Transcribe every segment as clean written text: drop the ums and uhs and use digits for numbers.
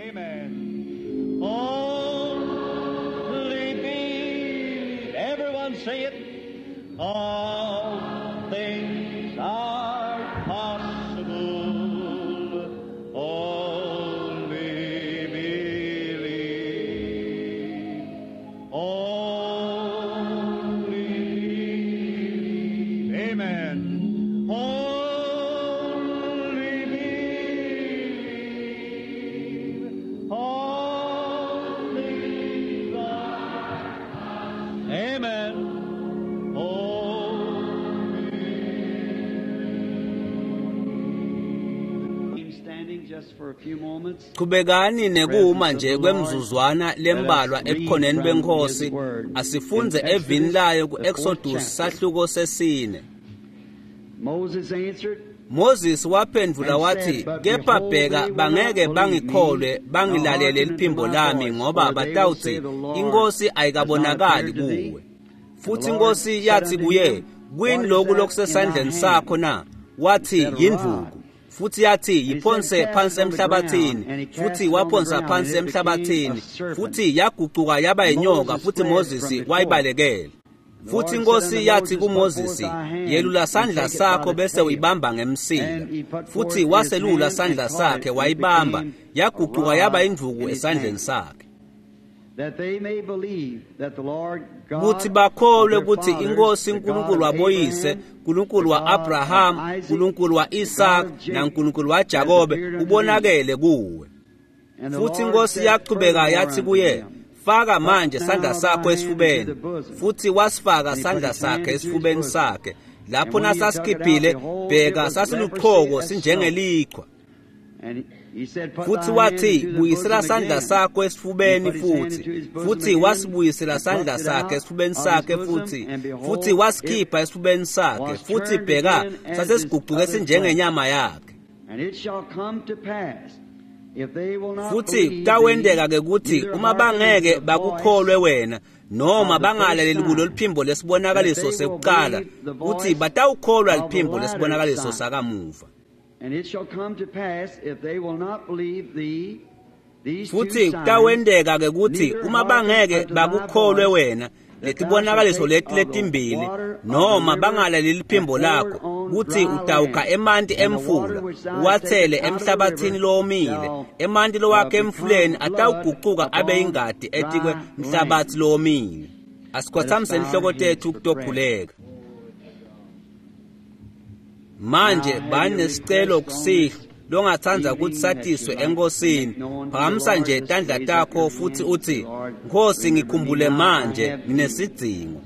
Amen. Only believe. Everyone say it. All things are possible. Only believe. Only believe. Amen. Only believe. All things are. Amen. Only. Standing just for a few moments. Qhubekani nekuma nje kwemzuzwana lembalwa ebukhoneni benkosi asifunze evini layo ku-Exodus sahluko sesine. Moses answered, Moses waphendvula wathi, kepha bheka bangeke bangikholwe bangilalele liphimbo lami ngoba batawutsi inkosi ayikabonakali kuwe. Futhi inkosi yathi kuye, kuyini lokhu lokusesandleni sakho na? Wathi yindvuku. Futhi yathi yiphonse phansi emhlabathini, futhi waphonsa phansi emhlabathini, futhi yagucuka yaba inyoka, futhi Moses wayibalekela. Futhi inkosi yathi kuMoses, yelula sandla sakho bese uyibamba ngemsila. Futhi waselula sandla sakhe wayibamba, yagucuka yaba indvuku esandleni sakhe. that they may believe that the Lord God Kuthi bakholwe of their ukuthi fathers, inkosi the uNkulunkulu God of waboyise, Abraham, uNkulunkulu the God of wa-Abraham, Isaac, uNkulunkulu wa-Isaka the God of Jacob, naNkulunkulu waJakobe has appeared unto ubonakele kuwe. And the Futhi Lord inkosi said yaqhubeka furthermore yathi unto kuye, him, faka manje Put sandla now sakho thy hand esifubeni. into the bosom. Futhi wasifaka And he put sandla his hand sakhe into his esifubeni bosom. sakhe. Lapho And when he took it out, nasasikhiphile, behold, it bheka was sasiluchoko leprosy as sinjengelichwa. And he said, Put Futhi thy hand wathi into the buyisela bosom sandla again. sakho esifubeni He put his hand futhi. into his bosom Futhi again, wasibuyisela and sandla plucked it sakhe out esifubeni of his sakhe bosom, futhi. and behold, Futhi wasikhipha esifubeni sakhe. was Futhi turned bheka again as sasesigucuke his other sinjengenyama yakhe. And it shall come to pass, if they will not Futhi believe kutawenteka thee, ke kuthi neither uma hearken bangeke to the bakukholwe voice wena noma of the first bangalaleli sign, kulo liphimbo lesibonakaliso that they will sekuqala believe the kuthi voice batawukholwa of the liphimbo latter lesibonakaliso sign. sakamuva. And it shall come to pass, if they will not believe thee, these two Futhi signs, kutawenteka ke kuthi neither uma hearken bangeke unto thy bakukholwe voice, wena that thou letibonakaliso shalt leti take of the letimbili water of the noma river bangalaleli and liphimbo pour it lakho on kuthi dry utawukha land. emanti And the water emfula which thou hast uwathele taken out of the emhlabathini river lowomile shall emanti lowakhe become emfuleni blood atawugucuka abe upon ingadi etikwe dry mhlabathi land. lowomile. Let us Asikhothamise bow our inhloko heads tethu for prayer. kutokhuleka. Manje Now, have bani you nesicelo request on kusihlwa this longatsandza evening kutsi that satiswe you'd like to enkosini make known to the phakamisa Lord? nje Just tandla raise up takho your futhi hand and say, uthi Lord, Nkosi remember me ngikhumbule now. I manje have need. nginesidzingo.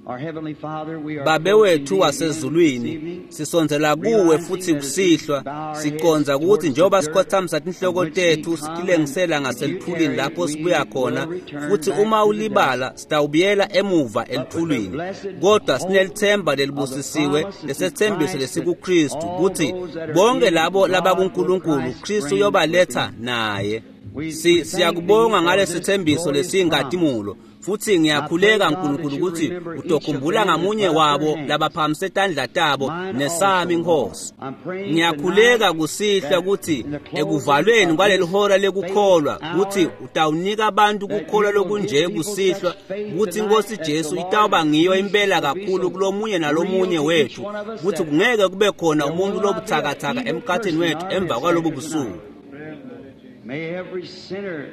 Our Heavenly Father, we are Babe approaching wethu thee again this wasezulwini evening, sisondzela kuwe realizing futhi that as we kusihlwa bow our heads siconza ukuthi towards the njengoba dirt sikhothamisa of tinhloko which we tethu come, and sitilengisela if you ngaselithulini tarry, lapho we sibuya khona will return futhi back uma to the ulibala dust. sitawubuyela emuva But with the elithulini blessed kodwa hope sinelithemba of the lelibusisiwe promise that's in lesethembiso Christ, that lesikuKristu all kuthi those that are bonke in labo God will labakuNkulunkulu Christ Kristu bring with uyobaletha him. naye. We thank thee Siyakubonga for ngalesi this thembiso glorious promise. lesiyinkhatimulo futhi I pray, ngiyakhuleka God, that nkulunkulu you ukuthi remember each of utokhumbula them that ngamunye put up their wabo hands, labaphakamise tandla tabo mine nesami also, Lord. Nkosi. I'm praying tonight Ngiyakhuleka kusihlwa that ukuthi in the closing ekuvalweni of kwaleli this hora faith lekukholwa kuthi hour, utawunika abantu that kukholwa you will give lokunje people such kusihlwa faith ukuthi tonight inkosi that the Jesu Lord itawuba ngiyo Jesus impela will be kakhulu so kulomunye real nalomunye to each wethu one of us kuthi that kungeke kube khona there umuntu will not be a lobuthakathaka feeble emkhathini person in wethu our emva midst kwalobu after busuku. tonight. May every sinner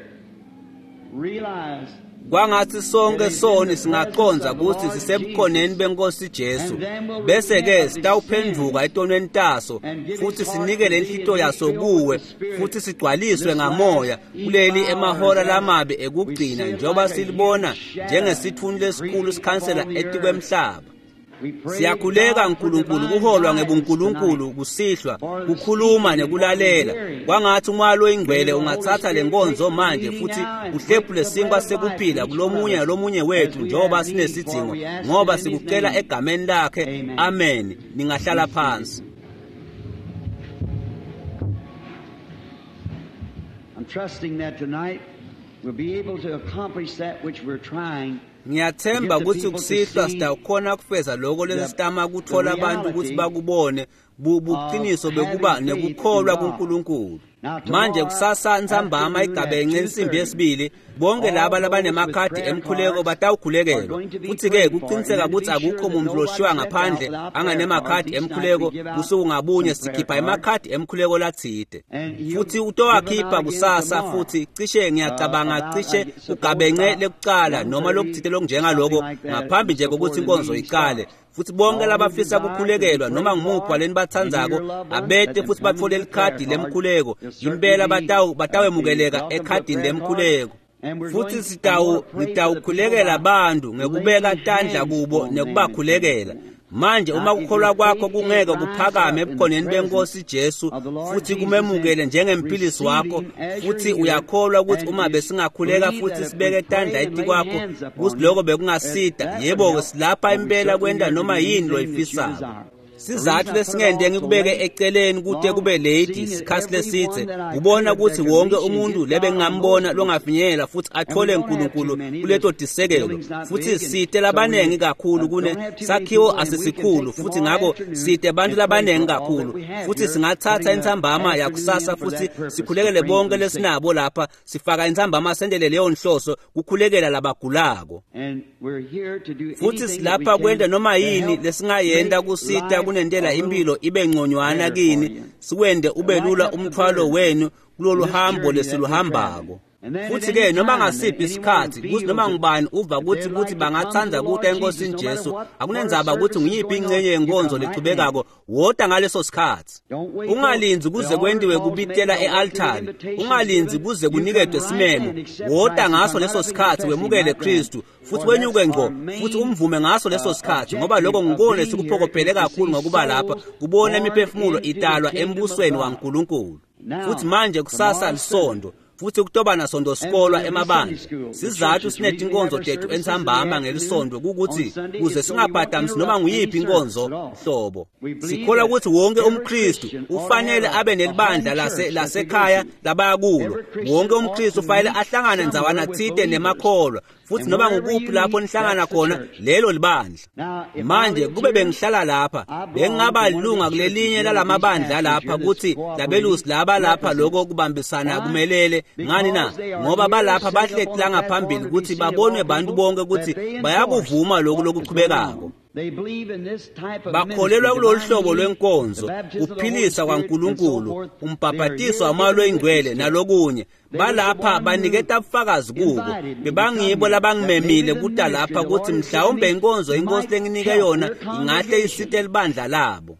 realize Kwangathi that sonke he's in soni the presence singaqonza of the ukuthi Lord sisebukhoneni Jesus, benkosi Jesu and then will bese repent ke of his sitawuphenduka sins etonweni taso and give his futhi heart to sinikele thee and inhlito be yaso filled with kuwe the Spirit futhi in sigcwaliswe this ngamoya last evil kuleli hour emahora as lamabi we ekugcina see it njengoba like a silibona huge shadow njengesithunzi lesikhulu creeping sikhansela upon the earth. etikwemhlaba. We pray, Siyakhuleka God, for nkulunkulu divine kuholwa guidance ngebunkulunkulu tonight, kusihlwa for the kukhuluma speaking and for the nekulalela hearing. kwangathi umoya May loyingcwele the Holy ungathatha Spirit take lenkonzo the manje leading futhi now and break uhlephule the bread sinkwa of life to sekuphila each one of kulomunye us nalomunye as wethu we njengoba have need, for sinesidzingo we ask ngoba it in His sikucela name. egameni lakhe. Amen. Amen. Ningahlala Be seated. phansi. I'm trusting that tonight we'll be able to accomplish that which we're trying to Ngiyathemba get the ukuthi people to kusihlwa see sitawukhona kufeza lokho the, lesitama the kuthola abantu ukuthi reality bakubone of buqiniso bekuba having faith in nekukholwa God. kuNkulunkulu. Manje kusasa ntsambama igabence insimbi yesibili, bonke laba labanemakhadi emkhuleko batawukhulekelwa. Futhi-ke kuqiniseka ukuthi akukho muntu loshiwa ngaphandle anganemakhadi emkhuleko. Busuku ngabunye sikhipha emakhadi emkhuleko latsite, futhi utowakhipha kusasa. Futhi cishe ngiyacabanga cishe kugabence lekucala noma lokutsite lokunjengaloko ngaphambi nje kokuthi inkonzo iqale. Futhi bonke labafisa kukhulekelwa noma ngumuphi waleni batsandzako abete futhi batfole likhadi lemkhuleko. Impela batawemukeleka ekhadini lemkhuleko. Futhi ngitawukhulekela abantu ngekubeka tandla kubo nekubakhulekela. Manje uma kukholwa kwakho kungeke kuphakame ebukhoneni benkosi Jesu futhi kumemukele njengemphilisi wakho, futhi uyakholwa ukuthi uma besingakhuleka futhi sibeke tandla etikwakho kuthi lokho bekungasida, yebo-ke silapha impela kwenta noma yini loyifisako. Sizathu lesingende ngikubeke eceleni kude kube late isikhathi lesithe ubona ukuthi wonke umuntu lebengingambona longafinyela futhi athole uNkulunkulu kuleto disekelo. Futhi site labanengi kakhulu kune sakhiwo asisikhulu, futhi ngakho site abantu labanengi kakhulu, futhi singathatha intsambama yakusasa futhi sikhulekele bonke lesinabo lapha, sifaka intsambama sendele leyo nhloso kukhulekela labagulako. Futhi silapha kwenta noma yini lesingayenta kusita kunentela impilo ibe ngconywana kini, siwende ube lula umthwalo wenu kulolu hambo lesiluhambako. Futhi-ke noma ngasiphi isikhathi kuthi noma ngubani uva ukuthi bangathanda kuta enkosini Jesu, akunendzaba ukuthi nguyiphi ingcenye yenkonzo lechubekako, wota ngaleso sikhathi. Ungalindzi kuze kwentiwe kubitela e-altari, ungalindzi kuze kunikedwe simemo, wota ngaso leso sikhathi wemukele Kristu futhi wenyuke ngqo futhi umvume ngaso leso sikhathi, ngoba lokho ngikona esikuphokophele kakhulu ngokuba lapha kubona imiphefumulo italwa embusweni waNkulunkulu. Futhi manje kusasa lisondo, futhi kutoba nasonto sikolwa emabandla. Sizathu sinetinkonzo tethu entsambama ngelisondo kukuthi kuze singabhadamisi noma nguyiphi inkonzo hlobo. Sikholwa ukuthi wonke umKristu ufanele abe nelibandla lasekhaya labaya kulo. Wonke umKristu ufanele ahlangane ndzawana tsite nemakholwa, futhi noma ngukuphi lapho nihlangana khona lelo libandla. Manje kube bengihlala lapha bengingaba lilunga kulelinye lalamabandla lapha kuthi labelusi laba lapha lokho kubambisana kumelele ngani na, ngoba balapha bahleti la ngaphambili ukuthi babonwe bantu bonke ukuthi bayakuvuma lokhu lokuchubekako. Bakholelwa kulolu hlobo lwenkonzo, kuphilisa kwaNkulunkulu, umbhabhatiso wamoya oyingcwele nalokunye. Balapha baniketa ubufakazi kubo, bebangibo labangimemile kuta lapha ukuthi mhlawumbe inkonzo inkosi lenginike yona ingahle isite libandla labo.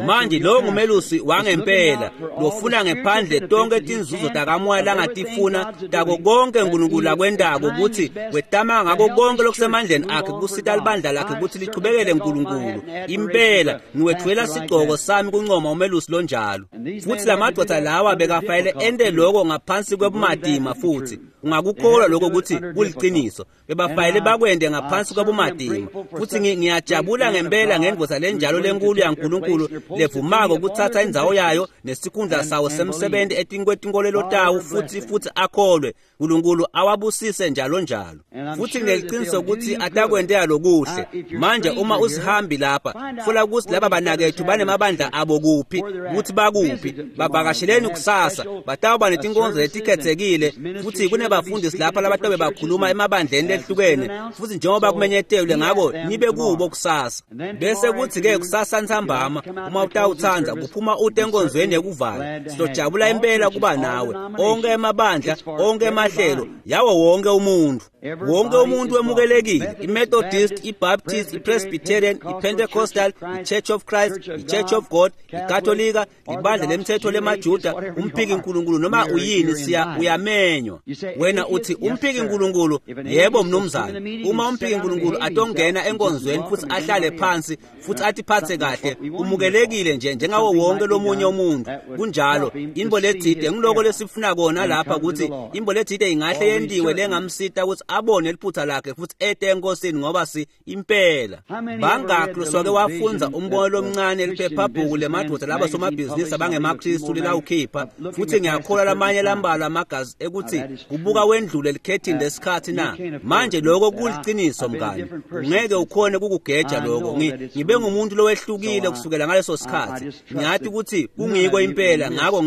Manje lo ngumelusi wangempela lofuna ngephandle tonke tinzuzo takamoya langatifuna tako konke uNkulunkulu akwentako ukuthi wetama ngako konke lokusemandleni akhe kusita libandla lakhe ukuthi lichubekele uNkulunkulu. Impela ngiwethwela sigcoko sami kuncoma umelusi lonjalo. Futhi lamadoda lawa bekafanele ente lokho ngaphansi kwebumatima, futhi ungakukholwa lokho ukuthi kuliqiniso. Bebafanele bakwende ngaphansi kwebumatima. Futhi ngiyajabula ngempela ngendvodza lenjalo lenkulu yaNkulunkulu levumako kuthatha indzawo yayo nesikhundla sawo semsebenzi etinkolelo tawo futhi akholwe. uNkulunkulu awabusise njalo njalo. Futhi ngineqiniso ukuthi atakwentela lokuhle. Manje uma usihambi lapha, funa ukuthi laba banakethu banemabandla abo kuphi, ukuthi bakuphi, bavakasheleni kusasa, batawuba netinkonzo letikhethekile, futhi kunebafundisi lapha labatobe bakhuluma emabandleni lehlukene, futhi njengoba kumenyetelwe ngako nibe kubo kusasa. Bese kuthi-ke kusasa ntsambama uma utawutsandza kuphuma ute enkonzweni yekuvala, sizojabula impela kuba nawe. Onke emabandla, onke emahlelo, yawo wonke umuntu. Wonke umuntu wemukelekile, iMethodist, iBaptist, iPresbyterian, iPentecostal, iChurch of Christ, iChurch of God, iKatolika, ibandla lemthetho lemaJuda, umphiki uNkulunkulu noma uyini, siya uyamenywa. Wena uthi umphiki uNkulunkulu? Yebo mnumzane. Uma umphiki uNkulunkulu atongena enkonzweni futhi ahlale phansi futhi atiphathe kahle, umukelekile nje njengawo wonke lomunye umuntu. Kunjalo, imbo letsite ngiloko lesifuna kona lapha ukuthi imbo letsite ingahle yentiwe lengamsita ukuthi abone liphutha lakhe futhi ete enkosini ngoba si impela. Bangakhi loswake wafundza umbono lomncane liphephabhuku lemadvodza laba somabhizinisi abangemaKristu lelawukhipha, futhi ngiyakholwa lamanye lambalwa amagazi ekuthi kubuka wendlule likhethini lesikhathi na. Manje lokho kuliciniso mngani, ungeke ukhone kukugeja lokho. Ngibe ngumuntu lowehlukile kusukela ngaleso sikhathi. Ngiyathi ukuthi kungiko impela, ngakho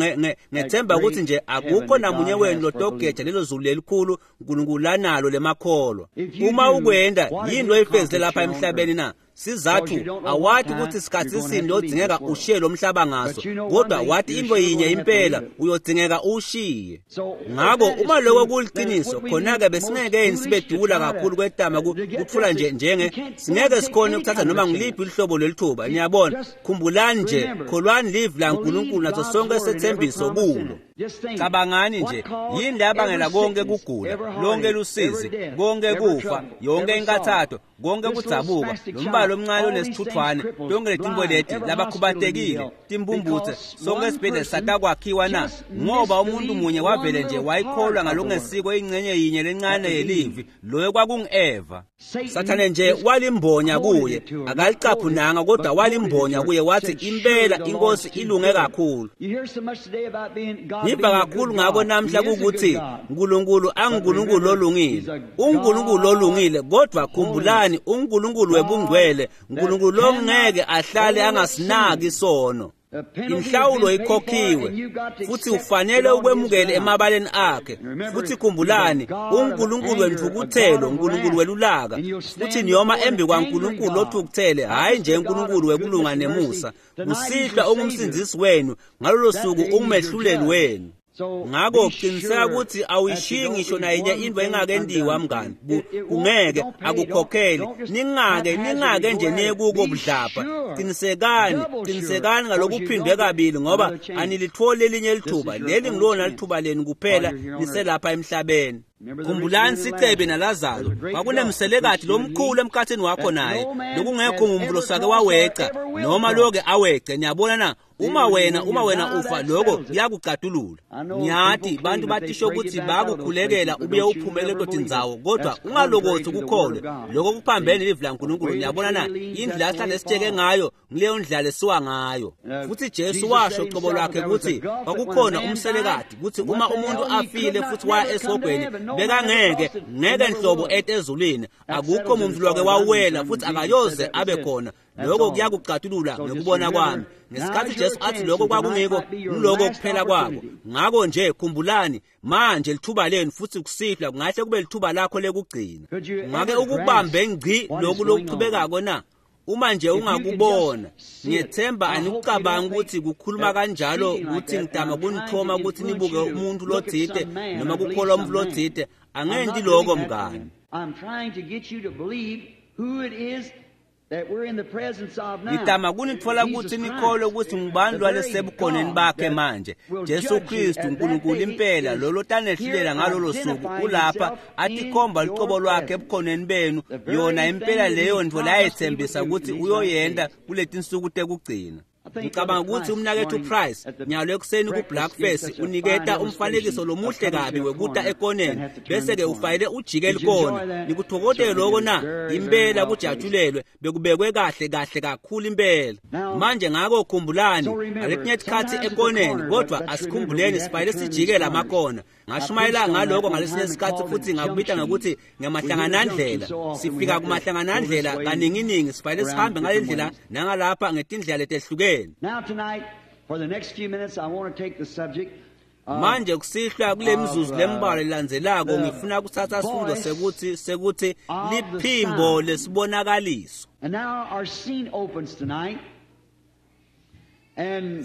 ngethemba ukuthi nje akukho namunye wenu lotogeja lelo zulu lelikhulu uNkulunkulu lanalo lemakholwa. Uma ukwenda yini loyifezile lapha emhlabeni na? Sizathu awathi ukuthi sikhathi sini lodingeka ushiye lo mhlaba ngaso, kodwa wathi into yinye impela uyodzingeka ushiye. Ngakho uma lokho kuliciniso, khona-ke besingeke sibedula kakhulu kwetama kutfula nje njenge singeke sikhone ukuthatha noma ngiliphi uhlobo lwelithuba. Niyabona, khumbulani nje, kholwani livi laNkulunkulu naso sonke esethembiso kulo. Cabangani nje, yini leyabangela konke kugula, lonke lusizi, konke kufa, yonke inkathatho, konke kudzabuka, lombalo omncane onesithuthwane, tonke letinto leti labakhubatekile, timbumbutse, sonke esibhedlela satakwakhiwa na? Ngoba umuntu munye wavele nje wayikholwa ngalokungesiko ingcenye yinye lencane yelivi, loyo kwakungu-Eva. Sathane nje walimbonya kuye, akalicaphunanga kodwa walimbonya kuye, wathi impela inkosi ilunge kakhulu. Ngiva kakhulu ngako namhla ukuthi uNkulunkulu anguNkulunkulu olungile, uNkulunkulu olungile, kodwa khumbulani uNkulunkulu webungcwele, uNkulunkulu longeke ahlale angasinaki isono. Inhlawulo ikhokhiwe futhi ufanele ukwemukele emabaleni akhe. Futhi khumbulani, uNkulunkulu wentfukuthelo, uNkulunkulu welulaka, futhi niyoma embi kwaNkulunkulu lothukuthele, hhayi nje uNkulunkulu wekulunga nemusa. Kusihlwa ungumsindzisi wenu, ngalolo suku ungumehluleli wenu. Ngakho qiniseka ukuthi awuyishiyi ngisho nayinye into engakendiwa mngani. Kungeke akukhokheli, ningake nje niye kuko budlapha. Qinisekani, qinisekani ngalokuphindwe kabili, ngoba anilitholi elinye lithuba. Leli ngilona lithuba lenu kuphela niselapha emhlabeni. Khumbulani sicebe naLazaro, kwakunemselekati lomkhulu emkhathini wakho naye, lokungekho muntu losake waweca noma loke awece. Niyabona na? Uma wena ufa, lokho kuyakucatulula. Ngiyathi bantu batisho ukuthi bakukhulekela ubuye uphumele kotindzawo, kodwa ungalokothi ukukholwe lokho kuphambene nelivi laNkulunkulu. Niyabona na? Indlela ahlale sitsheke ngayo ngileyo ndlela lesiwa ngayo. Futhi Jesu washo qobo lwakhe ukuthi kwakukhona umselekati, ukuthi uma umuntu afile futhi waya esihogweni, bekangeke ngeke nhlobo ete ezulwini, akukho muntu lwake wawela futhi akayoze abe khona. Lokho kuyakucatulula ngokubona kwami. Ngesikhathi Jesu athi lokho kwakungiko, ngiloko kuphela kwako. Ngakho nje khumbulani manje lithuba lenu, futhi kusihlwa kungahle kube lithuba lakho lekugcina. Ungake ukubambe ngci lokhu lokuchubekako na? Uma nje ungakubona, ngiyethemba anikucabangi ukuthi kukhuluma kanjalo ukuthi ngitama kunithoma ukuthi nibuke umuntu lothite noma kukholwa umuntu lothite. Angendi lokho mngani. I'm trying to get you to believe who it is that we're in the presence of now. Ngitama kunitfola ukuthi nikholwe ukuthi ngubani lwalesebukhoneni bakhe manje. Jesu Kristu uNkulunkulu impela lolo tanehlulela ngalolo suku ulapha atikhomba lucobo lwakhe ebukhoneni benu, yona impela leyo ntfo layethembisa ukuthi uyoyenda kuletinsuku tekugcina. Ngicabanga ukuthi umnakethu Price nyalo ekuseni ku-Blackface uniketa umfanekiso lomuhle kabi wekuta ekoneni, bese-ke ufayele ujike likona. Nikuthokote lokho na? Impela kujatshulelwe, bekubekwe kahle kahle kakhulu impela. Manje ngakho khumbulani, ngaletinye tikhathi ekoneni, kodwa asikhumbuleni sifayele sijike lamakona. Ngashumayela ngaloko ngalesinye isikhathi futhi ngakubita ngokuthi ngamahlanganandlela. Sifika kumahlanganandlela kaninginingi, sifayele sihambe ngale ndlela nangalapha ngetindlela letehlukene. Now tonight, for the next few minutes, I want to take the subject. Manje kusihlwa kule mizuzu lembalwa lelandzelako ngifuna kuthatha sifundo sekuthi liphimbo lesibonakaliso. And now our scene opens tonight.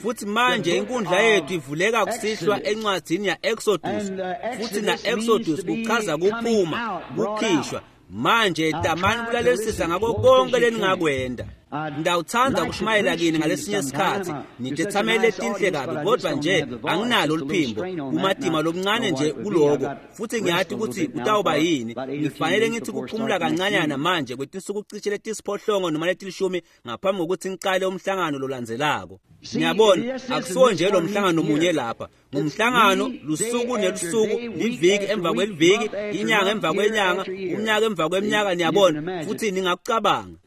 Futhi manje inkundla yethu ivuleka kusihlwa encwadzini ya-Exodus, futhi na-Exodus kuchaza kuphuma, kukhishwa. Manje tamani kulalelisisa ngako konke leningakwenda. Ngitawutsandza kushumayela kini ngalesinye isikhatsi, nitetsameli letinhle kabi, kodvwa nje anginalo liphimbo, kumatima lokuncane nje kuloko, futhi ngiyati kutsi kutawuba yini. Ngifanele ngithi kuphumula kancanyana manje kwetinsuku cishe letisiphohlongo noma letilishumi ngaphambi kokuthi ngiqale umhlangano lolandzelako. Ngiyabona akusiwo nje lo mhlangano munye lapha, ngumhlangano lusuku nelusuku, liviki emva kweliviki, inyanga emva kwenyanga, umnyaka emva kweminyaka, niyabona, futhi ningakucabanga.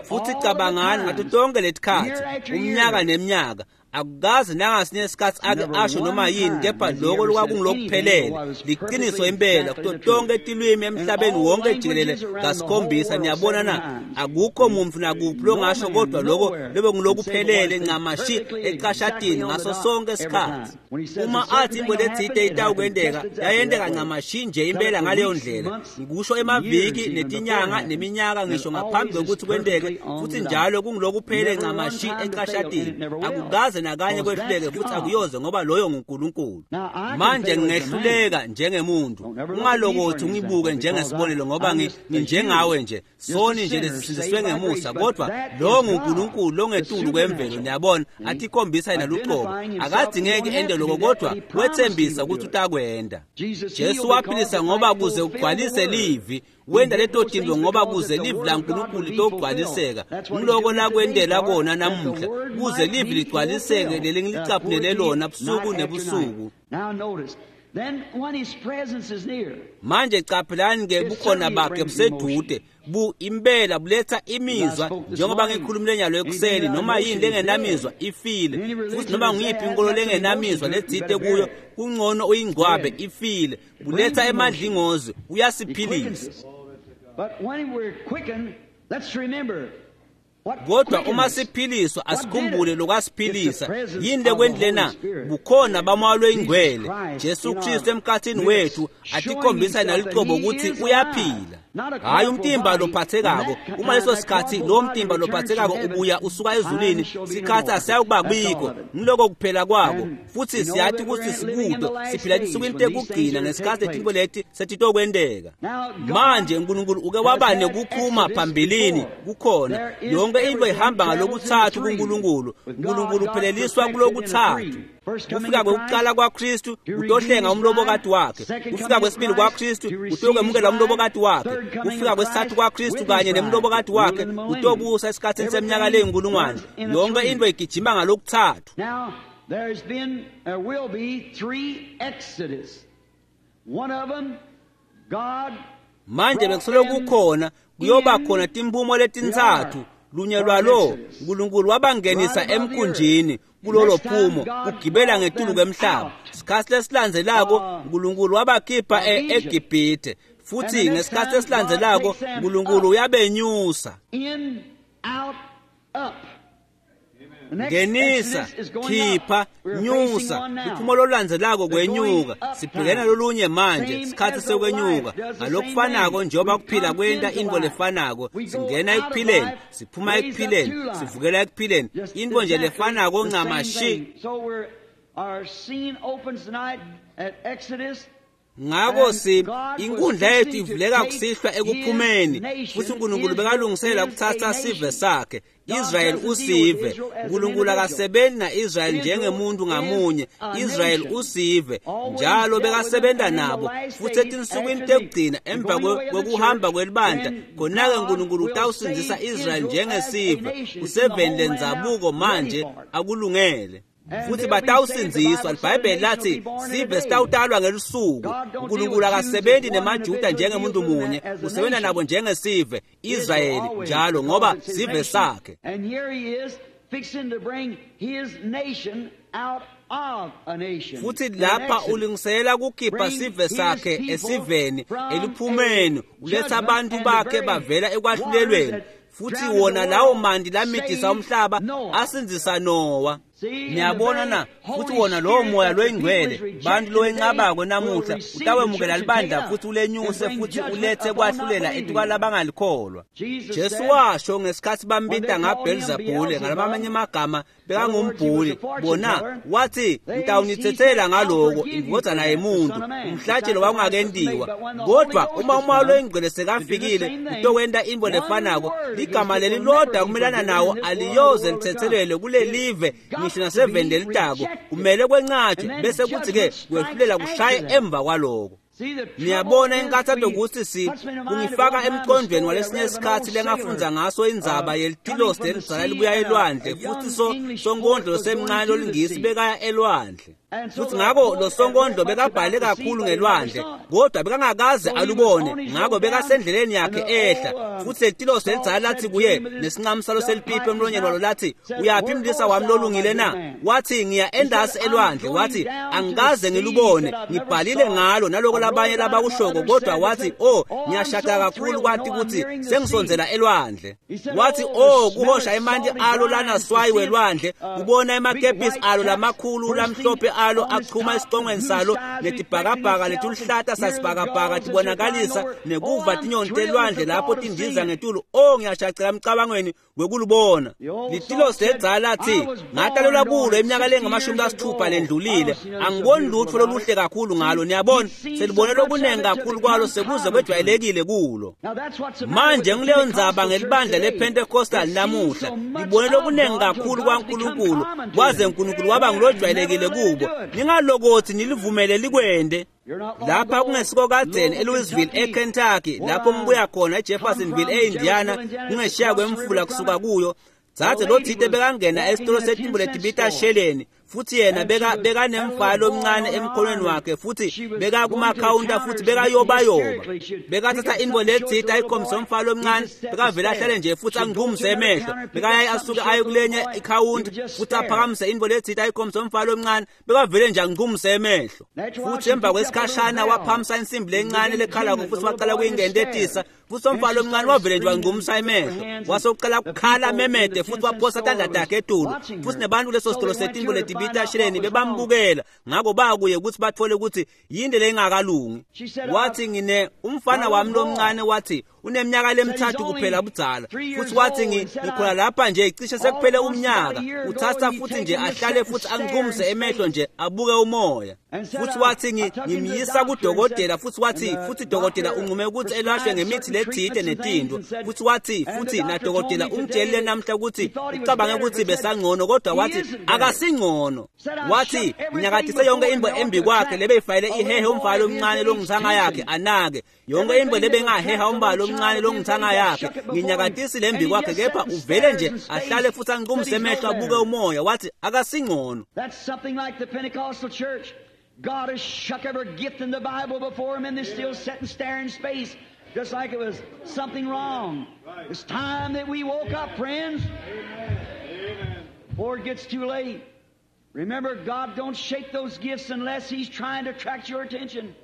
Futhi cabangani ngato tonke letikhatsi, umnyaka neminyaka, akukaze nangasinye isikhatsi ake asho noma yini, kepha lokho lokwakungilokuphelele liqiniso impela kuto tonke tilwimi emhlabeni wonke jikelele kasikhombisa. Niyabona na, akukho muntu nakuphi longasho kodwa lokho lebe ngilokuphelele ncamashi ecashatini ngaso sonke isikhatsi. Uma athi into letsite itawukwenteka, yayenteka ncamashi nje impela ngaleyo ndlela, ngikusho emaviki netinyanga neminyaka ngisho ngaphambi kokuthi kwenteke, futhi njalo kungilokuphelele ncamashi ecashatini. Akukaze nakanye kwehluleke, futhi akuyoze, ngoba loyo nguNkulunkulu. Manje ngingehluleka njengemuntu, ungalokothi ungibuke njengesibonelo, ngoba nginjengawe nje, soni nje lesisindiswe ngemusa, kodwa lo nguNkulunkulu longetulu kwemvelo, niyabona, atikhombisa yena luqobo. Akadzingeki ente lokho, kodwa wethembisa ukuthi utakwenda. Jesu waphilisa ngoba kuze ugcwalise livi, wenda leto tinto ngoba kuze livi laNkulunkulu litogcwaliseka. Ngiloko lakwendela kona namuhla, kuze livi ligcwaliseke lelingilicaphunele lona busuku nebusuku. Manje caphelani ke, bukhona bakhe busedude, bu impela buletha imizwa, njengoba ngikhulumile nyalo ekuseni, noma yini lengenamizwa ifile, futhi noma ngiyiphi inkolo lengenamizwa letsite kuyo, kungcono uyingcwabe, ifile. Buletha emadlingozi, uyasiphilisa. Kodwa uma siphiliswa, asikhumbule lokwasiphilisa. Yini lekwendile na? Bukhona baMoya loyiNgcwele, Jesu Kristu emkhathini wethu, atikhombisa nalucobo ukuthi uyaphila. Hayi umtimba lophathekako. Uma leso sikhathi lo mtimba lophathekako ubuya usuka ezulwini, sikhathi asiyawukuba bikho, ngiloko kuphela kwako. Futhi siyathi ukuthi sikude, siphila tinsukwini tekugcina ngesikhathi letinto leti setitokwenteka. Manje uNkulunkulu uke waba nekuphuma phambilini, kukhona yonke into ihamba ngalokuthathu kuNkulunkulu. uNkulunkulu upheleliswa kulokuthathu. Kufika kwekuqala kwaKristu utohlenga umlobokati wakhe, kufika kwesibili kwaKristu utokwemukela umlobokati wakhe, kufika kwesithathu kwaKristu kanye nemlobokati wakhe utobusa esikhatsini seminyaka leyinkulungwane. Yonke into igijima ngalokuthathu. Now there will be three exodus. One of them, God. Manje bekusoloko kukhona, kuyoba khona timphumo letintsatfu. Lunye lwalo uNkulunkulu wabangenisa emkhunjini kulolo phumo kugibela ngetulu kwemhlaba. Sikhathi lesilandzelako uNkulunkulu wabakhipha eGibhithe, futhi ngesikhathi esilandzelako uNkulunkulu uyabenyusa. In, out, up. Ngenisa, khipha, nyusa. Liphumo lolandzelako kwenyuka. Sibhekene lolunye manje, sikhathi sekwenyuka. Ngalokufanako njengoba kuphila kwenta into lefanako, singena ekuphileni, siphuma ekuphileni, sivukela ekuphileni. Into nje lefanako ncamashi. Ngako inkundla yethu ivuleka kusihlwa ekuphumeni, futhi uNkulunkulu bekalungisela kuthatha sive sakhe. Israel usive. uNkulunkulu akasebenzi na-Israel njengemuntu ngamunye. Israel usive njalo bekasebenza nabo, futhi etinsukwini tekugcina emva kwekuhamba kwelibandla, khona-ke uNkulunkulu utawusindzisa Israel njengesive. Useveni lendzabuko manje, akulungele. Futhi batawusindziswa. LiBhayibheli lathi sive sitawutalwa ngelusuku. uNkulunkulu akasebenzi nemaJuda njengemuntu munye, usebenza nabo njengesive, Israyeli njalo, ngoba sive sakhe. Futhi lapha ulungisela kukhipha sive sakhe esiveni eliphumeni, uletha abantu bakhe bavela ekwahlulelweni. Futhi wona lawo mandi lamidisa umhlaba asindzisa Nowa. Niyabona na futhi wona lowo moya loyingcwele bantu lowenqabako namuhla utawemukela libandla futhi ulenyuse futhi ulethe kwahlulela etukwalabangalikholwa. Jesu washo ngesikhathi bambita ngaBelzebule ngalamanye amagama bekangumbhuli bona wathi ngitawunithethela ngaloko indvodzana yemuntu umhlatshelo wawungakentiwa kodwa uma umoya loyingcwele sekafikile utokwenta intfo lefanako ligama leli lodwa kumelana nawo aliyoze lithethelelwe kulelive ngisho naseveni lelitako kumele kwencatshwe bese kuthi-ke kwehlulela kushaye emva kwaloko. Niyabona inkathato kutsi kungifaka emqondweni walesinye isikhathi lengafundza ngaso indzaba yelitilosi lelidzala libuya elwandle futhi sonkondlo losemncane lolingisi bekaya elwandle futhi ngako lo sonkondlo bekabhale kakhulu ngelwandle kodwa bekangakaze alubone ngako bekasendleleni yakhe ehla futhi lelitilosi lelidzala lathi kuye nesincamu salo selipipi emlonyeni walo lathi uyaphi mlisa wami lolungile na wathi ngiya endasi elwandle wathi angikaze ngilubone ngibhalile ngalo naloko labanye labakushoko kodwa wathi oh ngiyashada kakhulu kwathi ukuthi sengisondzela elwandle wathi oh kuhosha emanti alo lanaswayi welwandle kubona emakepisi alo lamakhulu lamhlophe alo achuma esicongweni salo netibhakabhaka letuluhlata sasibhakabhaka tibonakalisa nekuva tinyoni telwandle lapho tindiza ngetulu oh ngiyashacela emcabangweni wekulubona litilosi lelidzala lathi ngatalelwa kulo iminyaka lengamashumi lasithupha lendlulile angiboni lutfo loluhle kakhulu ngalo niyabona selibone lokunengi kakhulu kwalo sekuze kwejwayelekile kulo. Manje ngileyo ndzaba ngelibandla lePentecostal namuhla libone lokunengi kakhulu kwaNkulunkulu kwaze uNkulunkulu waba ngilojwayelekile kubo ningalokothi nilivumele likwende. Lapha kungesiko kadzeni eLouisville eKentucky lapho ngibuya khona eJeffersonville eIndiana kungeshiya kwemfula kusuka kuyo dzadze lotsite bekangena esitolo setimbu letibita sheleni futhi yena bekanemfala lomncane emkhonweni wakhe futhi bekakumakhawunta futhi bekayobayoba bekathatha intfo letsite ayikhombise umfala lomncane bekavele ahlale nje futhi angiqumise emehlo bekayaye asuke aye kulenye ikhawunta futhi aphakamise intfo letsite ayikhombise umfala lomncane bekavele nje angiqumise emehlo futhi emva kwesikhashana waphamisa insimbi lencane lekhalako futhi wacala kuyingentetisa futhi umfana lomncane wavele nje wangqumisa emehlo wase ucala kukhala memede futhi waphosa tandla takhe etulu futhi nebantu leso sitolo setimbu letibita sheleni bebambukela ngako bakuye ukuthi bathole ukuthi yini lengakalungi. Wathi ngine umfana wami lomncane wathi uneminyaka lemithathu kuphela budzala futhi wathi ngikhona lapha nje cishe sekuphele umnyaka uthatha futhi nje ahlale futhi angiqumise emehlo nje abuke umoya futhi wathi ngimyisa kudokotela futhi wathi futhi dokotela unqume ukuthi elashwe ngemithi lethite netinto futhi wathi futhi nadokotela ungitshelile namhla ukuthi ucabange ukuthi besangcono kodwa wathi akasingcono wathi nginyakadise yonke into embi kwakhe lebeyifayele ihehe umfana omncane longithanga yakhe anake yonke into lebengaheha umbalo omncane longithanga yakhe nginyakadisi lembi kwakhe kepha uvele nje ahlale futhi angiqumise emehlo abuke umoya wathi akasingcono. That's something like the Pentecostal church. God has shook every gift in the Bible before him and they still sit and stare in space just like it was something wrong. It's time that we woke up, friends. Before it gets too late. Remember, God don't shake those gifts unless he's trying to attract your attention.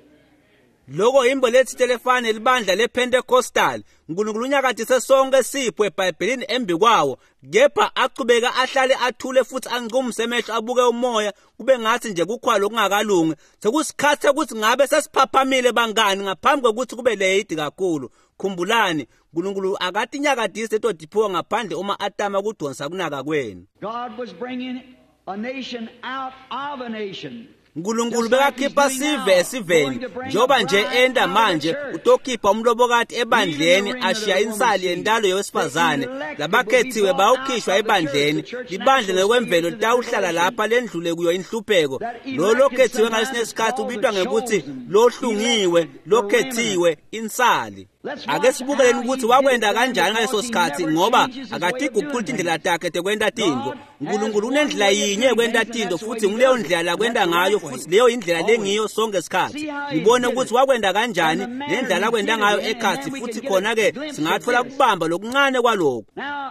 Loko imbo letsite lefana libandla lePentecostal uNkulunkulu unyakadise sonke sipho eBhayibhelini embi kwawo kepha achubeka ahlale athule futhi anqumise emehlo abuke umoya kube ngathi nje kukhwalo okungakalungi sekusikhathi ukuthi ngabe sesiphaphamile bangani ngaphambi kokuthi kube late kakhulu. Khumbulani uNkulunkulu akatinyakadise leto tiphiwo ngaphandle uma atama kudonsa kunaka kwenu. God was bringing a nation out of a nation. uNkulunkulu bekakhipha sive esiveni njengoba nje enda manje utokhipha umlobokati ebandleni ashiya insali yentalo yowesifazane labakhethiwe bawukhishwa ebandleni libandla ngokwemvelo litawuhlala lapha lendlule kuyo inhlupheko lo lokhethiwe ngalesinye isikhathi ubitwa ngekuthi lohlungiwe lokhethiwe insali. Ake sibukeleni ukuthi wakwenda kanjani ngaleso sikhathi ngoba akatiguquli tindlela takhe tekwenta tintfo. uNkulunkulu unendlela yinye yekwenta tintfo futhi nguleyo ndlela lakwenta ngayo futhi leyo indlela lengiyo sonke isikhathi. Ngibone ukuthi wakwenda kanjani nendlela akwenta ngayo ekhathi futhi khona-ke singathola kubamba lokuncane kwalokhu.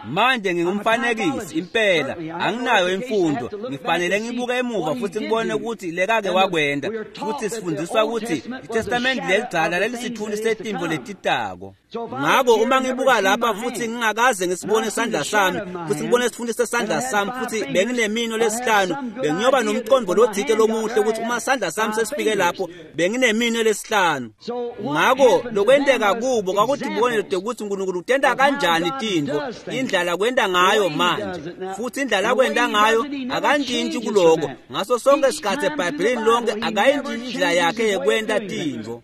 Manje ngingumfanekisi impela anginayo imfundo ngifanele ngibuke emuva futhi ngibone ukuthi lekake wakwenda futhi sifundiswa ukuthi iTestament lelidzala lelisithunzi setimvo letitako. lokwentako. Ngako uma ngibuka lapha futhi ngingakaze ngisibone isandla sami, futhi ngibone isifundo sesandla sami, futhi benginemino lesihlanu, bengiyoba nomqondo lothite lomuhle ukuthi uma isandla sami sesifike lapho benginemino lesihlanu. Ngako lokwenteka kubo kwakudibonelo ukuthi uNkulunkulu utenda kanjani tintfo, indlela kwenta ngayo manje, futhi indlela kwenta ngayo akantshintshi kuloko. Ngaso sonke isikhathi eBhayibhelini lonke akayintshintshi indlela yakhe yekwenta tintfo.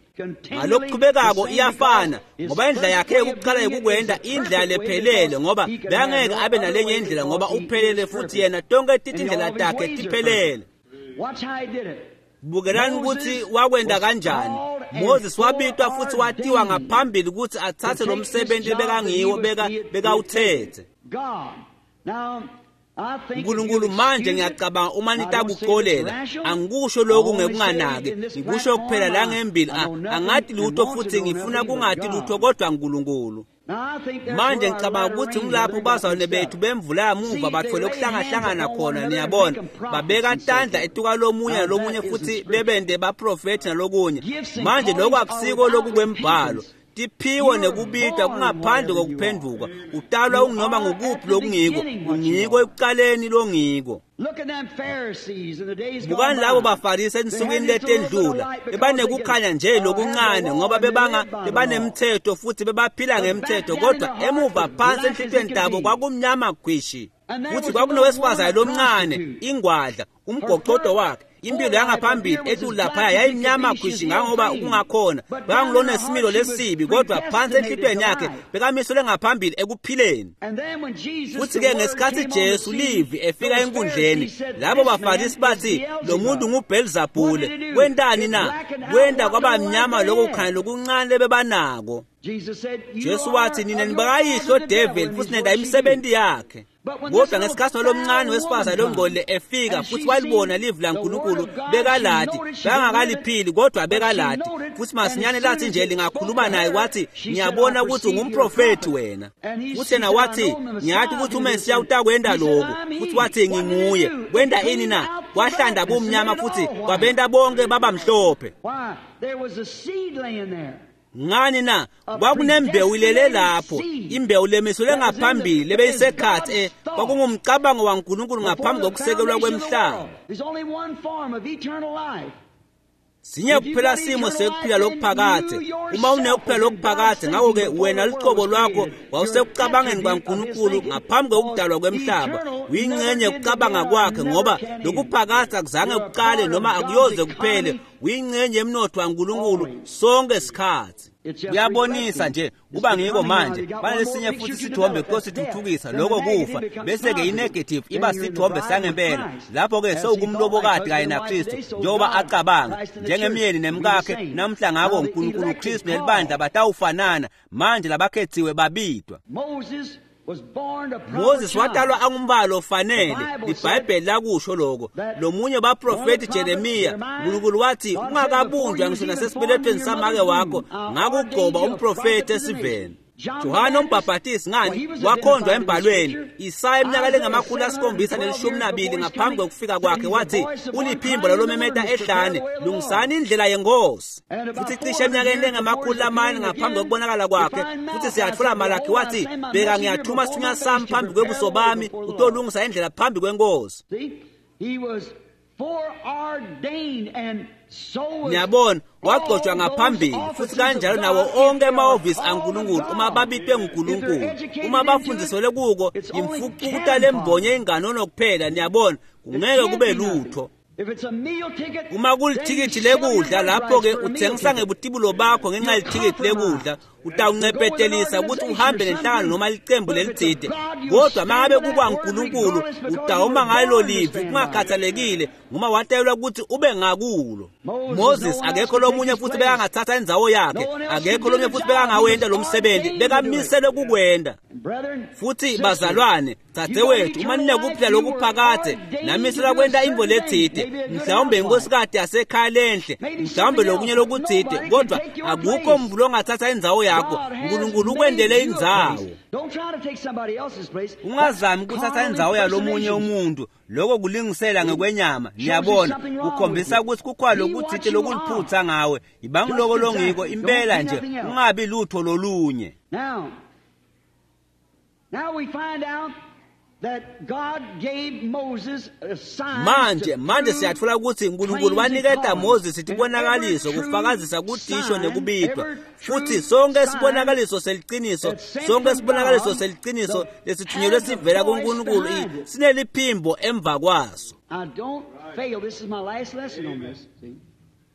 Ngalokuchubekako iyafana, ngoba indlela yakhe yokuqala yokukwenta indlela lephelele, ngoba bekangeke abe nalenye indlela ngoba uphelele futhi yena tonke tindlela takhe tiphelele. Bukelani ukuthi wakwenta kanjani. Moses wabitwa futhi watiwa ngaphambili ukuthi athathe lo msebenzi bekangiwo bekawuthethe. Nkulunkulu manje ngiyacabanga uma nitakuxolela, angikusho lokhu ngekunganaki, ngikusho kuphela la ngembili, angati lutho futhi ngifuna kungati lutho kodwa Nkulunkulu. Manje ngicabanga ukuthi ngilapho bazalwane bethu bemvula yamuva bathole ukuhlangahlangana khona, niyabona, babeka tandla etuka lomunye nalomunye futhi bebende baprofethi nalokunye. Manje lokhu akusiko lokhu kwembhalo. Tiphiwo nekubitwa kungaphandle kokuphenduka. Utalwa unginoma ngukuphi lokungiko, ungiko ekuqaleni longiko. Bukani labo baFarisi ensukwini letendlula, bebanekukhanya nje lokuncane ngoba bebanemthetho futhi bebaphila ngemthetho, kodwa emuva phansi enhlitiyweni tabo kwakumnyama gwishi. Futhi kwakunowesifazane lomncane, ingwadla, umgoqodo wakhe, impilo yangaphambili ethi laphaya yayimnyama khwishi ngangoba kungakhona, bekangulonesimilo lesibi, kodwa phansi enhlitiyweni yakhe bekamiselwe ngaphambili ekuphileni. Futhi-ke ngesikhathi Jesu livi efika enkundleni, labo baFarisi bathi lo muntu nguBhelzabhule. Kwentani na? Kwenta kwaba mnyama lokho kukhanya lokuncane lebebanako. Jesu wathi nina nibakayihlo devil futhi nenda imisebenzi yakhe. Kodwa ngesikhathi lomncane wesifazane longcolile efika futhi walibona livi laNkulunkulu, bekaladi, bekangakaliphili kodwa bekaladi. Futhi masinyane lathi nje lingakhuluma naye wathi ngiyabona ukuthi ungumprofethi wena. Futhi yena wathi ngiyathi ukuthi uMesiya utakwenda lokhu. Futhi wathi nginguye. Kwenda ini na? Kwahlanda kumnyama futhi kwabenta bonke baba mhlophe. Ngani na? Kwakunembewu ilele lapho, imbewu lemiselwe ngaphambili lebeyisekhathi, kwakungumcabango waNkulunkulu ngaphambi kokusekelwa kwemhlaba. Sinye kuphela simo sekuphila lokuphakathe. Uma unekuphila lokuphakathe, ngakho-ke wena lucobo lwakho wawusekucabangeni kwaNkulunkulu ngaphambi kokudalwa kwemhlaba. Uyingxenye yokucabanga kwakhe, ngoba lokuphakathe akuzange kuqale noma akuyoze kuphele. Uyingxenye yemnotho waNkulunkulu sonke isikhathi. Kuyabonisa nje kuba ngiko manje banalesinye futhi sithombe kosithuthukisa lokho kufa, bese-ke i-negative iba sithombe sangempela. Lapho-ke sewukumlobokati kanye naKristu njengoba acabanga njengemyeni nemkakhe namhla. Ngako uNkulunkulu Kristu nelibandla batawufanana manje, labakhethiwe babidwa. Moses watalwa angumbalo ofanele, iBhayibheli lakusho lokho. Lomunye baprofethi Jeremiya, uNkulunkulu wathi ungakabunjwa ngisho nasesibelethweni samake wakho ngakugcoba umprofethi esiveni. Johane umbhabhatisi ngani wakhonjwa embhalweni. Isaya iminyaka lengama-712 ngaphambi kokufika kwakhe wathi uliphimbo lalomemeta ehlane, lungisani indlela yenkosi. Futhi cishe eminyakeni lengama-400 ngaphambi kokubonakala kwakhe, futhi siyathola Malakhi wathi bheka ngiyathuma isithunywa sami phambi kwebuso bami utolungisa indlela phambi kwenkosi. Niyabona, wagcotshwa ngaphambili futhi kanjalo nawo onke amahhovisi aNkulunkulu uma babitwe nguNkulunkulu, uma bafundiselwe kuko imfucuta lembonye inganono kuphela. Niyabona, kungeke kube lutho. Uma kulithikithi lekudla, lapho-ke uthengisa ngebutibulo bakho ngenxa yelithikithi lekudla, utawuncepetelisa ukuthi uhambe nenhlangano noma licembu lelitsite. Kodwa mangabe kukwaNkulunkulu utawuma ngalo livi kungakhathalekile, ngoba watayelwa ukuthi ube ngakulo. Moses akekho lomunye futhi bekangathatha indzawo yakhe, akekho lomunye futhi bekangawenta lo msebenzi, bekamiselwe kukwenda. Futhi bazalwane, dzadzewethu, uma ninekuphila lokuphakathe namiselwa kwenta intfo letsite, mhlawumbe inkosikati yasekhaya lenhle, mhlawumbe lokunye lokutsite, kodwa akukho muntu longathatha indzawo yakho. Nkulunkulu ukwendele indzawo. Ungazami ukuthatha indzawo yalomunye umuntu. Lokho kulingisela ngekwenyama. Niyabona, kukhombisa ukuthi kukhona lokutsite lokuliphutha ngawe. Ibangiloko longiko impela nje, ungabi lutho lolunye. Now we find out that God gave Moses a sign. Manje siyatfola ukuthi uNkulunkulu waniketa Moses tibonakaliso kufakazisa kutisho nekubitwa. Futhi sonke sibonakaliso seliqiniso, sonke sibonakaliso seliqiniso lesithunyelwe sivela kuNkulunkulu sineliphimbo emva kwaso. I don't fail. This is my last lesson on this. See?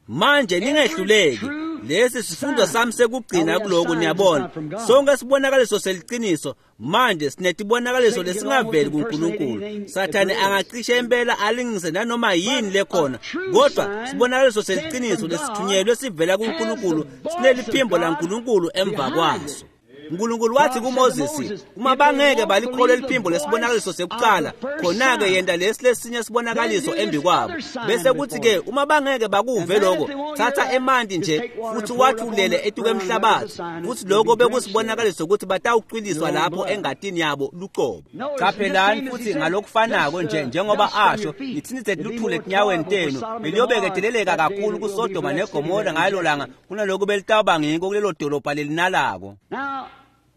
Manje ningehluleki. Lesi sifundo sami sekugcina kuloko, niyabona. Sonke sibonakaliso seliqiniso manje sinetibonakaliso lesingaveli kuNkulunkulu. Sathane angacishe impela alingise nanoma yini lekhona, kodwa sibonakaliso seliqiniso lesithunyelwe sivela kuNkulunkulu sineliphimbo laNkulunkulu emva kwaso. uNkulunkulu wathi kuMoses, uma bangeke balikholwe liphimbo lesibonakaliso sekuqala, khona-ke yenta lesi lesinye sibonakaliso embi kwabo. Bese kuthi-ke uma bangeke bakuve lokho, thatha emanti nje futhi wathulele etuke emhlabathi. Futhi lokho bekusibonakaliso ukuthi batawucwiliswa lapho engatini yabo luqobo. Qaphelani futhi ngalokufanako nje njengoba asho, nithinithe luthule etinyaweni tenu, beliyobekedeleleka kakhulu kuSodoma neGomora ngalelo langa kunalokhu belitawuba ngiko kulelo dolobha lelinalako. Now,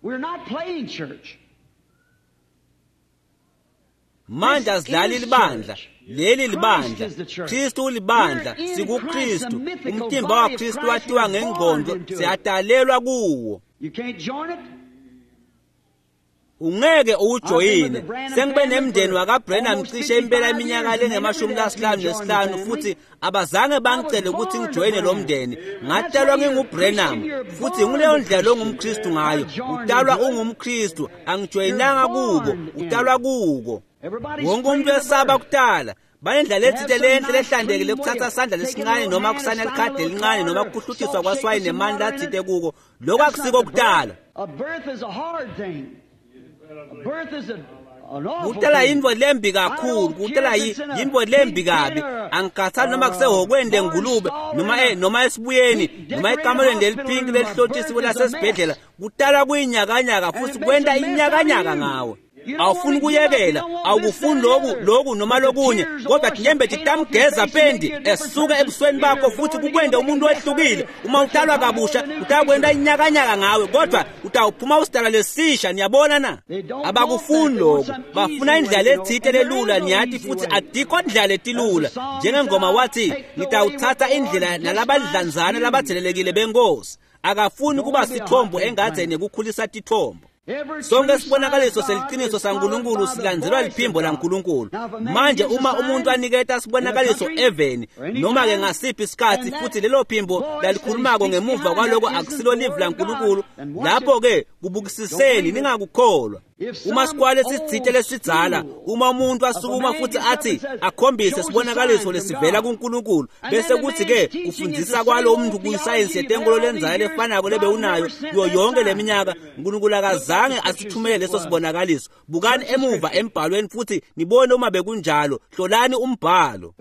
we're not playing church. Manje asidlali libandla. Leli libandla. Kristu ulibandla, sikuKristu. Umtimba waKristu watiwa ngengqondo, siyadalelwa kuwo. You can't join it. Ungeke uwujoyine. Sengibe nemndeni wakaBrenham cishe impela iminyaka lengama-55 futhi abazange bangicele ukuthi ngijoyine lo mndeni. Ngatalwa nginguBrenham futhi nguleyo ndlela longumKristu ngayo. Utalwa ungumKristu, angijoyinanga kubo, utalwa kuko. Wonke umuntu uyesaba kutala. Banendlela ethile lenhle lehlandekile kuthatha sandla lesincane noma kusana likhadi elincane noma kuhlutiswa kwaswayi nemandla athite kuko. Lokho akusiko kutala. A birth is a hard thing. A birth is an awful Kutala thing. yintfo lembi kakhulu, kutala yintfo lembi kabi. Angikhathali noma kusehhokweni lengulube noma esibuyeni noma ekamelweni leliphinki lelihlotshisiwe lasesibhedlela. Kutala kuyinyakanyaka futhi kwenta inyakanyaka ngawe. Awufuni kuyekela, awukufuni lokhu noma lokunye, kodwa tinyembeti tamgeza pendi esuka ebusweni bakho futhi kukwente umuntu wehlukile. Uma utalwa kabusha utakwenta inyakanyaka ngawe, kodwa utawuphuma usidalwa lesisha. Niyabona na? Abakufuni lokho, bafuna indlela ethile lelula. Niyathi futhi adikho indlela letilula. Njengengoma wathi, ngitawuthatha indlela nalabadlanzana labathelelekile benkosi. Akafuni kuba sithombo engadzeni yekukhulisa tithombo. Sonke sibonakaliso seliqiniso saNkulunkulu silandzelwa liphimbo laNkulunkulu. Manje uma umuntu aniketa sibonakaliso eveni noma ke ngasiphi isikhathi futhi lelo phimbo lalikhulumako ngemuva kwaloko akusilo livi laNkulunkulu, lapho ke kubukisiseni, ningakukholwa. Uma sikwale sitsite lesidzala, uma umuntu asukuma futhi athi akhombise sibonakaliso lesivela kuNkulunkulu, bese kuthi ke kufundzisa kwalo umuntu kuyisayensi yetenkolo lenzayo lefanako lebe unayo kuyo yonke leminyaka, uNkulunkulu akazange asithumele leso sibonakaliso. Bukani emuva embhalweni futhi nibone uma bekunjalo. Hlolani umbhalo.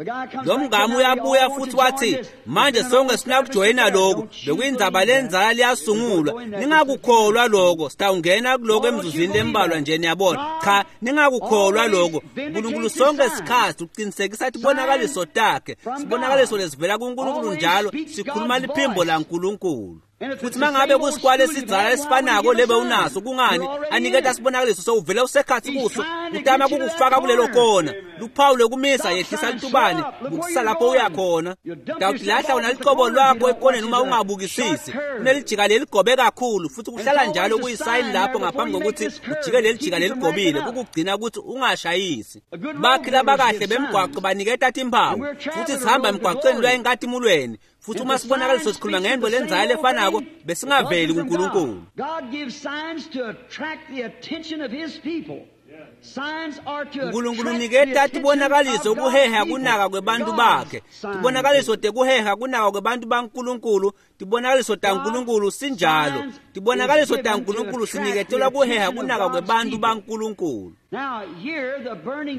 Lo mngami uyabuya futhi wathi, manje sonke sifuna ukujoyina lokhu, bekuyindzaba lenzala liyasungulwa. Ningakukholwa lokho, sitawungena kuloko emzuzwini lembalwa nje. Niyabona? Cha, ningakukholwa lokho. uNkulunkulu sonke isikhathi uqinisekisa tibonakaliso takhe, sibonakaliso lesivela kuNkulunkulu njalo sikhuluma liphimbo laNkulunkulu. Futhi mangabe kusikwale esidzala esifanako lebe unaso, kungani aniketa sibonakaliso sowuvela usekhathi kuso, utama kukufaka kulelo kona. Luphawu lokumisa, yehlisa litubane, bukisisa lapho uya khona. Utawutilahla wena licobo lwakho ekoneni uma ungabukisisi. Kunelijika leligobe kakhulu futhi kuhlala njalo kuyisayini lapho ngaphambi kokuthi ujike lelijika leligobile, kukugcina ukuthi ungashayisi. Bakhi labakahle bemgwaqo baniketa timphawu futhi sihamba emgwaqweni lwa enkatimulweni. Futhi uma sibonakaliso sikhuluma ngento lenzayo lefanako, besingaveli kuNkulunkulu. God gives signs to attract the attention of his people. Nkulunkulu uniketa tibonakaliso kuheha kunaka kwebantu bakhe, tibonakaliso tekuheha kunaka kwebantu baNkulunkulu, tibonakaliso taNkulunkulu sinjalo, tibonakaliso taNkulunkulu siniketelwa kuheha kunaka kwebantu baNkulunkulu.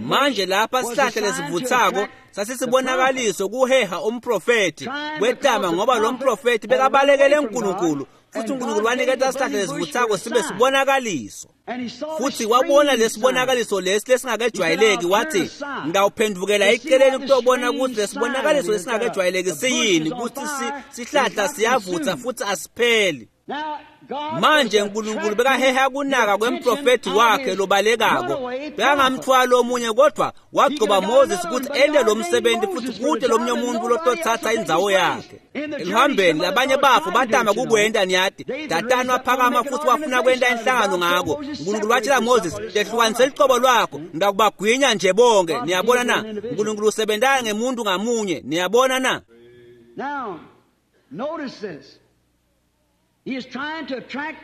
Manje lapha sihlahla lesivuthako sasisibonakaliso kuheha umprofethi kwetama, ngoba lo mprofethi bekabalekele uNkulunkulu, futhi uNkulunkulu waniketa sihlahla lesivuthako sibe sibonakaliso. Futhi wabona lesibonakaliso lesi lesingakejwayeleki, wathi ngawuphendvukela eceleni kutobona ukuthi lesibonakaliso lesingakejwayeleki siyini, ukuthi sihlahla siyavutha futhi asipheli. Manje uNkulunkulu bekaheha kunaka kwemprofethi wakhe lobalekako, bekangamthwali omunye, kodwa wagcoba Moses ukuthi ente lo msebenzi futhi kude lomunye umuntu lotothatha indzawo yakhe. Eluhambeni labanye bafo batama kukwenta, niyati Datani waphakama futhi wafuna kwenta inhlangano ngako. Unkulunkulu watshela Moses, tehlukanise licobo lwakho, ngakubagwinya nje bonke. Niyabona na? Unkulunkulu usebentana ngemuntu ngamunye. Niyabona na? Now, notice this.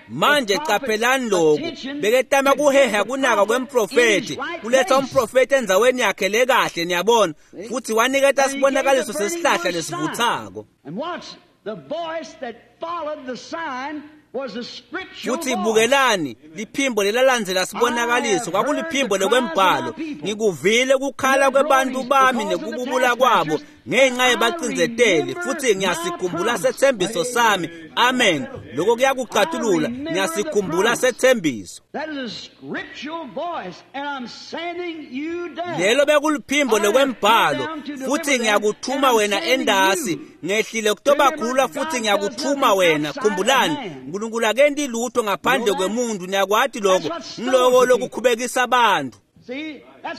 Manje qaphelani lokhu, beketama kuheha kunaka kwemprofethi, kuletha umprofethi endzaweni yakhe lekahle, niyabona, futhi waniketa sibonakaliso sesihlahla lesivuthako. Futhi bukelani liphimbo lelalandzela sibonakaliso kwakuliphimbo lekwembhalo, ngikuvile kukhala kwebantu bami nekububula kwabo ngenxa yebacindzeteli, futhi ngiyasikhumbula sethembiso sami. Amen. Lokho kuyakucatulula, ngiyasikhumbula sethembiso. Lelo bekuliphimbo lekwembhalo, futhi ngiyakuthuma wena endasi, ngehlile kutobakhulula futhi ngiyakuthuma wena. Khumbulani, uNkulunkulu akenti lutho ngaphandle kwemuntu, niyakwati lokho, ngiloko lokukhubekisa abantu.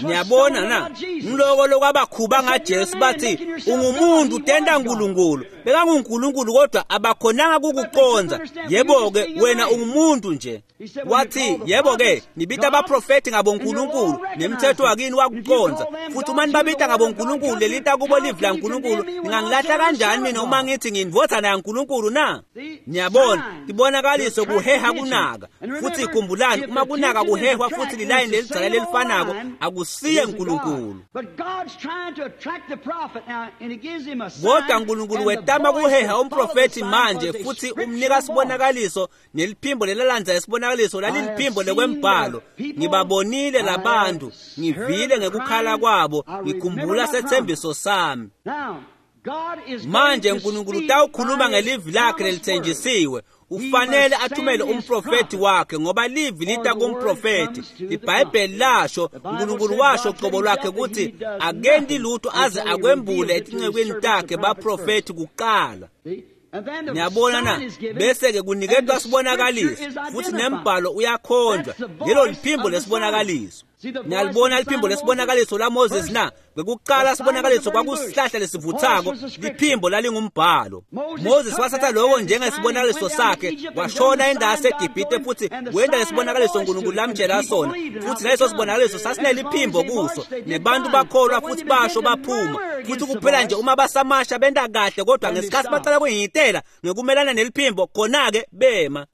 Niyabona na? Ngiloko lokwabakhuba ngaJesu, bathi ungumuntu tenta uNkulunkulu. BekanguNkulunkulu kodwa abakhonanga kukuqonza. Yebo-ke wena ungumuntu nje. Wathi yebo-ke nibita abaprofethi ngabonkulunkulu nemthetho wakini wakuqonza, futhi uma nibabita ngabonkulunkulu lelita kubo livi laNkulunkulu, ningangilahla kanjani mina uma ngithi ngiyindvodzana yaNkulunkulu na? Niyabona, tibonakaliso kuheha kunaka. Futhi khumbulani, uma kunaka kuhehwa futhi lilayini lelidzala lelifanako, akusiye uNkulunkulu. Kodwa uNkulunkulu wetama kuheha umprofethi manje, futhi umnika sibonakaliso, neliphimbo lelalandza isibonakaliso laliliphimbo lekwembhalo. Ngibabonile labantu, ngivile ngekukhala kwabo, ngikhumbula sethembiso sami. Manje uNkulunkulu utawukhuluma ngelivi lakhe lelithenjisiwe. Ufanele athumele umprofethi wakhe, ngoba livi lita kumprofethi. IBhayibheli lasho, uNkulunkulu washo qobo lwakhe ukuthi akenti lutho aze akwembule etincekwini takhe baprofethi kuqala. Niyabona na? Bese-ke kuniketwa sibonakaliso, futhi nembhalo uyakhonjwa. Lelo liphimbo lesibonakaliso. Niyalibona liphimbo lesibonakaliso la Moses na? Kwekuqala sibonakaliso kwakusihlahla lesivuthako, liphimbo lalingumbhalo. Moses wasatha lokho njengesibonakaliso sakhe, washona endasi eGibhithe futhi wenda lesibonakaliso uNkulunkulu lamtshela sona, futhi leso sibonakaliso sasineliphimbo kuso, nebantu bakholwa futhi basho baphuma. Futhi kuphela nje uma basamasha benta kahle, kodwa ngesikhathi baqala kuyihitela ngekumelana neliphimbo, khona-ke bema.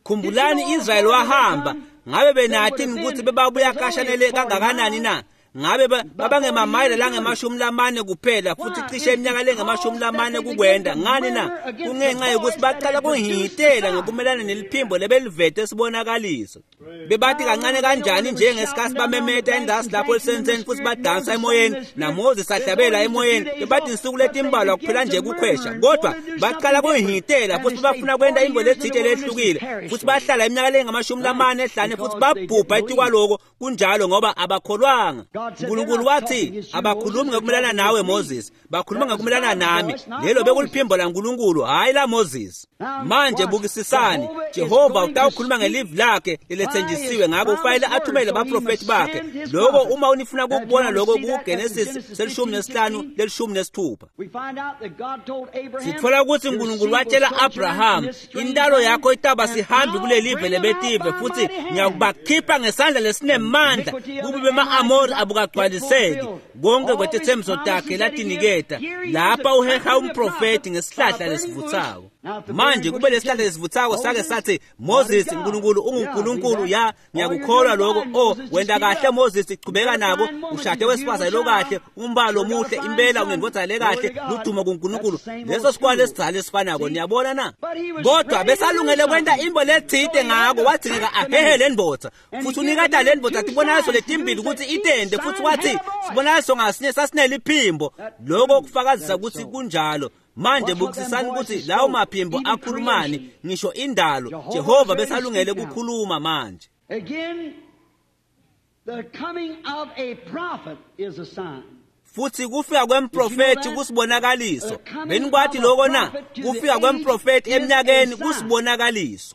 Khumbulani, Israyeli wahamba. Ngabe benathini ukuthi bebabuya kashanele kangakanani na? Ngabe babangemamayela lange-40 kuphela, futhi cishe iminyaka lenge-40 kukwenda. Ngani na? Kungenxa yokuthi baqala kuhitela ngokumelana neliphimbo lebelivete sibonakaliso. Bebathi kancane kanjani njengesikhathi bamemeta endasi lapho lisenseni futhi badansa emoyeni, naMoses ahlabela emoyeni. Bebathi insuku letimbalwa kuphela nje kukhwesha, kodwa baqala kuhitela futhi bafuna kwenta into lethile lehlukile, futhi bahlala iminyaka lenge-45 ehlane futhi babhubha etikwaloko. Kunjalo, ngoba abakholwanga. uNkulunkulu wathi abakhulumi ngekumelana nawe Moses, bakhuluma ngekumelana nami. Lelo bekuliphimbo laNkulunkulu, hhayi la Moses. Manje bukisisani, Jehova utawukhuluma ngelivi lakhe lelethenjisiwe, ngakho ufanele athumele abaprofethi bakhe. Lokho uma unifuna ukukubona lokho kuGenesis 15 16. Sithola ukuthi uNkulunkulu watshela Abraham, intalo yakho itaba sihambi kulelive lebetive, futhi ngiyakubakhipha ngesandla lesinemandla kubi bema-Amori abukagcwaliseki konke kwetethembiso takhe latiniketa. Lapha uheha umprofethi ngesihlahla lesivuthako. Manje kube lesihlahla lesivuthako sake sathi, Moses, uNkulunkulu unguNkulunkulu, ya ngiyakukholwa lokho. Oh, wenta kahle Moses, chubeka nako, ushade wesifazane lokahle, umbalo omuhle, impela unendvodza lekahle, ludumo kuNkulunkulu. Leso sikwale esidzala esifanako, niyabona na? Kodwa besalungele kwenta imbo letsite ngako, wadzingeka ahehe le ndvodza. Futhi uniketa le ndvodza tibonakaliso letimbili ukuthi itende, futhi wathi sibonakaliso ngasinye sasineliphimbo. Lokho kufakazisa ukuthi kunjalo. Manje bukisisani ukuthi lawo maphimbo akhulumani, ngisho indalo. Jehova besalungele kukhuluma manje. Again, the coming of a prophet is a sign. Futhi kufika kwemprofeti kusibonakaliso. Benikwati lokho na? Kufika kwemprofeti eminyakeni kusibonakaliso.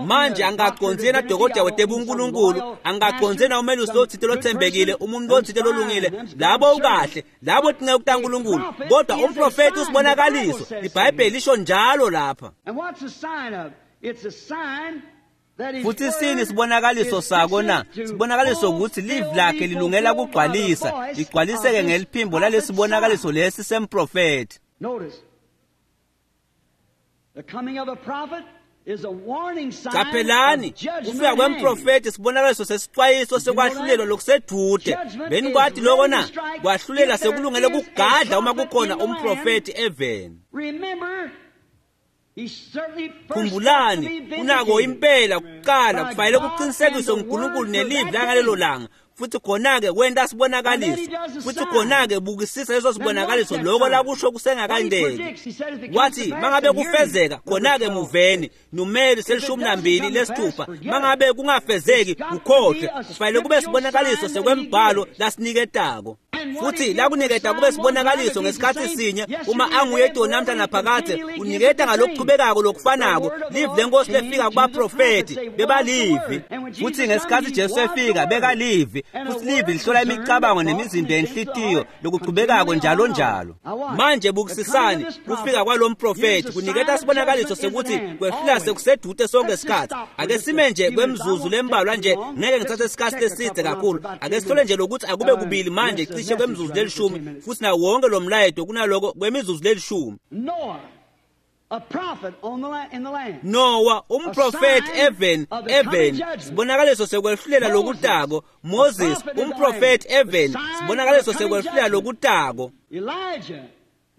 Manje angacondzena dokotela wetebunkulunkulu, angacondzena umelusi lotsite lotsembekile, umuntu lotsite lolungile, labo ukahle, labo tinceku taNkulunkulu. Kodwa umprofeti usibonakaliso. IBhayibheli lisho njalo lapha. And what's the sign of? It's a sign that his Futhi sini word sibonakaliso is sako na? fixed to Sibonakaliso ukuthi livi fulfill lakhe be lilungela fulfilled by the kugcwalisa, voice ligcwaliseke of this ngeliphimbo prophet's lalesibonakaliso sign. lesi semprofeti. Notice, the coming of a prophet is a warning sign Qaphelani, of judgment kufika at hand. kwemprofeti sibonakaliso sesixwayiso sekwahlulelwa lokusedude. Benikwati lokho na? Kwahlulela sekulungele kugadla uma kukhona umprofeti eveni. Remember, he certainly first got to Khumbulani, be kunako vindicated impela kuqala by kufanele God kuqinisekiswe and the nguNkulunkulu word for nelivi that langalelo day. langa. Futhi khona-ke wenta sibonakaliso. Futhi khona-ke bukisisa leso sibonakaliso lokho lakusho kusengakandeki. Wathi mangabe kufezeka khona-ke muveni numeri 26. Mangabe kungafezeki ukhohlwe, kufanele kube sibonakaliso sekwembhalo lasiniketako. Futhi lakuniketa kube sibonakaliso ngesikhathi sinye uma anguye namhla naphakadze, uniketa ngalokuchubekako lokufanako. Livi lenkosi lefika kubaprofeti bebalivi. Futhi ngesikhathi Jesu efika bekalivi, futhi livi lihlola imicabango nemizimba yenhlitiyo lokuchubekako njalo njalo. Manje bukisisani kufika kwalomprofeti kuniketa sibonakaliso sekuthi kwehlula sekusedude sonke isikhathi. Ake sime nje kwemizuzu lembalwa nje, ngeke ngithathe isikhathi leside kakhulu. Ake sithole nje lokuthi akube kubili manje cishe kwemizuzu lelishumi, futhi nawo wonke lo mlayeto kunaloko kwemizuzu lelishumi. Noah, a prophet on the in the land. Noah umprofeti eveni, sibonakaliso sekwehlulela lokutako. Moses umprofeti eveni, sibonakaliso sekwehlulela lokutako. Elijah,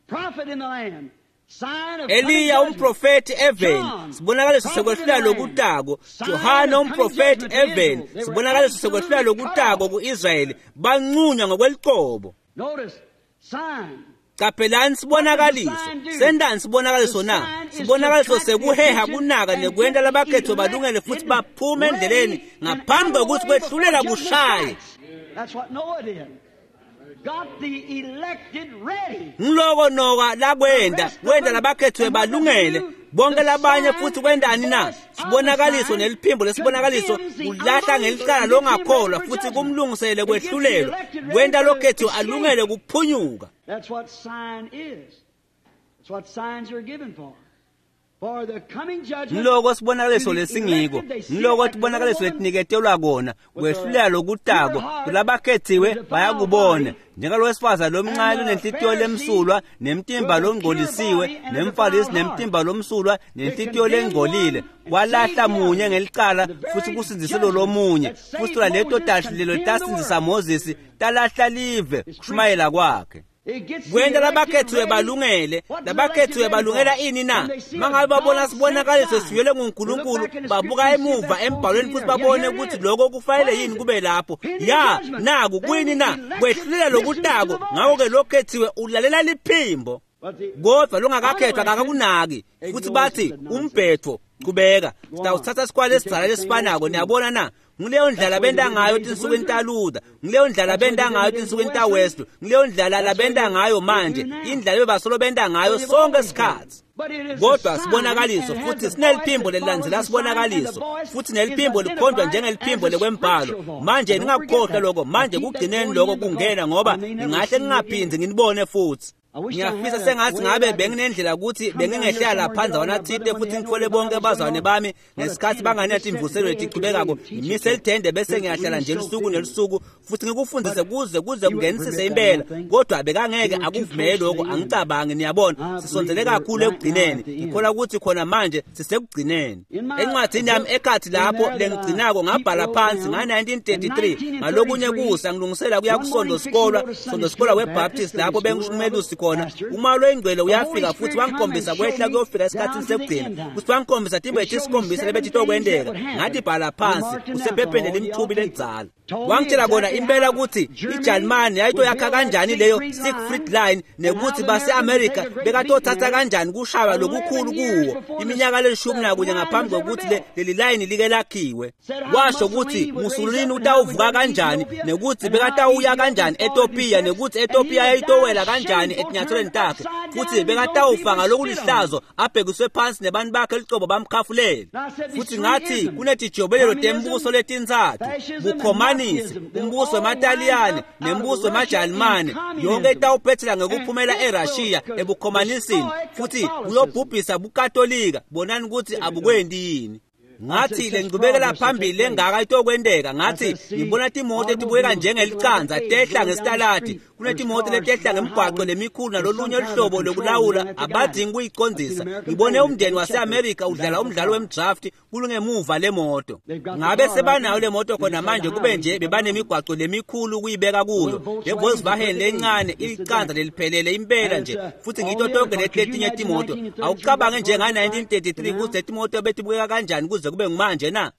prophet in the land. Sign of coming Eliya judgment. umprofeti eveni, John, sibonakaliso prophet in sekwehlulela the land. lokutako. Sign Johana of coming umprofeti judgment to Israel. eveni, They were sibonakaliso sekwehlulela absolutely cut lokutako off. ku-Israyeli, banqunywa ngokwelicebo. Notice, sign. Qaphelani sibonakaliso. Sendani sibonakaliso na? Sibonakaliso sekuheha kunaka nekwenta labakhethwe balungele futhi baphume endleleni ngaphambi kokuthi kwehlulela kushaye. That's what Noah did. Got the elected ready. Ngiloko Noah lakwenda, wenda labakhethwe balungele bonke labanye futhi kwendani na? Sibonakaliso neliphimbo lesibonakaliso kulahla ngelicala longakholwa futhi kumlungisele kwehlulelwa, kwenta lokhethiwe alungele kuphunyuka. That's what sign is. That's what signs are given for. For the coming judgment. Ngiloko sibonakaliso lesingiko, ngiloko tibonakaliso letiniketelwa kona, kwehlulela lokutako kulabakhethiwe bayakubona. Njengalowesifazane lomncane lonenhlitiyo lemsulwa nemtimba longcolisiwe, nemfarisi nemtimba lomsulwa nenhlitiyo lengcolile, kwalahla munye ngelicala futhi kusindzise lo lomunye. Futhi tola leto tahlulelo tasindzisa Moses, talahla live kushumayela kwakhe. It gets the Kwenta elected labakhethiwe ready. balungele. What does Labakhethiwe elected ready balungela for? ini na? When they see Mangabe a babona God sibonakaliso set sign, sivele they look nguNkulunkulu, back in the babuka scripture and see if emuva that's embhalweni supposed futhi to be there. babone Yeah, here ukuthi it is. lokho kufanele What is yini it? kube lapho. Pending Ya, judgment. naku Then kuyini the na? elected Kwehlulela listens to lokutako. the voice. Ngakho-ke lokhethiwe ulalela liphimbo. But the Kodwa longakakhethwa akakunaki. Futhi bathi umbhetho qhubeka. Sitawuthatha sikwale esidzala lesifanako, niyabona na? Ngileyo ndlela benta ngayo tinsukwini taLuther, ngileyo ndlela benta ngayo tinsukwini taWesley, ngileyo ndlela labenta ngayo manje, indlela bebasolo benta ngayo sonke isikhathi. Kodwa sibonakaliso futhi sineliphimbo lelilandzela sibonakaliso, futhi neliphimbo likhonjwa njengeliphimbo lekwembhalo. Manje ningakukhohlwa lokho, manje kugcineni lokho kungena ngoba ningahle ningaphindzi nginibone futhi. Ngiyafisa sengathi ngabe benginendlela ukuthi bengingehlela lapha ndzawana thite futhi ngithole bonke abazalwane bami ngesikhathi banganethi imvuselelo letichubekako, ngimise lithende bese ngiyahlala nje lusuku nelusuku futhi ngikufundise kuze kungenisise impela. Kodwa bekangeke akuvumele lokho, angicabangi. Niyabona, sisondzele kakhulu ekugcineni. Ngikholwa ukuthi khona manje sisekugcineni. Encwadini yami ekhathi lapho lengigcinako ngabhala phansi nga-1933 ngalokunye kusa ngilungisela kuya kusonto sikolwa weBaptist lapho bengishumelusi khona. Uma loyingcwele uyafika futhi wangikhombisa kwehla kuyofika esikhathini sekugcina, futhi wangikhombisa timbo letisikhombisa lebetitokwenteka. Ngathi bhala phansi usephepheni lemthubi lelidzala. Wangitshela kona impela ukuthi iJalimane yayitoyakha kanjani leyo Siegfried Line, nekuthi base-America bekatothatha kanjani kushaywa lokukhulu kuwo iminyaka le-11 ngaphambi kokuthi leli line like lakhiwe. Washo ukuthi Mussolini utawuvuka kanjani, nekuthi bekatawuya kanjani eTopiya, nekuthi eTopiya yayitowela kanjani etinyathelweni takhe, futhi bekatawufa ngalokulihlazo abhekiswe phansi nebantu bakhe licobo bamkhafulele. Futhi ngathi kunetijobelelo tembuso letintsatfu, bukhomanisi, umbuso wemaTaliyane nembuso wemaJalimane, yonke itawuphethela ngekuphumela eRussia ebukhomanisini, futhi kuyobhubhisa buKatolika. Bonani ukuthi abukwendi yini. Ngathi lengcubekela phambili lengaka itokwenteka. Ngathi ngibona timoto etibukeka njengelicanza tehla ngesitaladi, kunetimoto letehla ngemigwaqo lemikhulu nalolunye luhlobo lokulawula abadingi kuyicondzisa. Ngibone umndeni wase-America udlala umdlalo wemdraft kulungemuva lemoto. Ngabe sebanayo le moto khona manje, kube nje bebanemigwaqo lemikhulu kuyibeka kuyo. Le Volkswagen lencane ilicanza leliphelele impela nje, futhi ngito tonke letinye timoto. Awucabange nje nga-1933 ukuthi letimoto betibukeka kanjani kuze kube ngumanje na?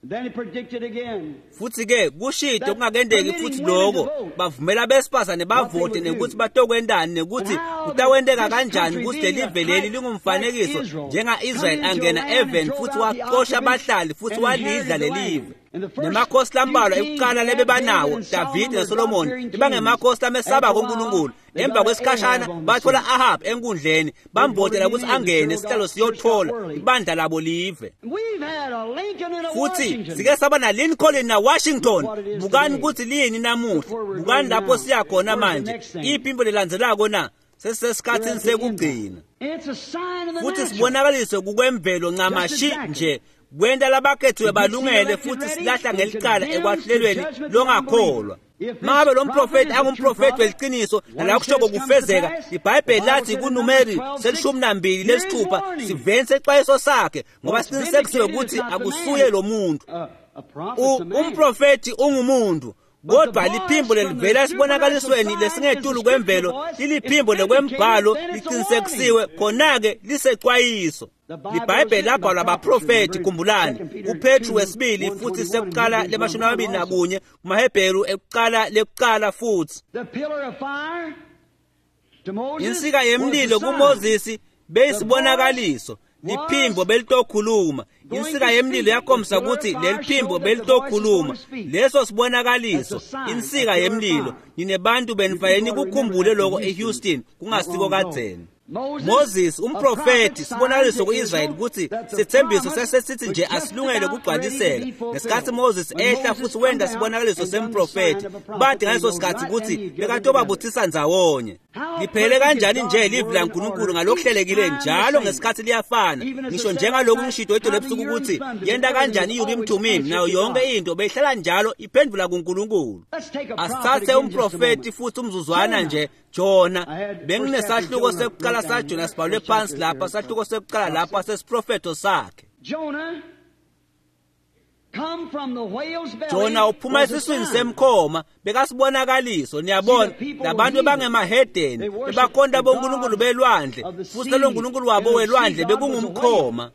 Futhi ke kushito kungakendeki futhi lokho bavumela besifazane bavote, nekuthi batokwendani, nekuthi kutawenteka kanjani ukuthi lelive leli lingumfanekiso njenga-Israel angena even futhi waxosha abahlali futhi walidla lelive. Nemakhosi lambalwa ekuqala lebebanawo Davide naSolomon bebangemakhosi lamesabako uNkulunkulu. Emva kwesikhashana bathola Ahab enkundleni, bamvotela ukuthi angene isihlalo siyothola ibandla labo live. Futhi sike saba na Lincoln na Washington. Bukani ukuthi liyini namuhla, bukani lapho siya khona manje. Iphimbo lelandzelako na sesisesikhathini sekugcina, futhi sibonakaliswe kukwemvelo ncamashi nje kwenta labakhethiwe balungele, futhi silahla ngelicala ekwahlelweni longakholwa. Mangabe lo mprofeti angumprofeti weliciniso nala kushoko kufezeka, iBhayibheli lathi kuNumeri 12:6 siveni sexwayiso sakhe, ngoba siqinisekisiwe ukuthi akusuye lo muntu. Umprofeti ungumuntu, kodwa liphimbo lelivela esibonakalisweni lesingetulu kwemvelo liliphimbo lekwembhalo liqinisekisiwe, khona-ke lisexwayiso. LiBhayibheli labhalwa abaprofeti, khumbulani, kuPetru wesibili futhi sekuqala le-21, kumaHebheru ekuqala lekuqala futhi. Insika yemlilo kuMoses beyisibonakaliso, liphimbo belitokhuluma. Insika yemlilo yakhombisa ukuthi leliphimbo belitokhuluma. Leso sibonakaliso, insika yemlilo. Ninebantu benifanele nikukhumbule lokho eHouston kungasiko kadzeni. Moses umprofeti sibonakaliso kuIsrael ukuthi sithembiso sesesithi nje asilungele kugcwaliseka. Ngesikhathi Moses ehla futhi wenda sibonakaliso semprofeti, bathi ngaleso sikhathi ukuthi bekatobabuthisa ndzawonye. Liphele kanjani nje livi laNkulunkulu ngalokuhlelekile njalo ngesikhathi liyafana. Ngisho njengalokhu ngishito itolo ebusuku ukuthi yenta kanjani iUrim Thummim nayo yonke into beyihlala njalo iphendvula kuNkulunkulu. Asithathe umprofeti futhi umzuzwana nje. Jona, benginesahluko sekuqala saJona sibhalwe phansi lapha, sahluko sekuqala lapha sesiprofeto sakhe. Jona uphuma esiswini semkhoma, bekasibonakaliso. Niyabona, labantu bangemahedeni bebakhonta bonkulunkulu belwandle, futhi lo nkulunkulu wabo welwandle bekungumkhoma.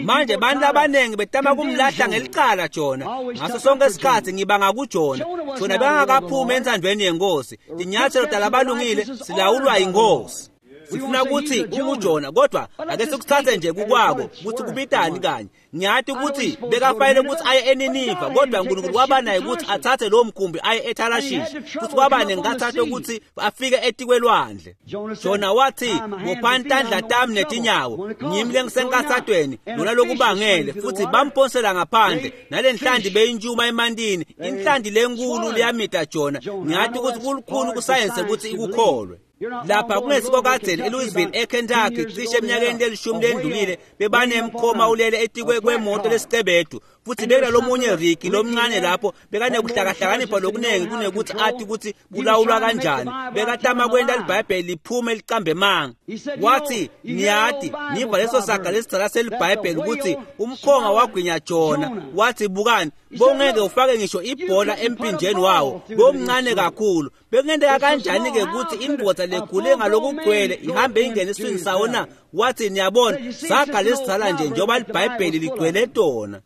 Manje bantu abaningi betama kumlahla ngelicala Jona. Ngaso sonke isikhathi ngibanga kuJona. Jona bekangakaphumi entsandvweni yenkosi. Tinyathelo talabalungile silawulwa yinkosi. Sifuna ukuthi unguJona, kodwa ake sikuthathe nje kukwako ukuthi kubitani kanye. Ngiyathi ukuthi bekafanele ukuthi aye eNiniva, kodwa uNkulunkulu waba naye ukuthi athathe lo mkhumbi aye eThalashishi, futhi kwaba nengathatha ukuthi afike etikwelwandle. Jona wathi, bophani tandla tami netinyawo, ngimi lengisenkathatweni lona lokubangele. Futhi bamphonsela ngaphandle, nale nhlanti beyintshuma emantini, inhlanti lenkulu liyamita Jona. Ngiyathi ukuthi kulukhulu kusayense ukuthi ikukholwe. Lapha kungesiko kadzeni eLouisville eKentucky cishe eminyakeni lelishumi lendlulile bebanemkhoma ulele etikwe kwemoto lesicebedu futhi bekunalomunye Ricky lomncane lapho bekanekuhlakahlakanipha lokunengi kunekuthi athi ukuthi kulawulwa kanjani bekatama kwenta libhayibheli liphume licambe manga. Wathi niyati niva leso saga lesidzala selibhayibheli ukuthi umkhonga wagwinya Jona. Wathi bukani bongeke ufake ngisho ibhola empinjeni wawo bomncane kakhulu. Bekungenteka kanjani ke ukuthi indvodza legule ngalokugcwele ihambe ingene esiswini sawo na? Wathi niyabona saga lesidzala nje njengoba libhayibheli ligcwele tona.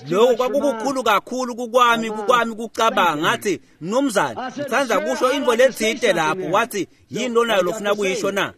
Lokho kwakukukhulu kakhulu kukwami kucabanga. Ngathi mnumzane ngithanda kusho into letsite lapho. Wathi yini lonayo lofuna kuyisho na?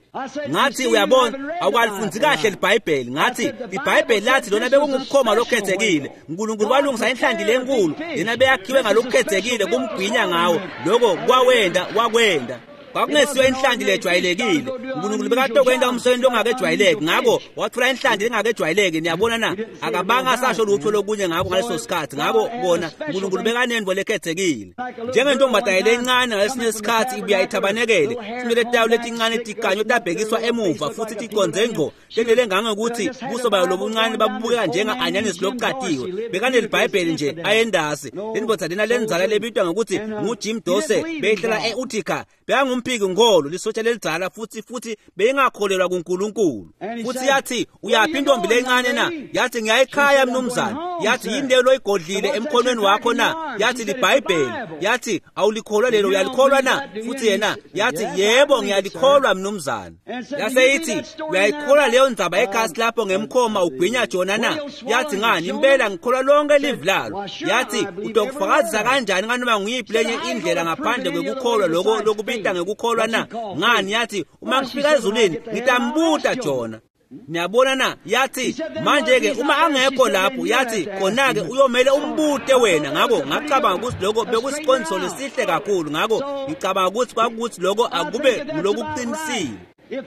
Ngathi uyabona awukalifunzi kahle libhayibheli. Ngathi libhayibheli lathi lona bekungumkhoma lokhethekile, uNkulunkulu walungisa inhlanti lenkulu lena beyakhiwe ngalokukhethekile kumgwinya ngawo. Lokho kwawenda wakwenda kwakungesiyo inhlanti lejwayelekile. uNkulunkulu bekatokwenta umsebenzi ongakejwayeleki, ngakho wathola inhlanti lengakejwayeleki. Niyabona na? Akabanga asasho lutho lokunye ngakho ngaleso sikhathi. Ngakho bona uNkulunkulu bekanento lekhethekile. Njengentombazane lencane ngalesinye isikhathi ibuya ithabanekele simele tayo letincane tiganyo tabhekiswa emuva futhi ticonze ngqo lendlela engangokuthi buso bayo lobuncane babubukeka njenga-anyanisi lokucatiwe. Bekanelibhayibheli nje ayendasi. Lendvodza lena lenzala lebitwa ngokuthi nguJim Dose beyihlala e-Utica. Bekangumphiki ngolo lisotsha lelidzala futhi beyingakholelwa kuNkulunkulu. Futhi yathi uyaphi intombi lencane na? Yathi ngiyayikhaya mnumzane. Yathi yini leyo loyigodlile emkhonweni wakho na? Yathi libhayibheli. Yathi awulikholwa lelo, uyalikholwa na? Futhi yena yathi yebo ngiyalikholwa mnumzane. Yase ithi uyayikholwa leyo ndzaba ekhasi lapho ngemkhoma ugwinya Jona na? Yathi ngani impela ngikholwa lonke livi lalo. Yathi utokufakazisa kanjani nganoma nguyiphi lenye indlela ngaphandle kwekukholwa lokho lokubita ngekukholwa na? Ngani yathi uma ngifika ezulwini ngitambuta Jona. Niyabona na? Yathi manje ke uma angekho lapho, yathi khona ke uyomele umbute wena. Ngakho ngacabanga ukuthi lokho bekusiqondiso lesihle kakhulu. Ngakho ngicabanga ukuthi kwakuthi lokho akube ngulokuqinisile.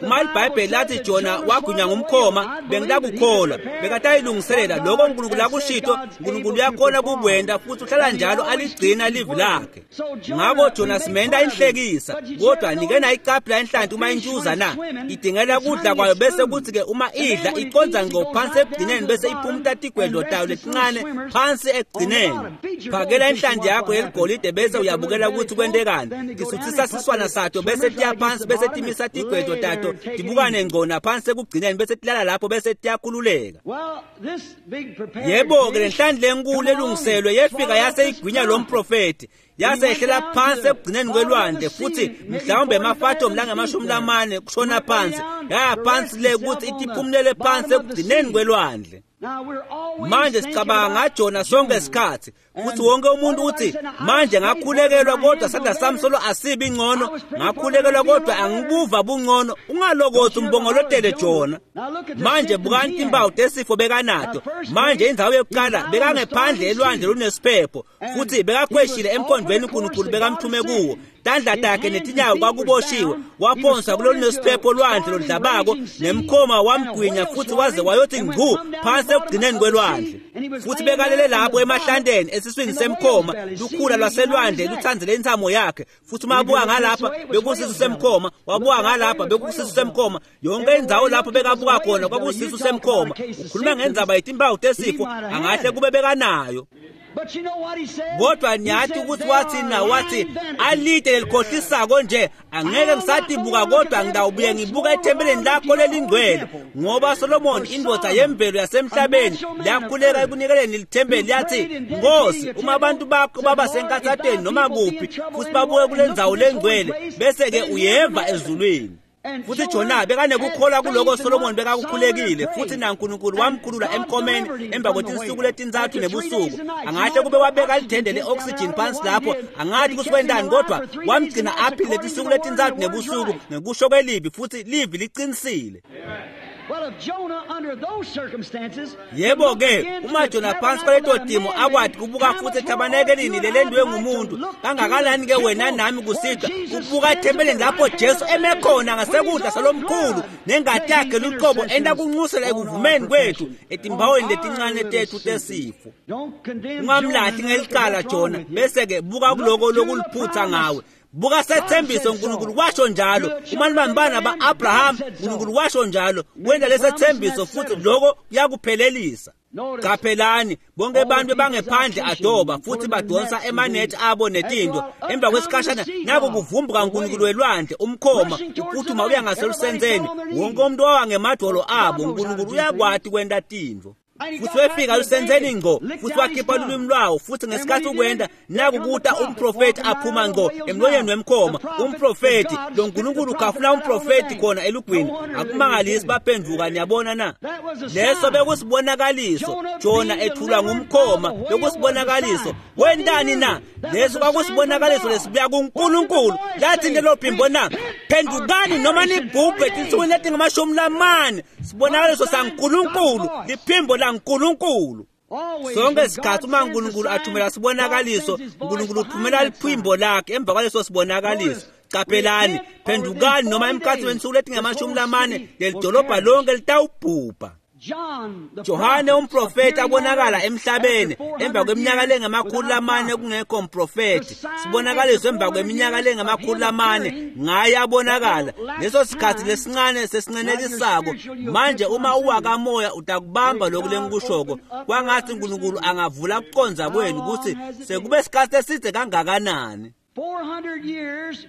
Uma libhayibheli lathi Jona wagwinywa ngumkhoma bengilakukholwa bekatayilungiselela lokho uNkulunkulu akushito. uNkulunkulu uyakhona kukwenda futhi uhlala njalo aligcina livi lakhe. Ngakho Jona simenda inhlekisa, kodwa nike nayicaphela inhlanti uma intshuza na? Idingela kudla kwayo bese kuthi ke uma idla iconza ngqo phansi ekugcineni bese iphumta tigwedlo tayo letincane phansi ekugcineni. Phakela inhlanti yakho yeligolide bese uyabukela ukuthi kwentekani. Tisuthisa siswana sato bese tiya phansi bese timisa tigwedlo tato tibukane ngqona phansi ekugcineni bese tilala lapho bese tiyakhululeka. Yebo ke lenhlanti lenkulu elungiselwe yefika yase igwinya lo mprofeti yasehlela phansi ekugcineni kwelwandle futhi mhlawumbe emafathom langama-40 kushona phansi yaya phansi le ukuthi itiphumulele phansi ekugcineni kwelwandle. Manje sicabanga ngaJona sonke isikhathi futhi wonke umuntu uthi manje ngakhulekelwa kodwa sandla sami solo asibi ngcono, ngakhulekelwa kodwa angibuva bungcono. Ungalokothi umbongolotele Jona. Manje bukani timpawu tesifo bekanato. Manje indzawo yokuqala bekangephandle elwandle lunesiphepho futhi bekakhweshile emkhondweni uNkulunkulu bekamthume kuwo. Tandla takhe netinyawo kwakuboshiwe, waphonswa kulolu nesiphepho lwandle lodlabako nemkhoma wamgwinya futhi waze wayothi ngqu phansi ekugcineni kwelwandle. Futhi bekalele lapho emahlanteni esiswini semkhoma, lukhula lwaselwandle luthandzele intsamo yakhe. Futhi mabuka ngalapha bekusisu semkhoma, wabuka ngalapha bekusisu semkhoma, yonke indzawo lapho bekabuka khona kwakusisu semkhoma. Ukhuluma ngendzaba yetimpawu tesifo angahle kube bekanayo. Kodwa niyathi ukuthi wathi na wathi alide lelikhohlisako nje angeke ngisatibuka kodwa ngidawubuye ngibuka ethempelini lakho lelingcwele. Ngoba Solomon indvodza yemvelo yasemhlabeni yakhuleka ekunikeleni lithempeli yathi Nkosi uma abantu bakho baba senkathateni noma kuphi futhi babuke kule ndzawo lengcwele bese ke uyeva ezulwini. Futhi Jona bekanekukholwa kuloko Solomon bekakukhulekile futhi naNkulunkulu wamkhulula emkhomeni emva kwetinsuku letintsatfu nebusuku. Angahle kube wabeka lithende le-oxygen phansi lapho angathi kusikwentani kodwa wamgcina aphile letinsuku letintsatfu nebusuku ngekusho kwelivi futhi livi liqinisile. Yebo ke uma Jona phansi kwaleto timo akwati kubuka futhi ethabanekelini lelendwe ngumuntu kangakanani ke wena nami kusidwa ukubuka ethempelini lapho Jesu eme khona ngasekudla salomkhulu nengati yakhe luqobo enda kunxusela ekuvumeni kwethu etimbawweni letincane tethu tesifo. Ungamlahli ngelicala Jona bese ke buka kuloko lokuliphutha ngawe. Buka sethembiso, uNkulunkulu washo njalo. Uma nibambana ba-Abraham, uNkulunkulu washo njalo, wenda lesethembiso futhi lokho kuyakuphelelisa. Qaphelani, bonke abantu bangephandle adoba futhi badonsa emanethi abo netinto. Emva kwesikhashana nako kuvumbuka uNkulunkulu welwandle, umkhoma uphuthuma uya ngaselusentseni. Wonke umuntu wawa ngemadolo abo. uNkulunkulu uyakwati kwenta tintfo. Futhi wefika lusentseni ngco, futhi wakhipha lulwimi lwawo, futhi ngesikhathi ukwenda naku kuta umprofeti aphuma ngco emlonyeni wemkhoma. Umprofeti lo nkulunkulu ukhafuna umprofeti khona elugwini. Akumangalisi baphenduka, niyabona na? Leso bekusibonakaliso. Jona ethulwa ngumkhoma, bekusibonakaliso. Wentani na? Leso kwakusibonakaliso lesibuya kuNkulunkulu. Lathi lelo phimbo na, phendukani noma nibhubhe tinsukwini letingamashumi lamane. Sibonakaliso saNkulunkulu, liphimbo laNkulunkulu. Sonke isikhathi uma uNkulunkulu athumela sibonakaliso, uNkulunkulu uthumela liphimbo lakhe emva kwaleso sibonakaliso. Qaphelani, phendukani noma emkhathini wensuku letingamashumi lamane leli dolobha lonke litawubhubha. Johane umprofeti abonakala emhlabeni emva kweminyaka lengamakhulu lamane kungekho mprofeti. Sibonakaliso emva kweminyaka lengamakhulu lamane ngaye abonakala. Leso sikhathi lesincane sesincenelisako. Manje uma uwakamoya utakubamba lokhu lengikushoko. Kwangathi uNkulunkulu angavula kucondza kwenu ukuthi sekube sikhathi eside kangakanani. 400 years,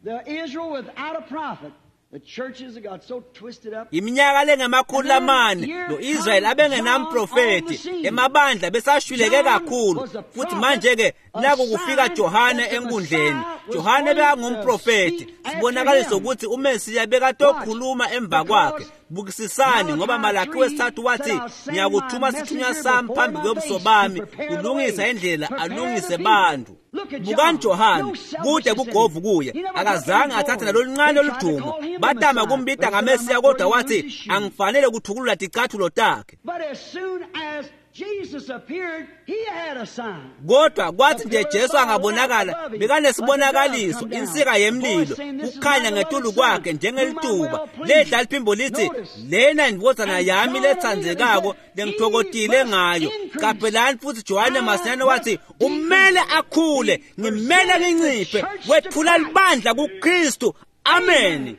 the Israel without a prophet. The churches have got so twisted up. Iminyaka lengamakhulu lamane lo Israel abengenamprofeti, emabandla besashwileke kakhulu. Futhi manje-ke naku kufika Johane enkundleni. Johane bekangumprofeti, sibonakaliso ukuthi uMesiya bekatokhuluma emva kwakhe. Bukisisani, ngoba Malaki wesithathu wathi, ngiyakuthuma sithunywa sami phambi kwebuso bami kulungisa indlela, alungise bantu. Bukani Johane, kude bugovu kuye, akazange athathe naloluncane oludumo. Batama kumbita ngaMesiya, kodwa wathi, angifanele kuthukulula ticathulo takhe. But as soon as Jesus appeared, he had a sign. Kodwa kwathi nje Jesu angabonakala, bekanesibonakaliso, insika yemlilo, kukhanya ngetulu kwakhe njengelituba. Ledla liphimbo lithi, lena indvodzana yami letsandzekako lengitfokotile ngayo. Qaphelani, futhi Johane masinyane wathi, umele akhule, ngimele nginciphe. Wethula libandla kuKristu. Amen.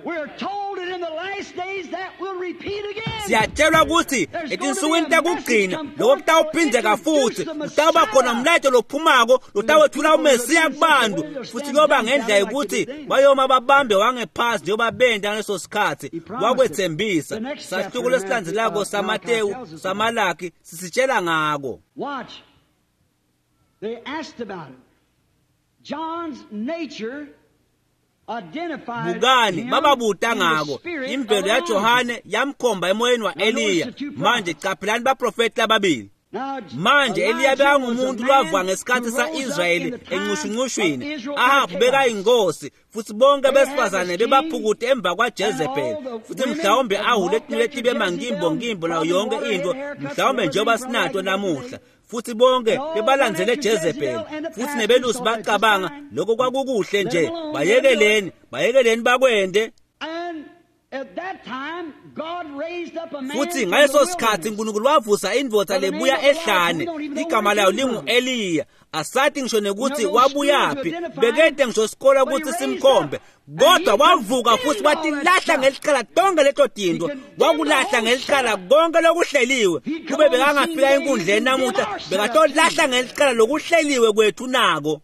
We're told that in the last days that will repeat again. Siyatshelwa ukuthi etinsukwini takugcina lokho kutawuphindzeka futhi. Kutawuba khona umlayeto lophumako lotawethula uMesiya kubantu, futhi kuyoba ngendlela yokuthi bayoma babambe wangephasi njengoba benta ngaleso sikhathi. Wakwethembisa. Sahluko lesilandzelako saMatewu, saMalaki sisitshela ngako. Watch. They asked about it. John's nature identified Bukani, him bababuta in the ngako. spirit Imvelo of Elijah. yaJohane yamkhomba emoyeni wa-Eliya. Manje caphelani baprofeti lababili. Now, Manje Eliya Elijah bekangumuntu was a man lwavuka ngesikhathi who rose up in sa-Israyeli the time encushuncushwini. of Israel Ahabu in the chaos. bekayinkosi, futhi bonke They had besifazane this king, bebaphukute emva kwaJezebeli, and all the futhi women mhlawumbe that ahule walked tinwele after tibe mangimbongimbo Jezebel, nayo yonke probably into, water haircuts mhlawumbe and njengoba everything sinato like that namuhla. today. Futhi bonke And all bebalandzele went after Jezebeli, Jezebel, and the futhi pastors nebelusi thought that's bacabanga fine. lokho kwakukuhle nje. Let 'em alone, Bayekeleni, bayekeleni bakwende. And at that time, God raised up a man Futhi from ngaleso the sikhathi wilderness. uNkulunkulu wavusa indvodza lebuya ehlane, igama layo lingu-Eliya. Asathi ngisho nekuthi wabuyaphi, bekede ngisho sikole ukuthi simkhombe, kodwa wavuka futhi watilahla ngelicala tonke leto tinto. Wakulahla ngelicala konke lokuhleliwe. Kube bekangafika enkundleni namuhla, bekatolahla ngelicala lokuhleliwe kwethu nako.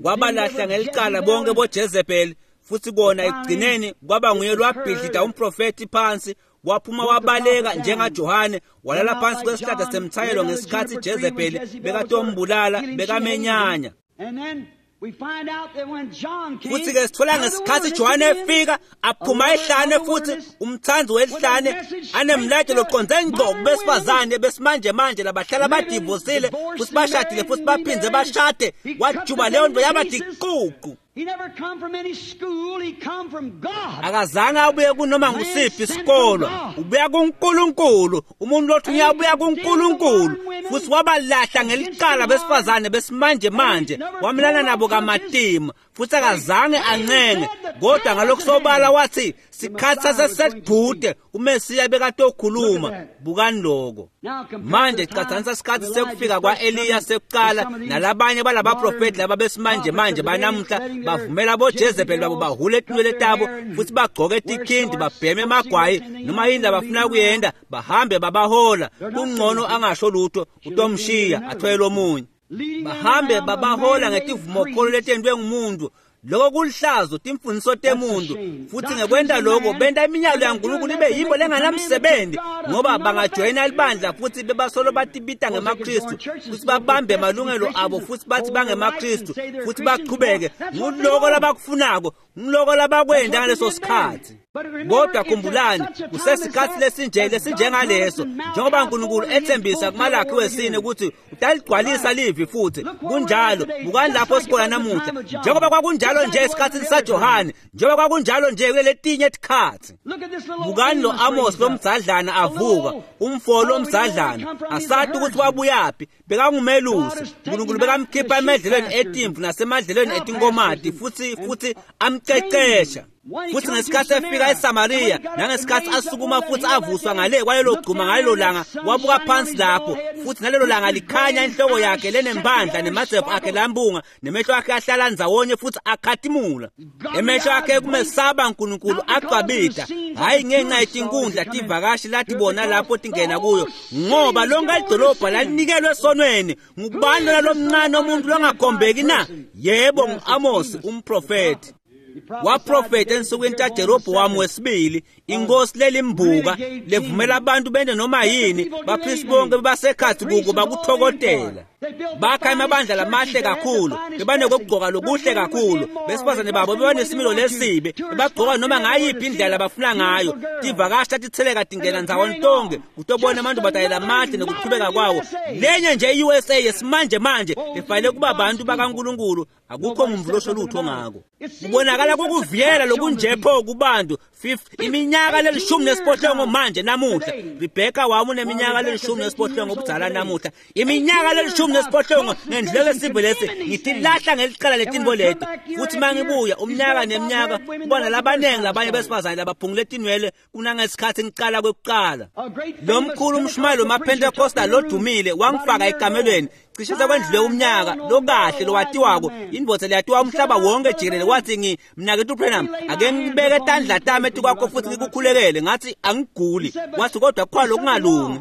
Wabalahla ngelicala bonke boJezebeli, futhi kona ekugcineni kwaba nguye lwabhidlita umprofethi phansi. Waphuma wabaleka njengaJohane, walala phansi kwesihlahla semthayelo ngesikhathi Jezebeli bekatombulala, bekamenyanya. And then we find out that when John came, Futhi-ke sithola out of the ngesikhathi wilderness Johane again, efika aphuma ehlane, futhi umthanzi welihlane anemlayeto loqonde ngqo kubesifazane besimanje manje labahlala badivosile futhi bashadile futhi baphindze bashade. Wajuba leyo nto yaba diququ. He never come from any school, he come from God. Akazange abuye kunoma ngusiphi isikolwa, ubuya kuNkulunkulu. Umuntu lothunywa ubuya kuNkulunkulu. Futhi wabalahla ngelicala besifazane besimanje manje, wamelana nabo kamatima, futhi akazange ancenge, kodwa ngalokhu sobala wathi Sikhatsi sasesedvute uMesiya bekatokhuluma. Bukani lokho. Manje catsanisa sikhatsi sekufika kwa-Eliya sekucala nalabanye balabaprofeti laba besimanje manje banamuhla bavumela boJezebeli babo bahule etinwele tabo futhi bagcoke tikhindi babheme emagwayi noma yini labafuna kuyenda bahambe babahola. Kungcono angasho lutho utomshiya athwele omunye. Bahambe babahola ngetivumokholo letentiwe ngumuntu. Lokho kulihlazo timfundiso temuntu futhi ngekwenta lokho benta iminyalo yaNkulunkulu ibe yimbo lenganamsebenzi ngoba bangajoyina libandla futhi bebasolo batibita ngemaKristu futhi babambe malungelo abo futhi bathi bangemaKristu futhi bachubeke. Nguloko labakufunako, nguloko labakwenta ngaleso sikhathi. Kodwa khumbulani, kusesikhathi lesinje lesinjengaleso njengoba uNkulunkulu ethembisa kuMalakhi wesine ukuthi utaligcwalisa livi futhi kunjalo. Bukani lapho sikhona namuhla, njengoba kwakunjalo nje esikhathini saJohane, njengoba kwakunjalo nje kuletinye tikhatsi. Bukani lo Amos lomdzadlana avuka, umfo lomdzadlana asati ukuthi wabuyaphi, bekangumelusi. uNkulunkulu bekamkhipha emadlelweni etimvu nasemadlelweni etinkomati futhi amcecesha. Futhi ngesikhathi efika eSamaria nangesikhathi asukuma futhi avuswa ngale kwalelo gcuma ngalelo langa, wabuka phansi lapho futhi nalelo langa likhanya inhloko yakhe lenembandla nemadzevu akhe lambunga nemehlo akhe ahlala ndzawonye futhi akhatimula. Emehlo akhe kumesaba uNkulunkulu agcwabita, hhayi ngenxa yetinkundla tivakashi latibona lapho tingena kuyo, ngoba lonke lidolobha lalinikelwe esonweni. Ngubani lona lomncane omuntu longakhombeki na? Yebo, ngu-Amos umprofethi. Waprofetha ensukwini taJerobowamu wesibili, inkosi lelimbuka levumela abantu bente noma yini, baphristi bonke basekhathi kuko bakuthokotela. Bakha amabandla lamahle kakhulu, bebanekokugcoka lokuhle kakhulu, besifazane babo bebanesimilo lesibi, bebagcoka noma ngayiphi indlela abafuna ngayo. Tivakashi tatitheleka tingena ndzawonye tonke kutobona amantombazane lamahle nokuqhubeka kwawo. Lenye nje i-USA yesimanje manje ifanele kuba abantu bakaNkulunkulu, akukho muntu losho lutho ngako. Kubonakala kukuviyela lokunjepho kubantu iminyaka leli-18 manje namuhla. Rebecca wami uneminyaka leli-18 obudzala namuhla. Iminyaka leli-18 ngendleko esive lesi ngitilahla ngelicala letinto leti. Futhi mangibuya umnyaka neminyaka kubona labanengi labanye besifazane labaphungule tinwele kunangesikhathi ngiqala kwekuqala. Lo mkhulu umshumayeli wamaPentecostal lodumile wangifaka ekamelweni cishe sekwendlule umnyaka lokahle lowatiwako, indvodza leyatiwa umhlaba wonke jikelele. Wathi mnaketfu Branham, ake ngibeke tandla tami etikwakho futhi ngikukhulekele. Ngathi angiguli. Wathi kodwa kukhona lokungalungi.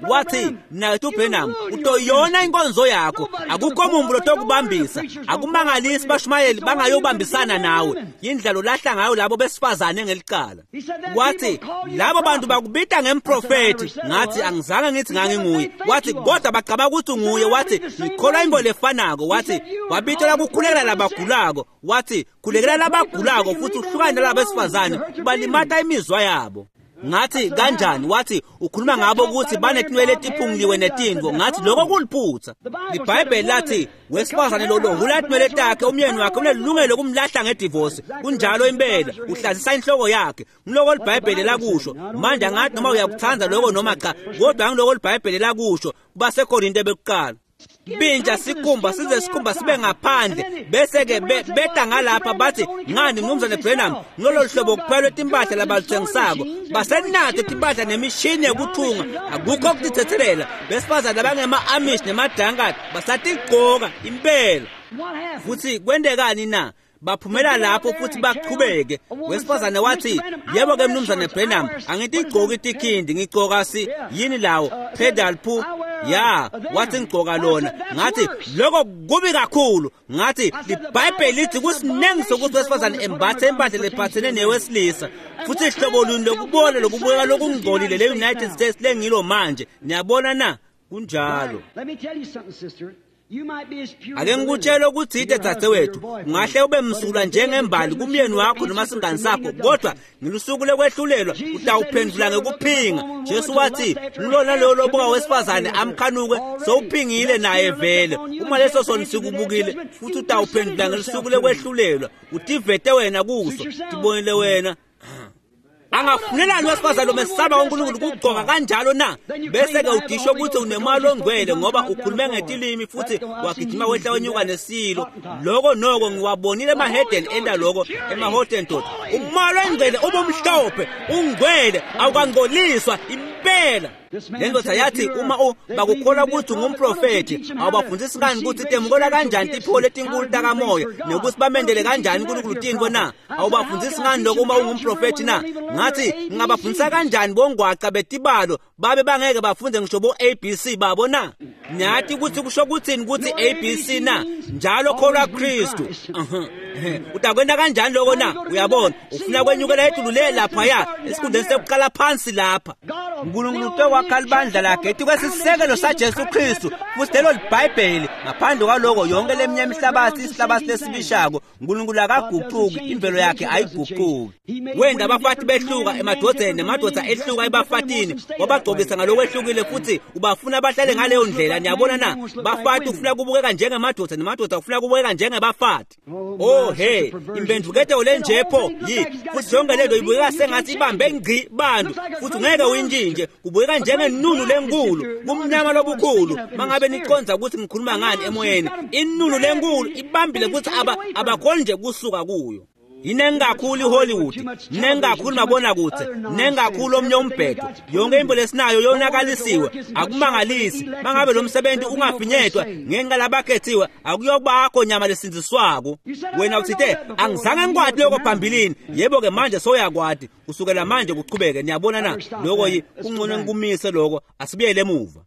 Wathi mnaketfu Branham, utoyona inkonzo yakho, akukho muntu lotokubambisa. Akumangalisi bashumayeli bangayobambisana nawe, yindlela olahla ngayo labo besifazane ngelicala. Wathi labo bantu bakubita ngemprofethi. Ngathi angizange ngithi nganginguye. Wathi kodwa bacabanga ukuthi unguye. Wathi ngikholwa into lefanako. Wathi wabitela kukhulekela labagulako. Wathi khulekela labagulako futhi uhlukane nalabo besifazane, ubalimata imizwa yabo. Ngathi kanjani? Wathi ukhuluma ngabo ukuthi banetinwele etiphunguliwe netinto. Ngathi lokho kuliphutha. IBhayibheli lathi wesifazane lo lohula tinwele takhe umyeni wakhe unelungelo lokumlahla ngedivorce. Kunjalo impela, uhlazisa inhloko yakhe. Ngiloko iBhayibheli lakusho. Manje angathi noma uyakuthanda lokho noma cha, kodwa ngiloko iBhayibheli lakusho kubaseKorinte bekuqala. Binja sikhumba size sikhumba sibe ngaphandle bese ke beta ngalapha bathi ngani mnumzane Branham ngilolo hlobo kuphela timpahla labaluthengisako basenato timpahla nemishini yekuthunga, akukho kutithethelela. Besifazane abangema-Amish nemadankard basatigcoka impela. Futhi kwentekani na? Baphumela lapho futhi bachubeke. Wesifazane wathi yebo ke mnumzane Branham, angitigcoki itikhindi, ngigcoka si yini lawo pedal pu ya. Wathi ngigcoka lona. Ngathi lokho kubi kakhulu. Ngathi iBhayibheli lithi kusinengi sokuthi wesifazane embathe impahla lephathene newesilisa, futhi ihlobo luni lokubona lokubukeka lokungcolile le-United States lengilo manje. Niyabona na? Kunjalo. Ake ngikutshele ukuthi ide dzadzewethu, ungahle ube msulwa njengembali kumyeni wakho noma singani sakho, kodwa ngelusuku lokwehlulelwa utawuphendula ngekuphinga. Jesu wathi ngilona loyo lobuka wesifazane amkhanuke sowuphingile naye vele. Uma leso sona sikubukile futhi utawuphendula ngelusuku lokwehlulelwa, utivete wena kuso, tibonile wena. Angafunelani wesifazane lomesaba uNkulunkulu kugcoka kanjalo na? Bese-ke udisho ukuthi unemali ongcwele ngoba ukhulume ngetilimi futhi wagijima wehla wenyuka nesilo. Loko noko ngiwabonile emahedeni enda loko emaHottentot. Umoya ongcwele ubumhlophe, ungcwele, awukangcoliswa impela. Le ndoda yathi uma bakukholwa ukuthi ungumprofethi, awubafundisi ngani ukuthi temukela kanjani tiphiwo letinkulu takamoya nokuthi bamendele kanjani uNkulunkulu tintfo na? Awubafundisi ngani lokho uma ungumprofethi na? Ngathi ngingabafundisa kanjani bongwaca betibalo babe bangeke bafunde ngisho bo-ABC babo na? Nyathi ukuthi kusho kuthini ukuthi ABC na? Njalo kholwa Kristu. Utakwenda kanjani lokho na? Uyabona, ufuna kwenyukela etulu le laphaya esikhundleni sekuqala phansi lapha. uNkulunkulu utokwakha libandla lakhe etikwesisekelo saJesu Kristu futhi lelo liBhayibheli. Ngaphandle kwaloko yonke leminye imihlabathi isihlabathi lesibishako. uNkulunkulu akaguquki, imvelo yakhe ayiguquki. Wenda abafati behluka emadodeni nemadoda ehluka ebafatini, wabagcobisa ngalokwehlukile futhi ubafuna bahlale ngaleyo ndlela. Niyabona na? Bafati ufuna kubukeka njengemadoda nemadoda ufuna kubukeka njengebafati. Oh he, impendvuketo lenjepho yi futhi yonke lento ibukeka sengathi ibambe ngci bantu futhi ungeke uyintshintshe. Kubukeka njengenunu lenkulu kumnyama lobukhulu. Mangabe niconza ukuthi ngikhuluma ngani emoyeni, inunu lenkulu ibambile ukuthi abakhoni nje kusuka kuyo. Yinengi kakhulu iHollywood, ninengi kakhulu mabonakude, ninengi kakhulu omnye umbhedo. Yonke into lesinayo yonakalisiwe. Akumangalisi mangabe lo msebenzi ungafinyetwa ngenxa labakhethiwe, akuyobakho nyama lesindziswako. Wena uthite angizange ngikwati lokho phambilini. Yebo-ke manje soyakwati kusukela manje kuchubeke. Niyabona na? Lokho kungcono ngikumise lokho, asibuyele emuva.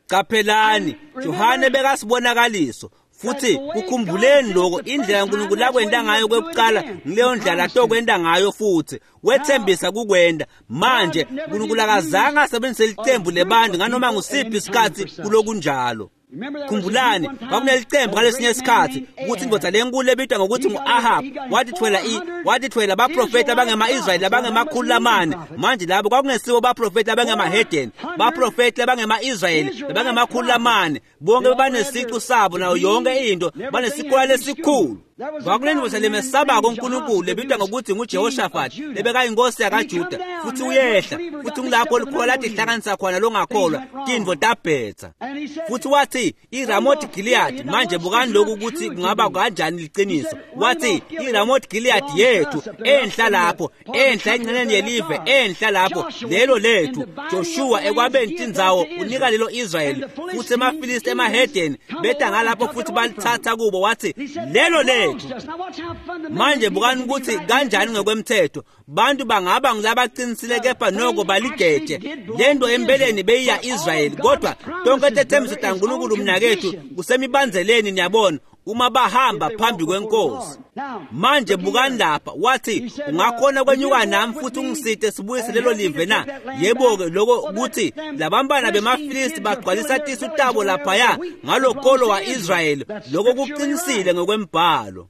Qaphelani, Johane bekasibonakaliso. Futhi kukhumbuleni lokho, indlela uNkulunkulu akwenda ngayo kwekuqala ngileyo ndlela atokwenda ngayo futhi. Wethembisa kukwenda. Manje uNkulunkulu akazange asebenzise licembu lebantu nganoma ngusiphi isikhathi kulokunjalo. Khumbulani, kwakunelicembu ngalesinye isikhathi ukuthi indoda lenkulu ebitwa ngokuthi ngu-Ahab wathithwela abaprofethi abangema-Israyeli abangema-400. Manje labo kwakungesibo baprofethi abangemahedeni, baprofethi abangema-Israyeli abangema-400. Bonke bebanesicu sabo nayo yonke into, banesikole lesikhulu. Kwakunendoda lemesabako uNkulunkulu lebitwa ngokuthi nguJehoshafati, lebekayinkosi yakaJuda, futhi uyehla futhi ngilapho likholwa lathi hlanganisa khona longakholwa tintfo tabhetha. Futhi wathi iRamot Gilead, manje bukani lokhu ukuthi kungaba kanjani liqiniso. Wathi iRamot Gilead yethu enhla lapho, enhla engceneni yelive, enhla lapho lelo lethu. Joshua ekwabeni tindzawo unika lelo Israyeli, futhi emaFilisti emahedeni beta ngalapho futhi balithatha kubo. Wathi lelo lethu. Manje bukani ukuthi kanjani ngokwemthetho bantu bangaba ngilabaqinisile kepha noko baligeje lento empeleni beyiya Israyeli, kodwa tonke tethembiso taNkulunkulu mnakethu kusemibanzeleni. Niyabona uma bahamba phambi kwenkosi. Manje bukani lapha, wathi ungakhona kwenyuka nami futhi ungisite sibuyise lelo live na? Yebo-ke lokho kuthi labambana bemaFilisti bagcwalisa tisu tabo laphaya ngalokolo wa-Israyeli. Lokho kuqinisile ngokwembhalo.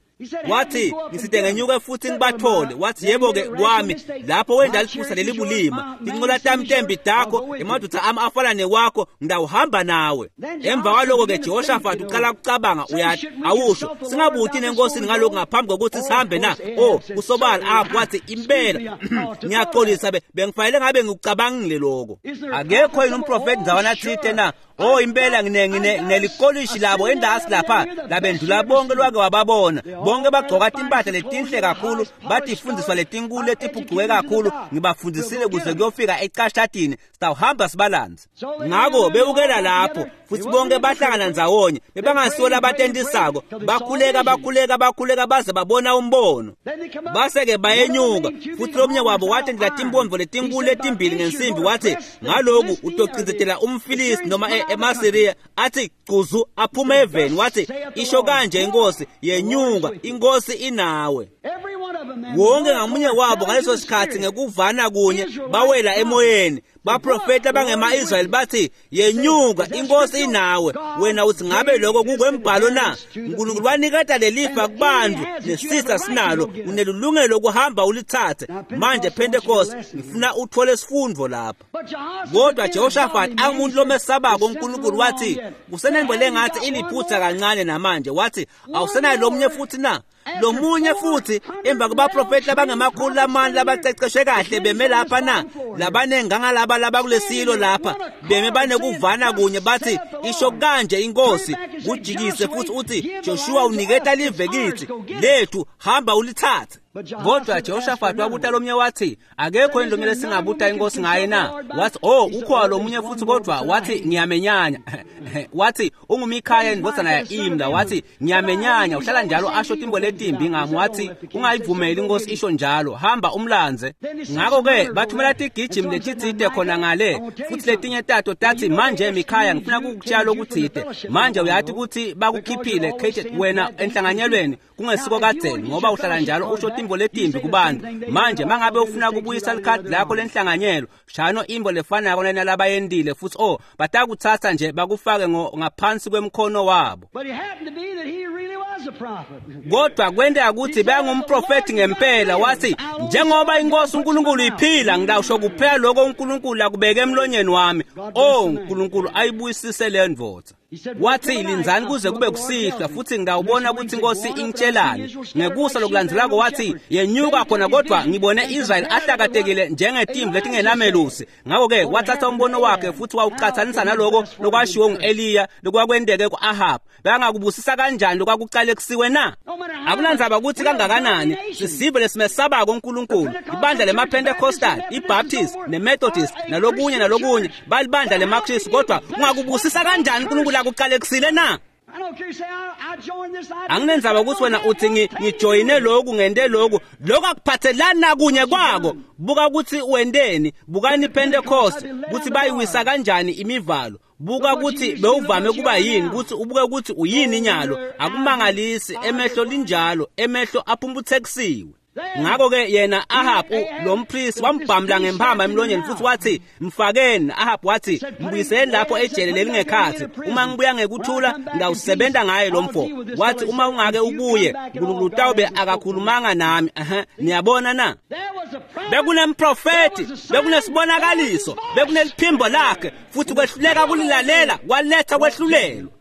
Wathi ngisite ngenyuke futhi ngibathole. Wathi yebo-ke kwami lapho wenda liphutha lelibulima, tincola tami tembi takho, emadoda ami afana newakho, ngidawuhamba nawe. Emva kwaloko-ke Jehoshafati uqala kucabanga, uyathi awusho singabuthi nenkosini ngalokhu ngaphambi kokuthi sihambe na? Oh, kusobala apho. Wathi impela ngiyaxolisa, bengifanele ngabe ngikucabangile lokho. Akekho yini umprofethi ndzawana thite na? Oh impela nginelikolishi labo endasi lapha labendlula bonke lwake wababona. Bonke bagcoka timpahla letinhle kakhulu, batifundiswa letinkulu letiphucuke kakhulu. Ngibafundisile kuze kuyofika ecashatini, sitawuhamba sibalanze. Ngako bewukela lapho futhi bonke bahlangana ndzawonye, bebangasiwo labatentisako. Bakhuleka bakhuleka bakhuleka baze babona umbono. Base-ke bayenyuka futhi lomnye wabo watendela timpondvo letinkulu letimbili ngensimbi. Wathi ngaloku utocindzetela umFilisti noma emaSiriya. Athi cuzu aphume eveni. Wathi isho kanje inkosi, yenyuka, inkosi inawe. Wonke ngamunye wabo ngaleso sikhathi ngekuvana kunye bawela emoyeni. Baprofeti abangema-Israyeli bathi yenyuka, inkosi inawe. Wena uthi ngabe lokho kukwembhalo na? uNkulunkulu waniketa lelifa kubantu nesisa sinalo, unelungelo lokuhamba ulithathe. Manje Pentecost, ngifuna uthole isifundo lapha. Kodwa Jehoshaphat angumuntu lomesabako uNkulunkulu, wathi kusenento lengathi iliphutha kancane namanje. Wathi awusenayo lomnye futhi na? Lomunye futhi emva kwabaprofeti abangamakhulu lamane labaceceshwe kahle beme lapha na, labanengangalaba labakulesilo lapha beme banekuvana kunye bathi isho kanje inkosi, kujikise futhi uthi Joshua uniketa live kithi lethu, hamba ulithathe. Kodwa Jehoshaphat wabuta lomnye wathi akekho yini lomnye lesingabuta inkosi ngaye na? Wathi oh ukhona lomunye futhi, kodwa wathi ngiyamenyanya. Wathi unguMikhaya indvodzana ya-Imla. Wathi ngiyamenyanya, uhlala njalo asho timbo letimbi ngami. Wathi ungayivumeli inkosi isho njalo, hamba umlandze. Ngakho-ke bathumela tigijimi letitsite khona ngale, futhi letinye tato tathi manje Mikhaya ngifuna kukutshela okuthite. Manje uyathi ukuthi bakukhiphile wena enhlanganyelweni kungesiko kadzeni, ngoba uhlala njalo usho timbo letimbi kubantu. Manje mangabe ufuna kubuyisa likhadi lakho lenhlanganyelo, shano imbo lefanako nalabayendile futhi oh batakuthatha nje bakufake ngaphansi kwemkhono wabo. Kodwa kwenteka ukuthi bengumprofeti ngempela. Wathi njengoba inkosi uNkulunkulu iphila, ngidawusho kuphela lokho uNkulunkulu akubeke emlonyeni wami. Oh uNkulunkulu ayibuyisise le ndvodza. Wathi lindzani kuze kube kusihlwa futhi ngidawubona ukuthi inkosi ingitshelani. Ngekusa lokulandzelako wathi yenyuka khona, kodwa ngibone Israel ahlakatekile njengetimvu letingenamelusi. Ngakho-ke wathatha umbono wakhe futhi wawuqathanisa naloko lokwashiwo ngu-Eliya lokwakwenteke ku-Ahab. Bangakubusisa kanjani lokwakucalekisiwe na? Akunandzaba ukuthi kangakanani, sisive lesimesabako uNkulunkulu. Ibandla lemaPentecostal, iBaptist neMethodist nalokunye nalokunye balibandla lemaKristu, kodwa ungakubusisa kanjani uNkulunkulu akucalekisile na? Anginendzaba ukuthi wena uthi ngijoyine lokhu ngente lokhu, lokhu akuphathelani nakunye kwako. Buka ukuthi wenteni, bukani iPentecost ukuthi bayiwisa kanjani imivalo. Buka ukuthi bewuvame kuba yini, ukuthi ubuke ukuthi uyini inyalo. Akumangalisi emehlo linjalo, emehlo aphumputhekisiwe. Ngakho-ke yena Ahab lo mpristi wambhamla ngempama emlonyeni futhi wathi mfakeni. Ahab wathi mbuyiseni lapho ejele lelingekhathi, uma ngibuya ngekuthula ngawusebenza ngaye lo mfo. Wathi uma ungake ubuye uNkulunkulu utawube akakhulumanga nami. Niyabona na? Bekunemprofeti, bekunesibonakaliso, bekuneliphimbo lakhe, futhi kwehluleka kulilalela kwaletha kwehlulelwa.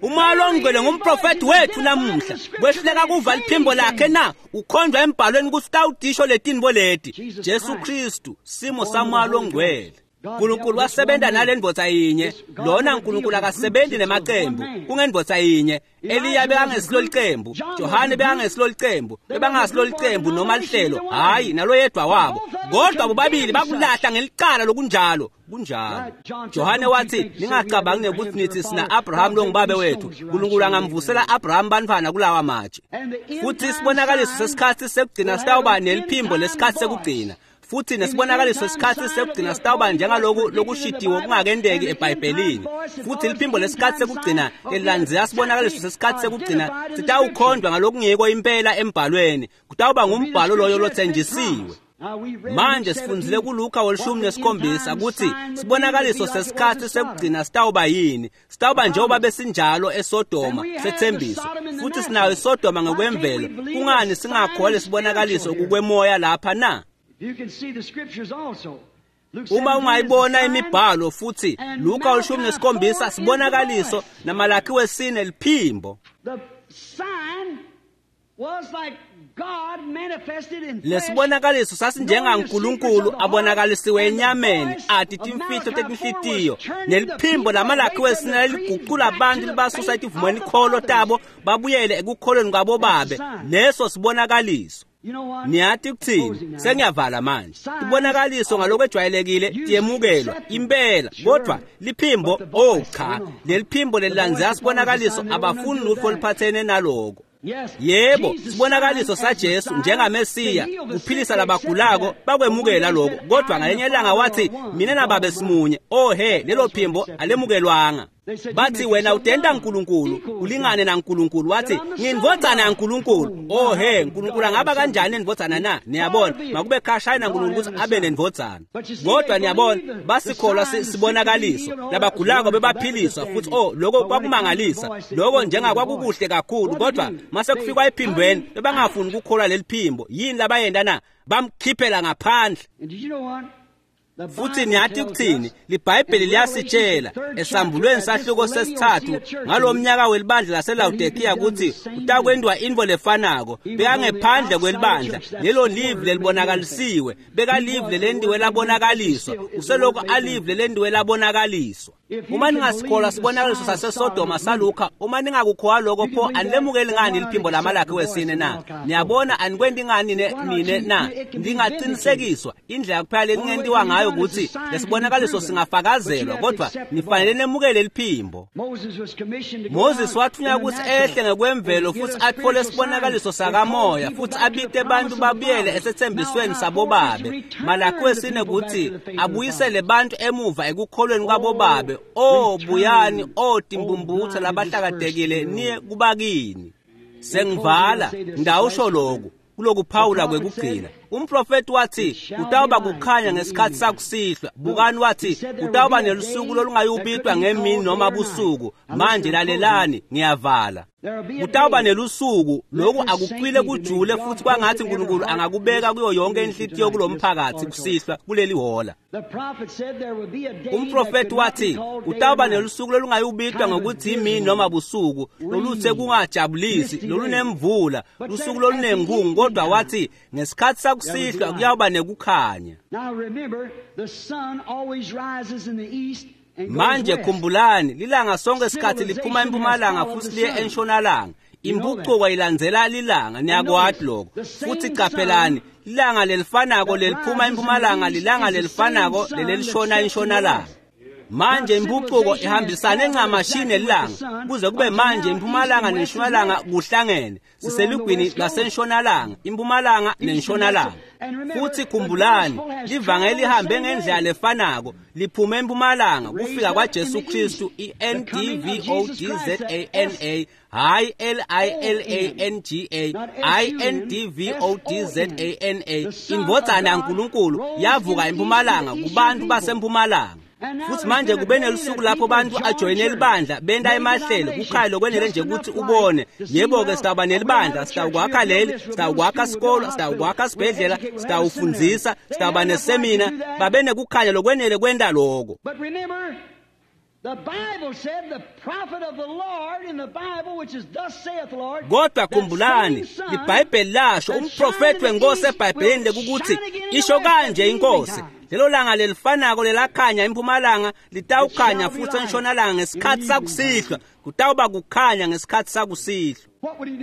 Umoya longcwele ngumprofeti wethu namuhla. Kwehluleka kuva liphimbo lakhe na? Ukhonjwa embhalweni ukuthi utawutisho letinto leti. Jesu Kristu simo samoya longcwele. uNkulunkulu wasebenza nale ndvodza yinye. Lona uNkulunkulu akasebenzi nemacembu, kungendvodza yinye. Eliya bekangesilo licembu, Johane bekangesilo licembu, bebangasilo licembu noma lihlelo, hayi naloyedwa wabo. Kodwa bobabili bakulahla ngelicala lokunjalo. Kunjalo. Johane wathi ningacabangi ukuthi nithi sina Abraham longubabe wethu. uNkulunkulu angamvusela Abraham bantwana kulawa matshe. Futhi isibonakaliso sesikhathi sekugcina sitawuba neliphimbo lesikhathi sekugcina. Futhi nesibonakaliso sesikhathi sekugcina sitawuba njengaloku lokushidiwe kungakendeki eBhayibhelini. Futhi liphimbo lesikhathi sekugcina elilandzela sibonakaliso sesikhathi sekugcina sitawukhonjwa ngalokungiko impela embhalweni. Kutawuba ngumbhalo loyo lothenjisiwe. Manje sifundzile kuLuka 17 ukuthi sibonakaliso sesikhathi sekugcina sitawuba yini. Sitawuba njengoba besinjalo eSodoma sethembiso, futhi sinayo iSodoma ngokwemvelo. Kungani singakholwa lesibonakaliso kukwemoya lapha na? Uma ungayibona imibhalo futhi Luka 17 sibonakaliso naMalaki 4 liphimbo. Lesibonakaliso sasinjengaNkulunkulu abonakalisiwe enyameni, ati timfihlo tetinhlitiyo, neliphimbo laMalaki 4 liguqula abantu libasusa etivumweni kholo tabo babuyele ekukholweni kwabo babe. Leso sibonakaliso. Niyathi kuthini? Sengiyavala manje. Tibonakaliso ngalokwejwayelekile tiyemukelwa impela, kodwa liphimbo oh cha, leliphimbo lelilandzela sibonakaliso abafuni lutho oluphathene naloko. Yebo, sibonakaliso saJesu njengaMesiya uphilisa labagulako bakwemukela lokho, kodwa ngalenye ilanga wathi mina nababe simunye. Oh he, lelo phimbo alemukelwanga. Bathi wena utenda uNkulunkulu ulingane naNkulunkulu. Wathi ngindvodzana yaNkulunkulu. Oh he, uNkulunkulu angaba kanjani indvodzana na? Niyabona, makube khashana naNkulunkulu ukuthi abe nendvodzana. Kodwa niyabona, basikholwa sibonakaliso, labagulako bebaphiliswa futhi oh lokho kwakumangalisa. Lokho njengakwakukuhle kakhulu, kodwa mase kufikwa ephimbweni bebangafuni ukukholwa leli phimbo. Yini labayenda na? Bamkhiphela ngaphandle. Futhi niyathi ukuthini? LiBhayibheli liyasitshela esambulweni sahluko sesithathu ngalo mnyaka welibandla laseLawodikiya ukuthi utakwentiwa intfo lefanako. Bekangephandle kwelibandla, lelo live lelibonakalisiwe, beka live lelentiwe labonakaliswa, uselokhu alive lelentiwe labonakaliswa. Uma ningasikholwa sibonakaliso saseSodoma saLukha, uma ningakukholwa lokho, pho anilemukeli ngani liphimbo laMalakhi wesine na? Niyabona, anikwenti ngani nine na? Ndingaqinisekiswa indlela kuphela lelingentiwa ngayo ukuthi lesibonakaliso singafakazelwa, kodwa nifanele nemukele liphimbo. Moses wathunywa ukuthi ehle ngekwemvelo futhi athole isibonakaliso sakamoya futhi abite bantu babuyele esethembisweni sabobabe. Malakhi wesine ukuthi abuyisele bantu emuva ekukholweni kwabobabe. O buyani, o timbumbutha labahlakatekile, niye kubakini. Sengivala ngidawusho lokhu kulokuphawula kwekugcina. Umprofeti wathi kutawuba kukhanya ngesikhathi sakusihlwa. Bukani, wathi kutawuba nelusuku lolungayubitwa ngemini noma busuku. Manje lalelani, ngiyavala. Kutawuba nelusuku lokhu akucwile kujule futhi kwangathi uNkulunkulu angakubeka kuyo yonke inhlitiyo kulomphakathi kusihlwa kuleli hola. Umprofeti wathi kutawuba nelusuku lolungayubitwa ngokuthi imini noma busuku, loluthe kungajabulisi, lolunemvula, lusuku olunenkungu, kodwa wathi ngesikhathi sakusihlwa kuyawuba nekukhanya. Manje khumbulani, lilanga sonke isikhathi liphuma empumalanga futhi liye entshonalanga. Impucuko ilandzela lilanga, niyakwati lokho. Futhi qaphelani, lilanga lelifanako leliphuma empumalanga lilanga lelifanako lelelishona entshonalanga. Manje impucuko ihambisane ncamashi nelanga kuze kube manje impumalanga nentshonalanga kuhlangene. Siselugwini lwasentshonalanga, impumalanga nentshonalanga. Futhi khumbulani, livangeli lihambe ngendlela lefanako, liphume empumalanga kufika kwaJesu Kristu, iNDVODZANA, hayi LILANGA, INDVODZANA. Indvodzana yaNkulunkulu yavuka empumalanga kubantu basempumalanga. Futhi manje kube nelusuku lapho bantu ajoyine libandla benta emahlelo kukhaya lokwenele nje ukuthi ubone. Yebo-ke, sitawuba nelibandla, sitawukwakha leli, sitawukwakha sikolo, sitawukwakha sibhedlela, sitawufundzisa, sitawuba nesemina. Babe nekukhanya lokwenele kwenta loko. Kodwa khumbulani, iBhayibheli lasho, umprofeti wenkosi eBhayibhelini lekukuthi isho kanje inkosi, lelo langa lelifanako lelakhanya empumalanga litawukhanya futhi entshonalanga ngesikhathi sakusihlwa. Kutawuba kukhanya ngesikhathi sakusihlwa.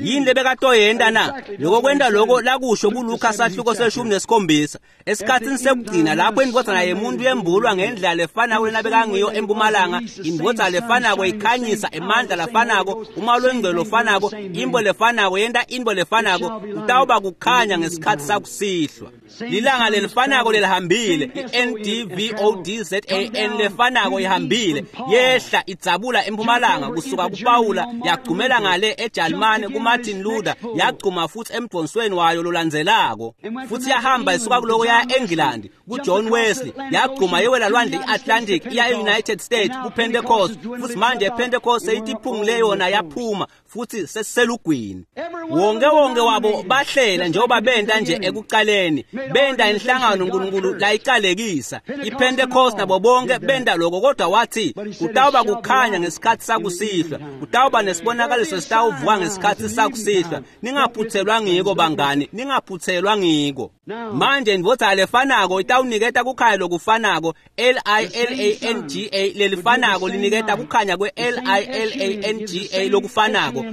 Yini lebekatoyenta na? Lokho kwenta lokho lakusho kuLuka sahluko 17 esikhathini sekugcina lapho indvodzana yemuntu yembulwa ngendlela lefanako lenabekangiyo empumalanga, indvodzana lefanako ikhanyisa emandla lafanako, uma lwengcwele lofanako, imbo lefanako yenta intfo lefanako. Kutawuba kukhanya ngesikhathi sakusihlwa. Lilanga lelifanako lelihambile, iNDVODZAN lefanako ihambile, yehla idzabula empumalanga kusuka kuPawula yagcumela ngale eJalimane kuMartin Luther, yagcuma futhi emdonsweni wayo lolandzelako, futhi yahamba isuka kuloko yaya eNgilandi kuJohn Wesley, yagcuma yewela lwandle iAtlantic iya eUnited States kuPentecost, futhi manje ePentecost seyitiphungule yona yaphuma futhi sesiselugwini. Wonke wonke wabo bahlela njengoba benta nje ekuqaleni, benta inhlangano uNkulunkulu layiqalekisa. iPentecost nabo bonke benta lokho, kodwa wathi kutawuba kukhanya ngesikhathi sakusihlwa, kutawuba nesibonakaliso sitawuvuka ngesikhathi sakusihlwa. Ningaphuthelwa ngiko bangani, ningaphuthelwa ngiko. Manje indvodzana lefanako itawuniketa kukhanya lokufanako, LILANGA lelifanako liniketa kukhanya kwe-LILANGA lokufanako,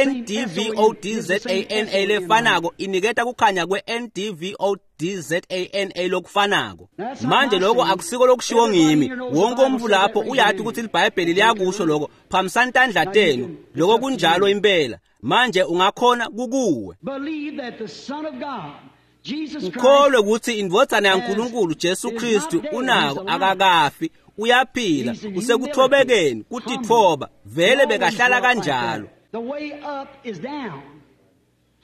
INDVODZANA lefanako iniketa kukhanya kwe-NDVODZANA lokufanako. Manje lokho akusiko lokushiwo ngimi. Wonke umuntu lapho uyathi ukuthi iBhayibheli liyakusho lokho. Phamisani tandla tenu. Lokho kunjalo impela. Manje ungakhona kukuwe. Ukholwe ukuthi indvodzana yaNkulunkulu Jesu Kristu unako, akakafi, uyaphila, usekuthobekeni, kutitfoba, vele bekahlala kanjalo.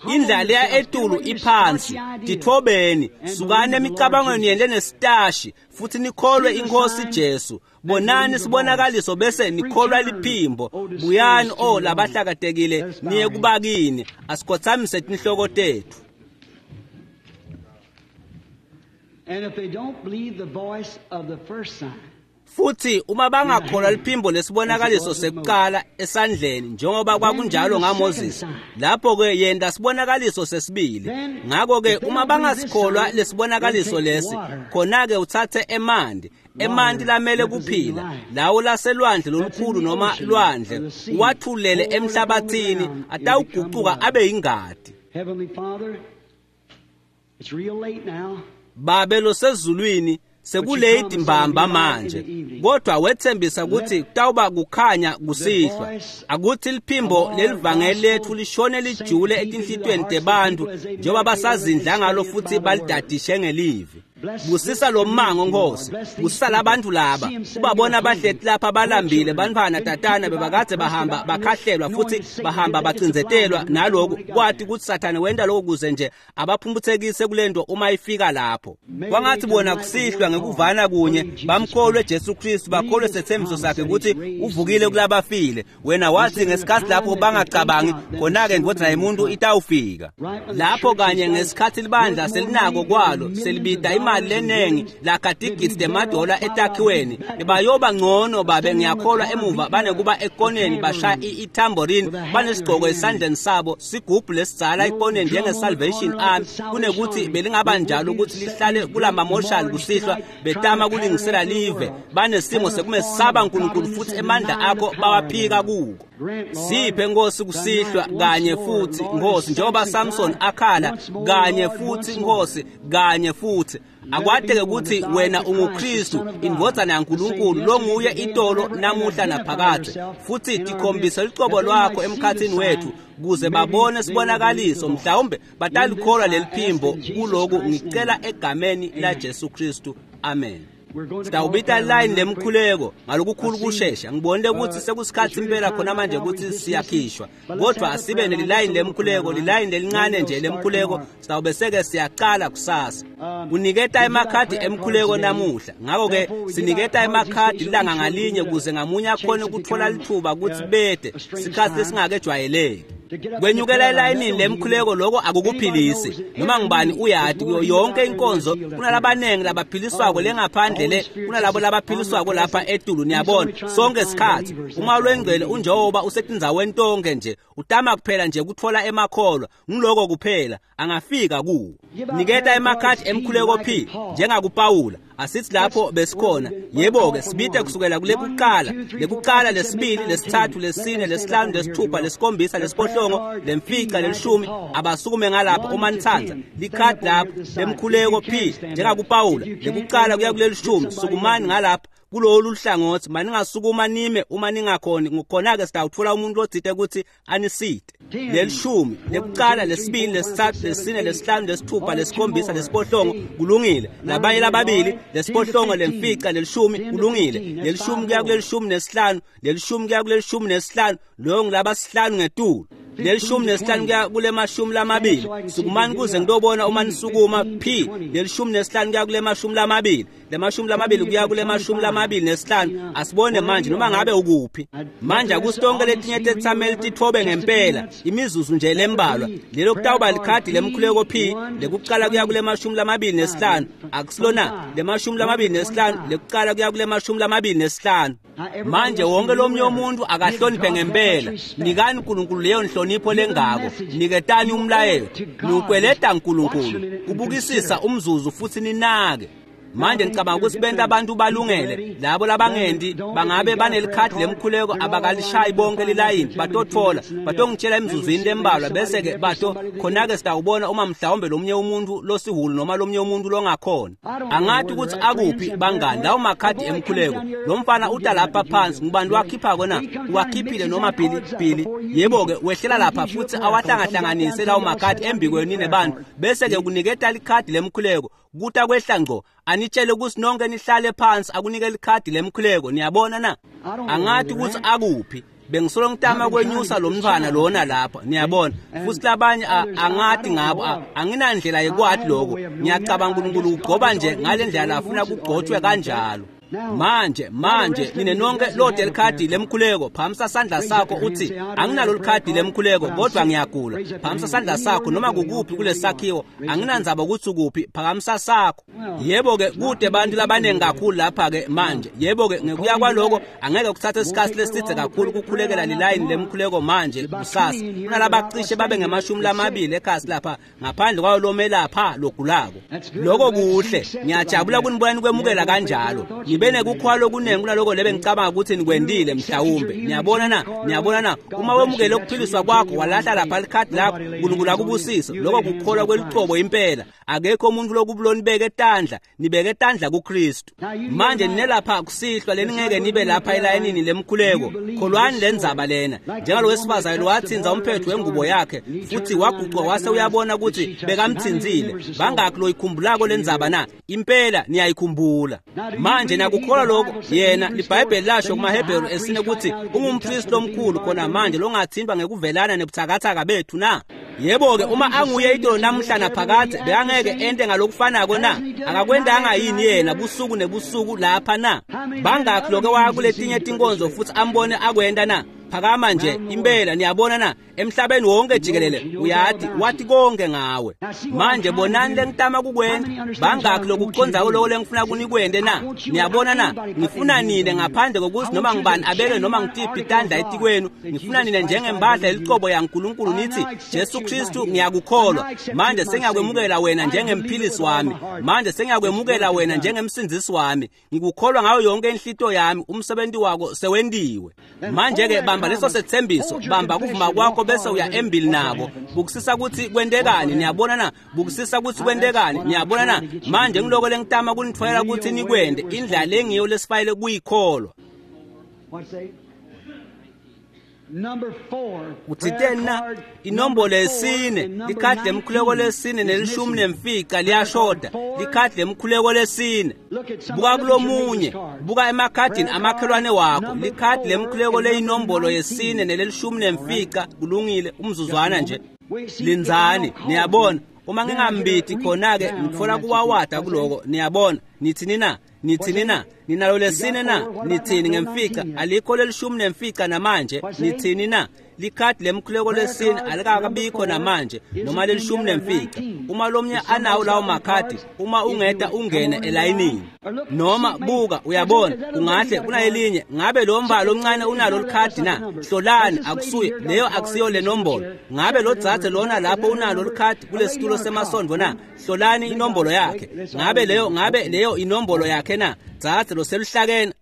Indlela leya etulu iphansi. Titfobeni, sukani emicabangweni yenu lenesitashi futhi nikholwe inkosi Jesu. Bonani sibonakaliso bese nikholwa liphimbo. Buyani o labahlakatekile niye kubakini. Asikhothamise tinhloko tethu. And if they don't believe the voice of the first sign, Futhi uma bangakholwa liphimbo lesibonakaliso sekuqala esandleni njengoba kwakunjalo ngaMoses, lapho-ke yenta sibonakaliso sesibili. Ngakho-ke uma bangasikholwa lesibonakaliso lesi, khona-ke uthathe emanti, emanti lamele kuphila, lawo laselwandle lolukhulu noma lwandle, uwathulele emhlabathini, atawugucuka abe yingadi. Heavenly Father, it's real late now. Babe losezulwini, sekulate mbamba manje, kodwa wethembisa ukuthi kutawuba kukhanya kusihlwa. Akuthi liphimbo lelivangeli lethu lishone lijule etinhlitiyweni tebantu njengoba basazindla ngalo futhi balidadishe ngelivi. Busisa lo mmango Nkosi, busisa labantu laba, ubabona bahleti lapha balambile, bantfwana tatana bebakadze bahamba bakhahlelwa futhi bahamba bacindzetelwa naloku, kwati kutsi Sathane wenta lokhu kuze nje abaphumphutsekise kulento uma ifika lapho. Kwangathi bona kusihlwa ngekuvana kunye bamkholwe Jesu Kristu, bakholwe sethembiso sakhe ukuthi uvukile kulabafile. Wena wathi ngesikhathi lapho bangacabangi, khona-ke ndvodza yemuntu itawufika. Lapho kanye ngesikhathi libandla selinako kwalo, selibida imali lenengi lakhatigidi temadola etakhiweni, bayoba ngcono babe ngiyakholwa emuva banekuba ekoneni bashaya itamborini banesigqoko esandleni sabo, sigubhu lesidzala ekoneni njenge-Salvation Army, kunekuthi belingaba njalo ukuthi lihlale kulamamoshali kusihlwa betama kulingisela live, banesimo sekumesaba uNkulunkulu futhi emandla akho bawaphika kuko. Siphe Nkosi kusihlwa kanye futhi Nkosi, njengoba Samson akhala kanye futhi Nkosi, kanye futhi. Akwateke ukuthi wena unguKristu, indvodzana yaNkulunkulu, longuye itolo namuhla naphakadze, futhi tikhombise lucobo lwakho emkhathini wethu kuze babone sibonakaliso, mhlawumbe batalikholwa leliphimbo. Kuloku ngicela egameni la Jesu Kristu, amen. Sitawubita line lemkhuleko ngalokukhulu kushesha. Ngibonile ukuthi sekusikhathi impela khona manje ukuthi siyakhishwa, kodwa asibe nelilayini lemkhuleko, lilayini lelincane nje lemkhuleko. Sitawube seke siyaqala kusasa kuniketa emakhadi emkhuleko namuhla. Ngakho-ke siniketa emakhadi ilanga ngalinye kuze ngamunye akhone ukuthola lithuba ukuthi bede sikhathi lesingakejwayeleki. Kwenyukela elayinini lemkhuleko lokho akukuphilisi. Noma ngubani uyati kuyo yonke inkonzo kunalabanengi labaphiliswako lengaphandle le kunalabo labaphiliswako lapha etulu. Niyabona sonke isikhathi uma lwengcwele unjengoba usetindzaweni tonke nje, utama kuphela nje kutfola emakholwa, ngiloko kuphela angafika kuwo. Niketa emakhadi emkhuleko P njengakuPawula. Asithi lapho besikhona, yebo-ke sibite kusukela kulekuqala, lekuqala, lesibili, lesithathu, lesine, lesihlanu, lesithupha, lesikhombisa, lesiphohlongo, lemfica, lelishumi. Abasukume ngalapho uma nithanda. Likhadi lapho lemkhuleko P njengakuPawula, lekuqala kuya kulelishumi. Sukumani ngalapha kulolu hlangothi, maningasukuma nime uma ningakhoni, ngokhona-ke sitawutfola umuntu otsite ukuthi anisite. Lelishumi, lekuqala, lesibili, lesithathu, lesine, lesihlanu, lesithupha, lesikhombisa, lesiphohlongo, kulungile. Labanye lababili, lesiphohlongo, lemfica, lelishumi, kulungile. Lelishumi kuya kulelishumi nesihlanu, lelishumi kuya kulelishumi nesihlanu, loyo ngilabasihlanu ngetulu. Lelishumi nesihlanu kuya kulemashumi lamabili. Sukumani kuze ngitobona uma nisukuma. P lelishumi nesihlanu kuya kulemashumi lamabili, lemashumi lamabili kuya kulemashumi lamabili nesihlanu. Asibone manje noma ngabe ukuphi manje. Akusonke letinye tetsameli titfobe ngempela imizuzu nje lembalwa. Lelo kutawuba likhadi lemkhuleko P lekuqala kuya kulemashumi lamabili nesihlanu. Akusilona lemashumi lamabili nesihlanu, lekuqala kuya kulemashumi lamabili nesihlanu. Manje wonke lomnye umuntu akahloniphe ngempela. Nikani uNkulunkulu leyo nhlonipho lengako, niketani umlayelo, niukweleta uNkulunkulu. Kubukisisa umzuzu futhi ninake. Manje ngicabanga ukuthi benta abantu balungele, labo labangendi bangabe banelikhadi lemkhuleko abakalishayi bonke lilayini, batotfola batongitshela emzuzwini lembalwa, bese-ke bato khona-ke sitawubona uma mhlawumbe lomunye umuntu losihulu noma lomunye umuntu longakhona. Angathi ukuthi akuphi bangani lawo makhadi emkhuleko. Lo mfana uta lapha phansi, ngubani wakhiphako na? Uwakhiphile noma Bhili? Bhili, yebo-ke wehlela lapha futhi awahlangahlanganise lawo makhadi embikweni nebantu, bese-ke kuniketa likhadi lemkhuleko. Kuta kwehla ngco anitshele ukuthi nonke nihlale phansi, akunike likhadi lemkhuleko. Niyabona na? Angathi ukuthi akuphi. Bengisolo ngitama kwenyusa lo mntwana lona lapha, niyabona. Futhi labanye angathi ngabo, anginandlela yekwati lokho. Ngiyacabanga uNkulunkulu ugcoba nje ngale ndlela afuna kugcotshwe kanjalo. Manje nine nonke lode likhadi lemkhuleko, phamisa sandla sakho uthi anginalo likhadi lemkhuleko kodwa ngiyagula. Phamisa sandla sakho noma kukuphi kulesakhiwo, anginandzaba ukuthi ukuphi, phakamisa sakho. Yebo-ke kude bantu labaningi kakhulu lapha-ke manje. Yebo-ke ngekuya kwaloko angeke kuthathe isikhathi leside kakhulu kukhulekela lilayini lemkhuleko manje kusasa. Kunalabacishe babe ngemashumi lamabili ekhasi lapha ngaphandle kwayo lomelapha logulako. Lokho kuhle, ngiyajabula kunibona nikwemukela kanjalo. Ngibe nekukhwala okuningi kunaloko lebe ngicabanga ukuthi nikwendile mhlawumbe. Niyabona na? Niyabona na? Uma wemukele ukuphiliswa kwakho walahla lapha likhadi lakho, uNkulunkulu akubusise. Lokho kukholwa kwelucobo impela. Akekho umuntu lokubulonibeke etandla, nibeke etandla kuKristu. Manje ninelapha kusihlwa leningeke nibe lapha elayinini lemkhuleko. Kholwani lendzaba lena. Njengalo wesifazane wathinza umphetho wengubo yakhe futhi waguqa wase uyabona ukuthi bekamthinzile. Bangakhi loyikhumbulako lendzaba na? Impela niyayikhumbula. Manje nakukholwa lokho, yena liBhayibheli lasho kumaHebheru esine ukuthi ungumpristi omkhulu khona manje longathintwa ngekuvelana nebuthakathaka bethu na? Yebo-ke uma anguye itolo namuhla naphakadze bekangeke ente ngalokufanako na? Akakwendanga yini yena busuku nebusuku lapha na? Bangakhi loke waya kuletinye tinkonzo futhi ambone akwenta na? Phakama nje impela, niyabona na? Emhlabeni wonke jikelele uyati wathi konke ngawe. Manje bonani lengitama kukwenta. Bangakhi lokucondzako lokho lengifuna kunikwente na? Niyabona na? Ngifuna nine ngaphandle kokuthi noma ngibani abeke noma ngitiphi tandla etikwenu. Ngifuna nine njengembadla elicobo yaNkulunkulu nithi Jesu Kristu ngiyakukholwa. Manje sengiyakwemukela wena njengemphilisi wami. Manje sengiyakwemukela wena njengemsindzisi wami. Ngikukholwa ngayo yonke inhlito yami, umsebenzi wako sewentiwe. Manje-ke bamba leso sethembiso, bamba kuvuma kwakho bese uya embili nako. Bukusisa ukuthi kwentekani, niyabona na? Bukusisa ukuthi kwentekani, niyabona na? Manje ngiloko lengitama kunitfwayela ukuthi nikwente, indlela lengiyo lesifayele kuyikholwa. Uthiteni na? Inombolo yesine, likhadi lemkhuleko lesine nelishumi nemfica liyashoda. Likhadi lemkhuleko lesine. Buka kulomunye, buka emakhadini amakhelwane wakho. Likhadi lemkhuleko leyinombolo yesine nelishumi nemfica. Kulungile, umzuzwana nje. Lindzani, niyabona. Uma ngingambidi khona-ke ngitfola kuwawada kuloko, niyabona. Nithini na? Nithini na? Ninalo lesine na? Nithini ngemfica? Alikho lelishumi nemfica namanje. Nithini na? Likhadi lemkhuleko lesine alikakabikho namanje noma lelishumi nemfica. Uma lomnye anawo lawo makhadi, uma ungeta ungene elayinini. Noma buka, uyabona, kungahle kunayelinye. Ngabe lo mbala omncane unalo likhadi na? Hlolani, akusuye leyo, akusiyo le nombolo. Ngabe lo dzadze lona lapho unalo likhadi kulesitulo semasondvo na? Hlolani inombolo yakhe. Ngabe leyo inombolo yakhe na? Dzadze lo seluhlakene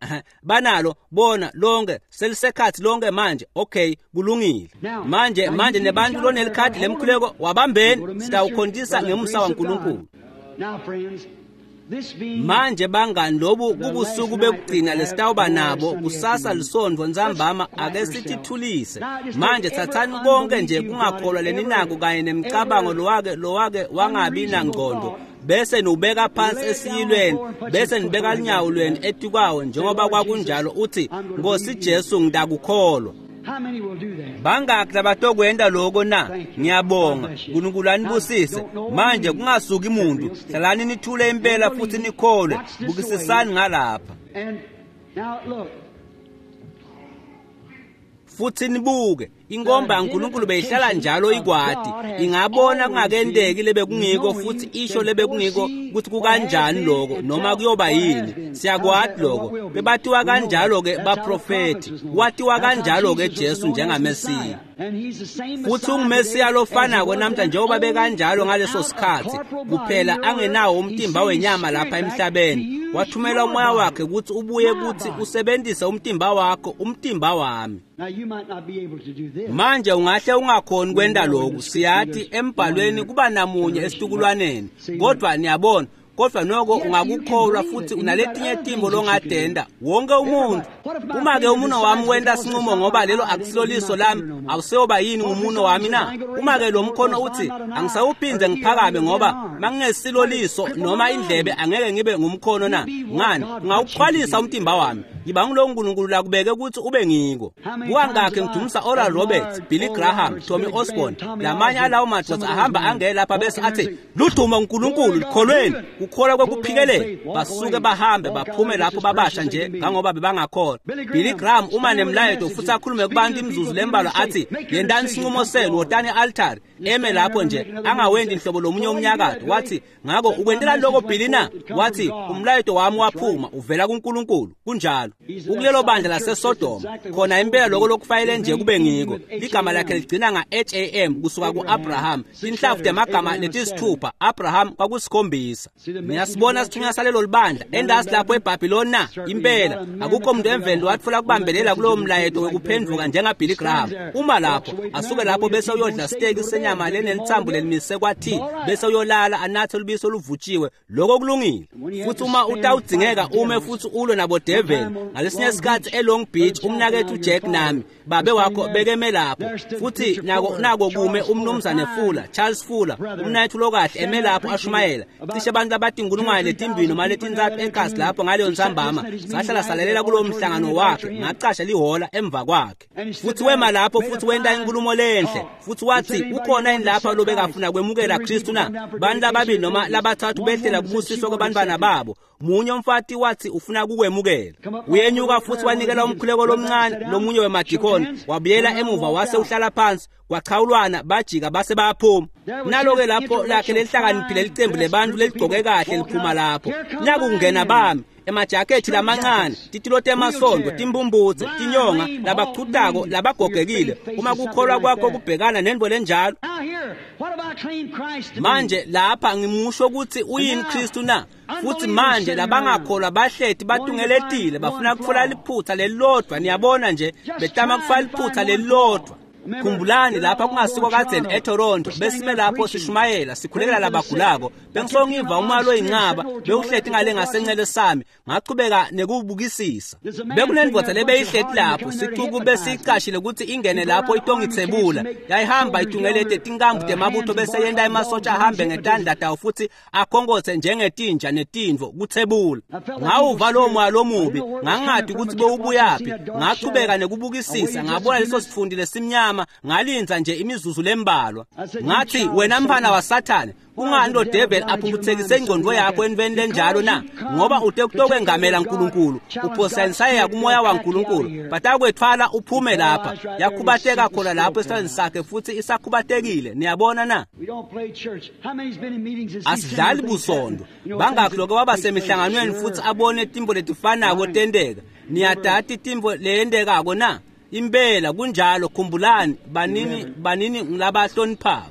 banalo bona lonke selisekhathi lonke manje. Okay, kulungile. Manje nebantu lonelikhadi lemkhuleko wabambeni, sitawukhontisa ngemusa waNkulunkulu. Manje bangani, lobu kubusuku bekugcina lesitawuba nabo kusasa lisondvo ntsambama. Ake sithithulise manje. Thathani konke nje kungakholwa leninako kanye nemicabango lowake wangabi nangqondo, bese niwubeka phansi esiyilweni, bese nibeka lunyawo lwenu etikwawo njengoba kwakunjalo, uthi Nkosi Jesu ngidakukholwa. Bangakhi labatokwenta loko na? Ngiyabonga. uNkulunkulu anibusise. Manje kungasuki muntu, hlalani nithule impela futhi nikholwe. Bukisisani ngalapha futhi nibuke. Inkomba yaNkulunkulu beyihlala njalo ikwati, ingabona kungakenteki lebekungiko futhi isho lebekungiko ukuthi kukanjani lokho noma kuyoba yini. Siyakwati lokho. Bebatiwa kanjalo-ke baprofethi, watiwa kanjalo-ke Jesu njengaMesiya. Futhi unguMesiya lofanako namhla njengoba bekanjalo ngaleso sikhathi, kuphela angenawo umtimba wenyama lapha emhlabeni. Wathumela umoya wakhe ukuthi ubuye kuthi usebenzise umtimba wakho, umtimba wami. Manje ungahle ungakhoni kwenta lokhu. Siyathi embhalweni kuba namunye esitukulwaneni, kodwa niyabona, kodwa noko ungakukholwa futhi unaletinye timbo longadenda wonke umuntu. Uma-ke umuno wami wenta sinqumo ngoba lelo akusilo liso lami, awuseyoba yini ngumuno wami na? Uma-ke lo mkhono uthi angisawuphindze ngiphakame ngoba mangingesilo liso noma indlebe angeke ngibe ngumkhono na? Ngani, ungawuxhwalisa umtimba wami. Yiba ngulowo uNkulunkulu lakubeke ukuthi ube ngiko. Kukangakhi ngidumisa Oral Roberts, Billy Graham, Tommy Osborne, lamanye alawo madoda ahamba angena lapha bese athi ludumo uNkulunkulu likholweni, kukholwa kwekuphikelela. Basuke bahambe baphume lapho babasha nje ngangoba bebangakholwa. Billy Graham uma nemlayeto futhi akhulume kubantu imizuzu lembalwa athi yentani isinqumo senu, wotani e-altari, eme lapho nje angawendi inhlobo lomunye umnyakato. Wathi ngakho ukwentela lokho Billy na? Wathi umlayeto wami waphuma uvela kuNkulunkulu. Kunjalo. Ukulelo bandla laseSodoma khona impela lokho lokufayele nje kube ngiko. Ligama lakhe ligcina nga-Ham kusuka ku-Abraham. Inhlavu temagama letisithupha Abraham kwakusikhombisa. Niyasibona sithunywa salelo libandla endasi lapho eBhabhiloni na? Impela akukho umuntu emveni watfola kubambelela kulowo mlayeto wekuphendvuka njengaBilly Graham. Uma lapho asuke lapho bese uyodla steak senyama lenelithambo lelimise kwathi bese uyolala anathe lubisi oluvutshiwe. Lokho kulungile. Futhi uma utawudzingeka ume futhi ulwe nabo devil. Ngalesinye isikhathi eLong Beach umnakethu Jack nami babe wakho bekeme lapho futhi nako kume umnumzane Fuller, Charles Fuller, umnakethu lokahle eme lapho ashumayela. Cishe abantu abatinkulungwane letimbili noma letintsatfu enkasi lapho ngaleyo ntsambama sahlala salalela kulowo mhlangano wakhe. Ngacasha lihola emva kwakhe futhi wema lapho futhi wenta inkulumo lenhle futhi wathi ukhona yini lapha lobekafuna kwemukela Kristu na? Bantu lababili noma labathathu behlela kubusiswa kwabantwana babo. Munye umfati wathi ufuna kukwemukela. Uyenyuka futhi wanikela umkhuleko lomncane lomunye wemadikoni, wabuyela emuva wase uhlala phansi. Kwachawulwana bajika base bayaphuma. Nalo-ke lapho lakhe lelihlakaniphile licembu lebantu leligcoke kahle liphuma lapho. Naku kungena bami emajakhethi lamancane, titulo temasondo, timbumbutse, tinyonga, labachutako, labagogekile. Uma kukholwa kwakho kubhekana nento lenjalo. Manje lapha ngimusho ukuthi uyini Kristu na? Futhi manje labangakholwa bahleti batungeletile bafuna kutfola liphutha lelilodwa. Niyabona nje betama kufaka liphutha lelilodwa. Khumbulani lapha kungasiko kadzeni eToronto besime lapho sishumayela sikhulekela labagulako. Bengisongiva umalo oyinqaba bewuhleti ngale ngasencele sami, ngachubeka nekubukisisa. Bekunendvodza lebeyihleti lapho, sicuku besicashile ukuthi ingene lapho itongitsebula. Yayihamba itungelete tinkambu temabutho bese yenta emasotsha ahambe ngetandla tawo futhi akhonkothe njengetinja netintfo kutsebula. Ngawuva lowo moya lomubi, ngangati ukuthi bewubuyaphi. Ngachubeka nekubukisisa, ngabona leso sifundi lesimnyama. Ngalinza nje imizuzu lembalwa. Ngathi wena mfana waSathane, kungani lo devil aphumputhekise ingqondo yakho entweni lenjalo na? Ngoba ute kutokwengamela uNkulunkulu, uphosanisaya kumoya waNkulunkulu, batakwethwala uphume lapha. Yakhubateka khona lapho esandleni sakhe futhi isakhubatekile. Niyabona na? Asidlali busondo. Bangakhi lokho waba semihlanganweni futhi abone timbo letifanako tenteka. Niyadati timbo leyentekako na? Impela kunjalo. Khumbulani banini ngilabahloniphako.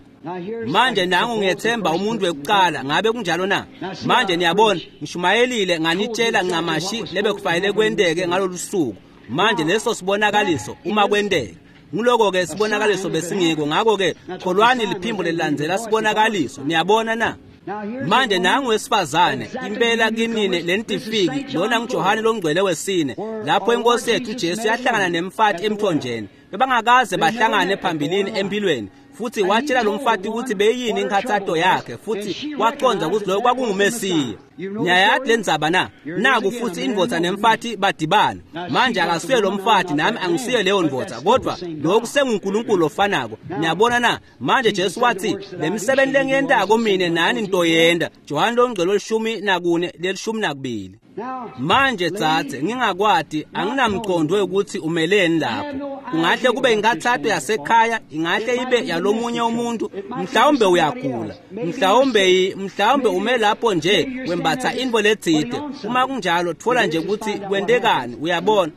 Manje nangu ngiyethemba umuntu wekuqala. Ngabe kunjalo na? Manje niyabona ngishumayelile nganitshela ncamashi lebekufanele kwenteke ngalolu suku. Manje leso sibonakaliso uma kwenteka nguloko-ke sibonakaliso besingiko. Ngakho-ke kholwani liphimbo lelilandzela sibonakaliso. Niyabona na? Manje nangu wesifazane impela kinine lentifiki lona nguJohane longcwele wesine lapho inkosi yethu Jesu yahlangana nemfati emthonjeni. Bebangakaze bahlangane phambilini empilweni. Futhi watshela lo mfati ukuthi beyini inkhathato yakhe futhi waqonda ukuthi lokho kwakunguMesiya. Niyayati lendzaba na? Naku futhi indvodza nemfati badibana. Manje akasuye lo mfati nami angisuye leyo ndvodza, kodwa lokhu senguNkulunkulu ofanako. Niyabona na? Manje Jesu wathi lemisebenzi lengiyentako mine nani ntoyenda. Johane longcwele 14 12. Manje tsatse ngingakwati anginamqondo ukuthi umeleni lapho. Kungahle kube inkathato yasekhaya, ingahle ibe yalomunye umuntu, mhlawumbe uyagula, mhlawumbe ume lapho nje wembatha intfo letsite. Uma kunjalo tfola nje ukuthi kwentekani, uyabona.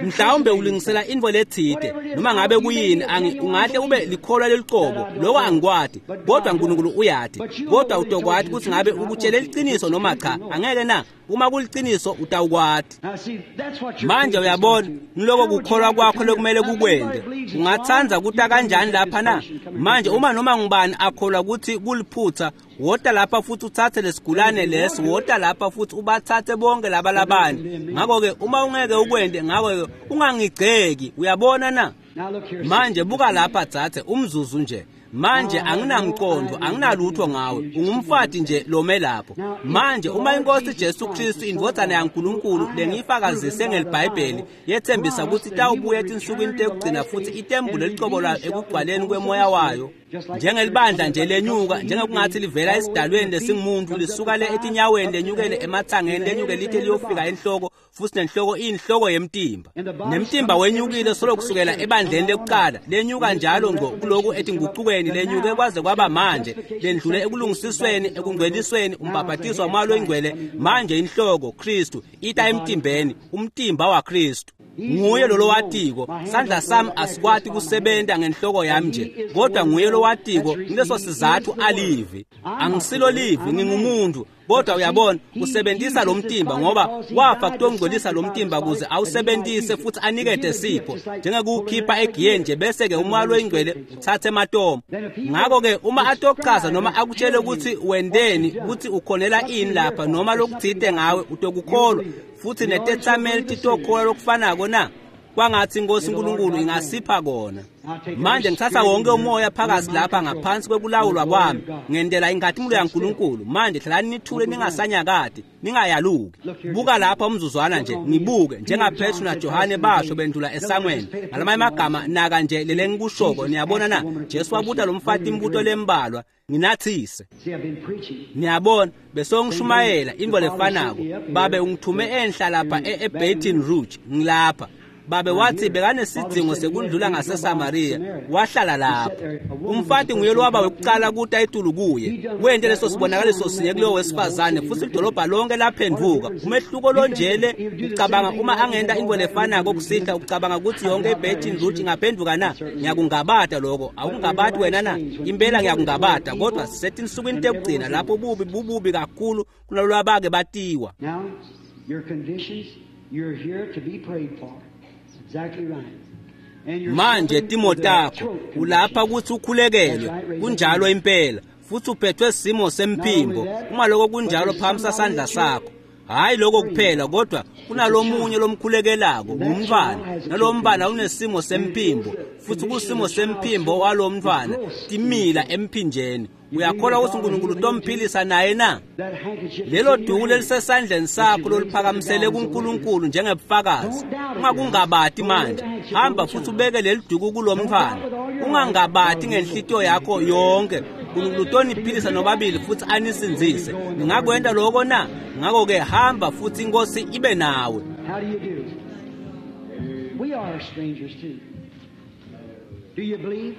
Mhlawumbe ulungisela intfo letsite, noma ngabe kuyini, ungahle ube likholwa lelicobo, lokho angikwati, kodwa uNkulunkulu uyati. Kodwa utokwati ukuthi ngabe ukutshele liciniso noma cha, angeke na? Uma kuliciniso utawukwati. Manje uyabona, ngiloko kukholwa kwakho lokumele kukwente. Ungatsandza kuta kanjani lapha na? Manje uma noma ngubani akholwa ukuthi kuliphutha, wota lapha futhi uthathe lesigulane leso, wota lapha futhi ubathathe bonke laba labanye. Ngakho-ke uma ungeke ukwente, ngakho-ke ungangigceki, uyabona na? Manje buka lapha tsatse umzuzu nje. Manje anginamqondo, anginalutho ngawe, ungumfati nje lome lapho. Manje uma inkosi Jesu Kristu indvodzana yaNkulunkulu lengiyifakazise ngeliBhayibheli yethembisa ukuthi itawubuya etinsukwini tekugcina futhi itembule licobo lwayo ekugcwaleni kwemoya wayo, njengelibandla nje lenyuka, njengokungathi livela esidalweni lesingumuntu lisuka le etinyaweni lenyukele emathangeni lenyuke lithe liyofika enhloko, futhi nenhloko iyinhloko yemtimba, nemtimba wenyukile solo kusukela ebandleni lekuqala, lenyuka njalo ngqo kuloku etingucukweni, lenyuke kwaze kwaba manje, lendlule ekulungisisweni, ekungcwelisweni, umbhabhatiso wamoya loyingcwele. Manje inhloko Kristu ita emtimbeni, umtimba waKristu. Nguye lo lowatiko, sandla sami asikwati kusebenta ngenhloko yami nje, kodwa nguye lowatiko. Ngileso sizathu alivi. Angisilo livi, ngingumuntu. Kodwa uyabona, usebenzisa lo mtimba ngoba wafa kutongcolisa lo mtimba kuze awusebenzise futhi anikete sipho, njengekuwukhipha egiyeni nje, bese-ke umoya loyingcwele uthathe ematomo. Ngakho-ke uma atochaza noma akutshele ukuthi wendeni, ukuthi ukhonela ini lapha noma lokuthite ngawe, utokukholwa futhi netethameli titokholwa lokufanako na? Kwangathi inkosi uNkulunkulu ingasipha kona. Manje ngithatha wonke umoya phakathi lapha ngaphansi kwekulawulwa kwami, ngendela inkhatimulo yaNkulunkulu. Manje hlalani nithule, ningasanyakati, ningayaluki. Buka lapha umzuzwana nje, ngibuke njengaPetru naJohane basho bendlula esangweni. Ngalamanye amagama, naka nje lele ngikushoko, niyabona na? Jesu wabuta lo mfati imibuto lembalwa, nginathise. Niyabona, besongishumayela into lefanako. Babe ungithume enhla lapha eBaton Rouge, ngilapha. Babe wathi bekanesidzingo sekundlula ngaseSamaria, wahlala lapho. Umfati nguye lowaba wekuqala kuta etulu kuye, wente leso sibonakaliso sinye kulowo wesifazane, futhi idolobha lonke laphenduka. Umehluko lonjele, ucabanga uma angenta into lefanako kusihlwa, ucabanga ukuthi yonke iBaton Rouge ingaphenduka na? Ngiyakungabata lokho. Awungabati wena na? Impela ngiyakungabata, kodwa sisetinsukwini tekugcina lapho bubi bububi kakhulu kunalolwabake batiwa. Now, your conditions, you're here to be prayed for. Exactly right. Manje timo takho, ulapha ukuthi ukhulekelwe, kunjalo impela, futhi uphethwe simo semphimbo. Uma lokho kunjalo, phamisa sandla sakho. Hayi lokho kuphela, kodwa kunalomunye lomkhulekelako, ngumntwana, nalowo mntwana unesimo semphimbo, futhi kusimo semphimbo walowo mntwana timila emphinjeni. Uyakholwa ukuthi uNkulunkulu utomphilisa naye na? Lelo duku lelisesandleni sakho loluphakamisele kuNkulunkulu njengebufakazi, ungakungabati manje. Hamba futhi ubeke leli duku kulo mntwana, ungangabati ngenhlitiyo yakho yonke. uNkulunkulu utoniphilisa nobabili futhi anisindzise. Ningakwenta lokho na? Ngakho-ke hamba futhi inkosi ibe nawe. How do you do? We are strangers too. Do you believe?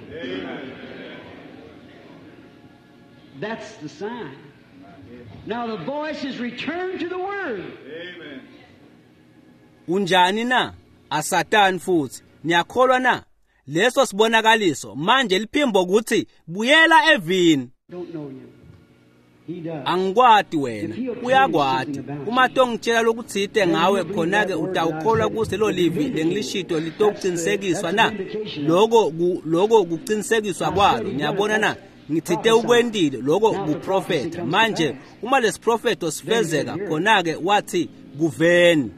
That's the sign. Now the voice is returned to the Word. Amen. Unjani na? Asatani futhi. Niyakholwa na? Leso sibonakaliso manje liphimbo ukuthi buyela evini. Don't know you. He does. Angikwati wena, uyakwati. Uma tongitshela lokutsite ngawe, khona-ke utawukholwa kuse lo livi lengilishito litokucinisekiswa na? Lokho kucinisekiswa kwalo. Niyabona na? Ngitsite ukwentile lokho kuprofetha. Manje uma lesiprofetho sifezeka, khona-ke wathi kuveni.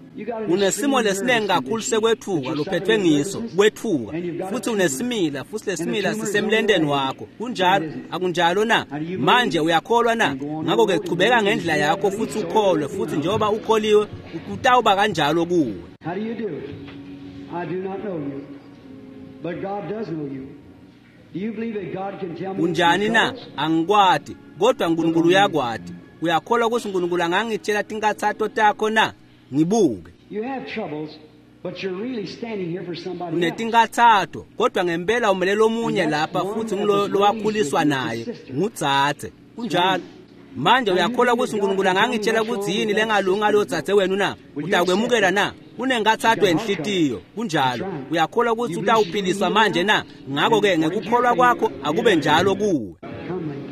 Unesimo lesiningi kakhulu sekwethuka lophethwe ngiso, kwethuka, futhi unesimila, futhi lesimila sisemlenteni wakho. Kunjalo, akunjalo na? Manje uyakholwa na? Ngakho-ke chubeka ngendlela yakho futhi ukholwe, futhi njengoba ukholiwe kutawuba kanjalo kuwe. How do you do? I do not know you, but God does know you. Do you believe that God can tell me Unjani na? Angikwati, kodwa uNkulunkulu uyakwati. Uyakholwa ukuthi uNkulunkulu angangitshela tinkathato takho na? Ngibuke. You have troubles, but you're really standing here for somebody else. Unetinkathato, kodwa ngempela umelele omunye lapha futhi ngulo lowakhuliswa naye, ngudzadze. Kunjalo. Manje uyakholwa ukuthi uNkulunkulu angangitshela ukuthi yini lengalunga ngalowo dzadze wenu na? Utakwemukela na? Unenkathato enhlitiyo. Kunjalo. Uyakholwa ukuthi utawuphiliswa manje na? Ngakho-ke ngekukholwa kwakho akube njalo kuwe. Come, lady.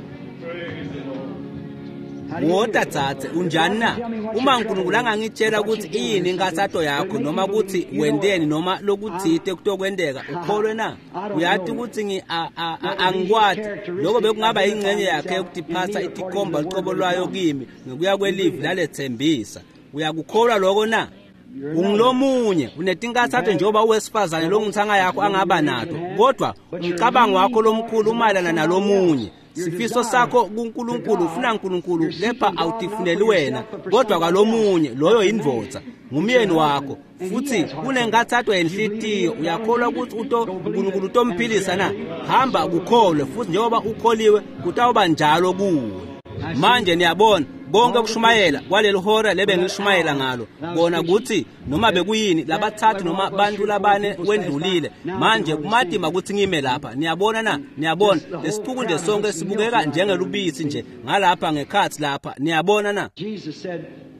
How do you Wota do? dzadze, unjani na? Uma uNkulunkulu angangitshela ukuthi iyini inkathato yakho noma ukuthi wenteni noma lokutsite kutokwenteka, ukholwe na? Uyati ukuthi angikwati. Lokho bekungaba ingxenye yakhe yokutiphatsa itikhomba lucobo lwayo kimi ngekuya kwelivi laletsembisa. Uyakukholwa lokho na? Ungilomunye unetinkathatho njengoba uwesifazane longithanga yakho angaba nato, kodwa umcabango wakho lomkhulu umayelana nalomunye. Sifiso sakho kuNkulunkulu, ufuna uNkulunkulu, kepha awutifuneli wena kodwa kwalomunye. Loyo yindvodza, ngumyeni wakho, futhi kunenkathatho yenhlitiyo. Uyakholwa ukuthi uNkulunkulu utomphilisa na? Hamba kukholwe, futhi njengoba ukholiwe kutawuba njalo kuwe. Manje niyabona konke kushumayela kwaleli hora lebe ngishumayela ngalo kona ukuthi noma bekuyini labathathu noma bantu labane wendlulile. Manje kumatima ukuthi ngime lapha, niyabona na? Niyabona lesixuku nje sonke sibukeka njengelubisi nje ngalapha ngekhathi lapha, niyabona na?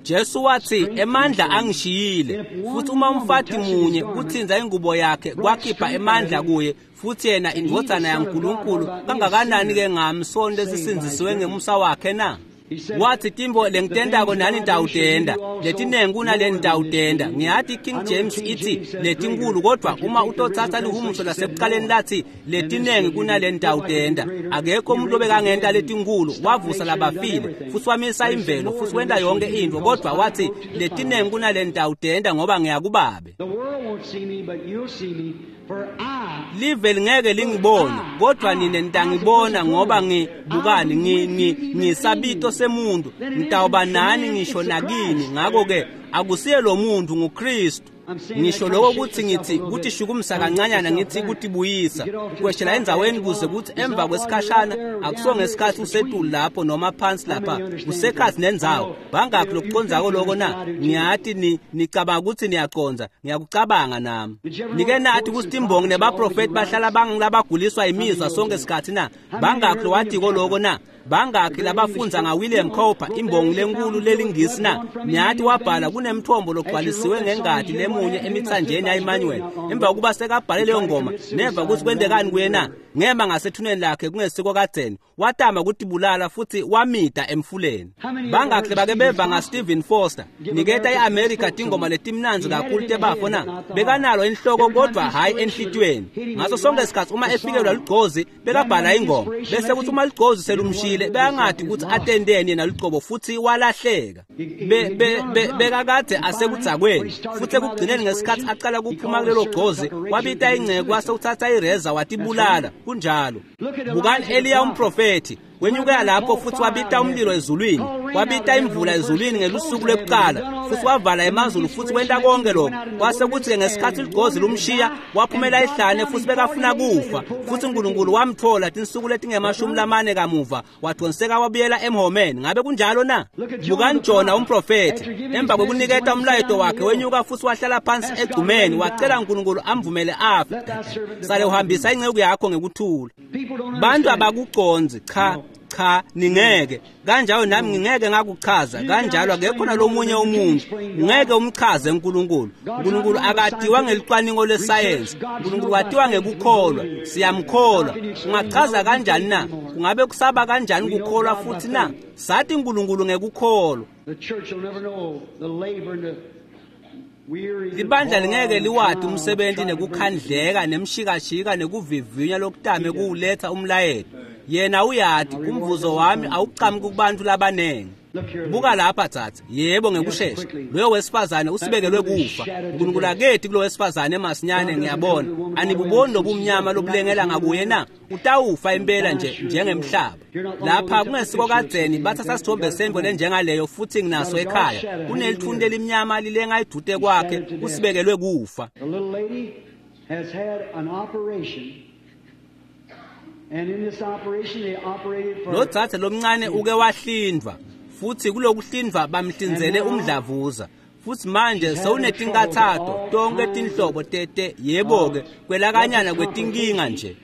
Jesu wathi emandla angishiyile, futhi uma umfati munye kuthinza ingubo yakhe kwakhipha emandla kuye, futhi yena indvodzana yaNkulunkulu, kangakanani ke ngami sonke lesisindzisiwe ngemusa wakhe na? Wathi timbo lengitendako nani nitawutenda, letinengi kunale nitawutenda. Ngiyathi King James ithi letinkulu, kodwa uma utothatha lihumusho lasekuqaleni lathi letinengi kunale nitawutenda. Akekho umuntu obekangenta letinkulu, wavusa labafile futhi wamisa imvelo futhi wenta yonke into, kodwa wathi letinengi kunale nitawutenda ngoba ngiyakubabe. Live lingeke lingibone, kodwa nine nitangibona ngoba ngibukani ngisabito semuntu, ngitawuba nani ngisho nakini. Ngakho-ke akusiye lo muntu, nguKristu. Ngisho lokho ukuthi ngithi kutishukumisa kancanyana, ngithi kutibuyisa kweshela endzaweni kuze kuthi emva kwesikhashana, akuso ngesikhathi usetulu lapho noma phansi lapha, kusekhathi nendzawo. Bangakhi lokucondzako loko na? Ngiyathi nicabanga ukuthi niyaconza, ngiyakucabanga nami. Nike nathi ukuthi timbongi nebaprofeti bahlala bangilabaguliswa imizwa sonke isikhathi na? Bangakhi lowatiko loko na? Bangakhi labafunza ngaWilliam Cowper, imbongi lenkulu lelingisi na? Niyathi wabhala kunemthombo logcwalisiwe ngengadi lemunye emithanjeni yaEmmanuel. Emva kokuba sekabhale leyo ngoma, neva ukuthi kwentekani kuye na? Ngema ngasethuneni lakhe kungesiko kadzeni, watama ukutibulala futhi wamida emfuleni. Bangakhi bake beva ngaStephen Foster, niketa iAmerica tingoma letimnandzi kakhulu tebafo na? Bekanalo inhloko kodwa hhayi enhlitiyweni. Ngaso sonke isikhathi uma efikelwa lugcozi bekabhala ingoma, bese kuthi uma lugcozi selumshile bekangathi ukuthi atendeni yena lucobo, futhi walahleka. Bekakade asekudzakweni, futhi ekugcineni ngesikhathi aqala kuphuma kulelo gcozi wabita ingceke wase uthatha ireza watibulala. Kunjalo. Bukani Eliya umprofethi wenyukela lapho futhi wabita umlilo ezulwini, wabita imvula ezulwini ngelusuku lwekuqala, futhi wavala emazulu futhi wenta konke lokho. Kwase kuthi-ke ngesikhathi ligcozi lumshiya waphumela ehlane futhi bekafuna kufa, futhi uNkulunkulu wamthola tinsuku letingemashumi lamane kamuva, wadonseka wabuyela emhomeni. Ngabe kunjalo na? Bukani Jona umprofethi, emva kwekuniketa umlayeto wakhe wenyuka futhi wahlala phansi egcumeni, wacela uNkulunkulu amvumele afe. Sale uhambisa inceku yakho ngekuthula. Bantu abakuconzi, cha cha, ningeke kanjalo nami ngingeke ngakuchaza kanjalo, akekho nalomunye umuntu ngeke umchaze uNkulunkulu. uNkulunkulu akatiwa ngelicwaningo lesayensi, uNkulunkulu watiwa ngekukholwa, siyamkholwa. Ungachaza kanjani na? Kungabe kusaba kanjani kukholwa futhi na? Sathi uNkulunkulu ngekukholwa. Libandla lingeke liwati umsebenzi nekukhandleka nemshikashika nekuvivinya lokutame kuwuletha umlayeto. Yena uyati umvuzo wami awuqhamuki kubantu labanengi. Buka lapha tsatsa, yebo ngekushesha loyo wesifazane usibekelwe kufa. uNkulunkulu akethi kulo wesifazane masinyane. Ngiyabona anibuboni lobumnyama lobulengela ngakuye na? Utawufa impela nje njengemhlaba. Lapha kungesiko kadzeni bathatha sithombe sembo lenjengaleyo futhi nginaso ekhaya. Kunelithunti elimnyama lilenga idute kwakhe, usibekelwe kufa. Lo dzadze lomncane uke wahlindvwa, futhi kulokuhlindvwa bamhlinzele umdlavuza, futhi manje sewunetinkathato tonke tinhlobo tete, yebo-ke kwelakanyana kwetinkinga nje.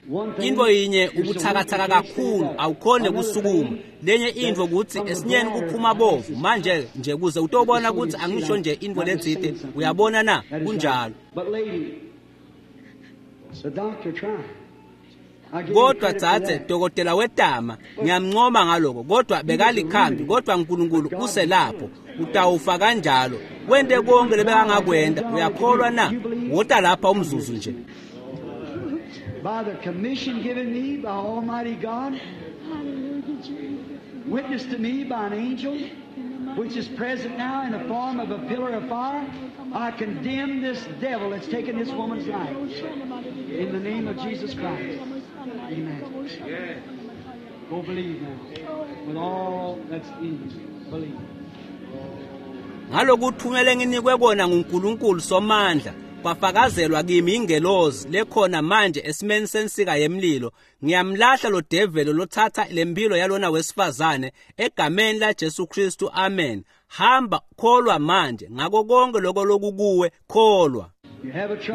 Into yinye ubuthakathaka kakhulu, awukhone kusukuma. Lenye intfo kutsi esinyeni kuphuma bovu. Manje nje kuze utobona kutsi angisho nje intfo letsite, uyabona na? Kunjalo. Kodwa dzadze, dokotela wetama, ngiyamncoma ngaloko, kodwa bekalikhambi, kodwa uNkulunkulu uselapho. Utawufa kanjalo. Wente konke lebekangakwenta. Uyakholwa na? Wota lapha umzuzu nje. By the commission given me by Almighty God, witnessed to me by an angel, which is present now in the form of a pillar of fire, I condemn this devil that's taken this woman's life. In the name of Jesus Christ. Amen. Go believe now. With all that's in you. Believe. Ngalokuthumele nginikwe kona nguNkulunkulu Somandla, kwafakazelwa kimi ingelozi lekhona manje esimeni sensika yemlilo. Ngiyamlahla lo develo lothatha lempilo yalona wesifazane egameni la Jesu Kristu, amen. Hamba kholwa manje ngako konke lokho lokukuwe, kholwa.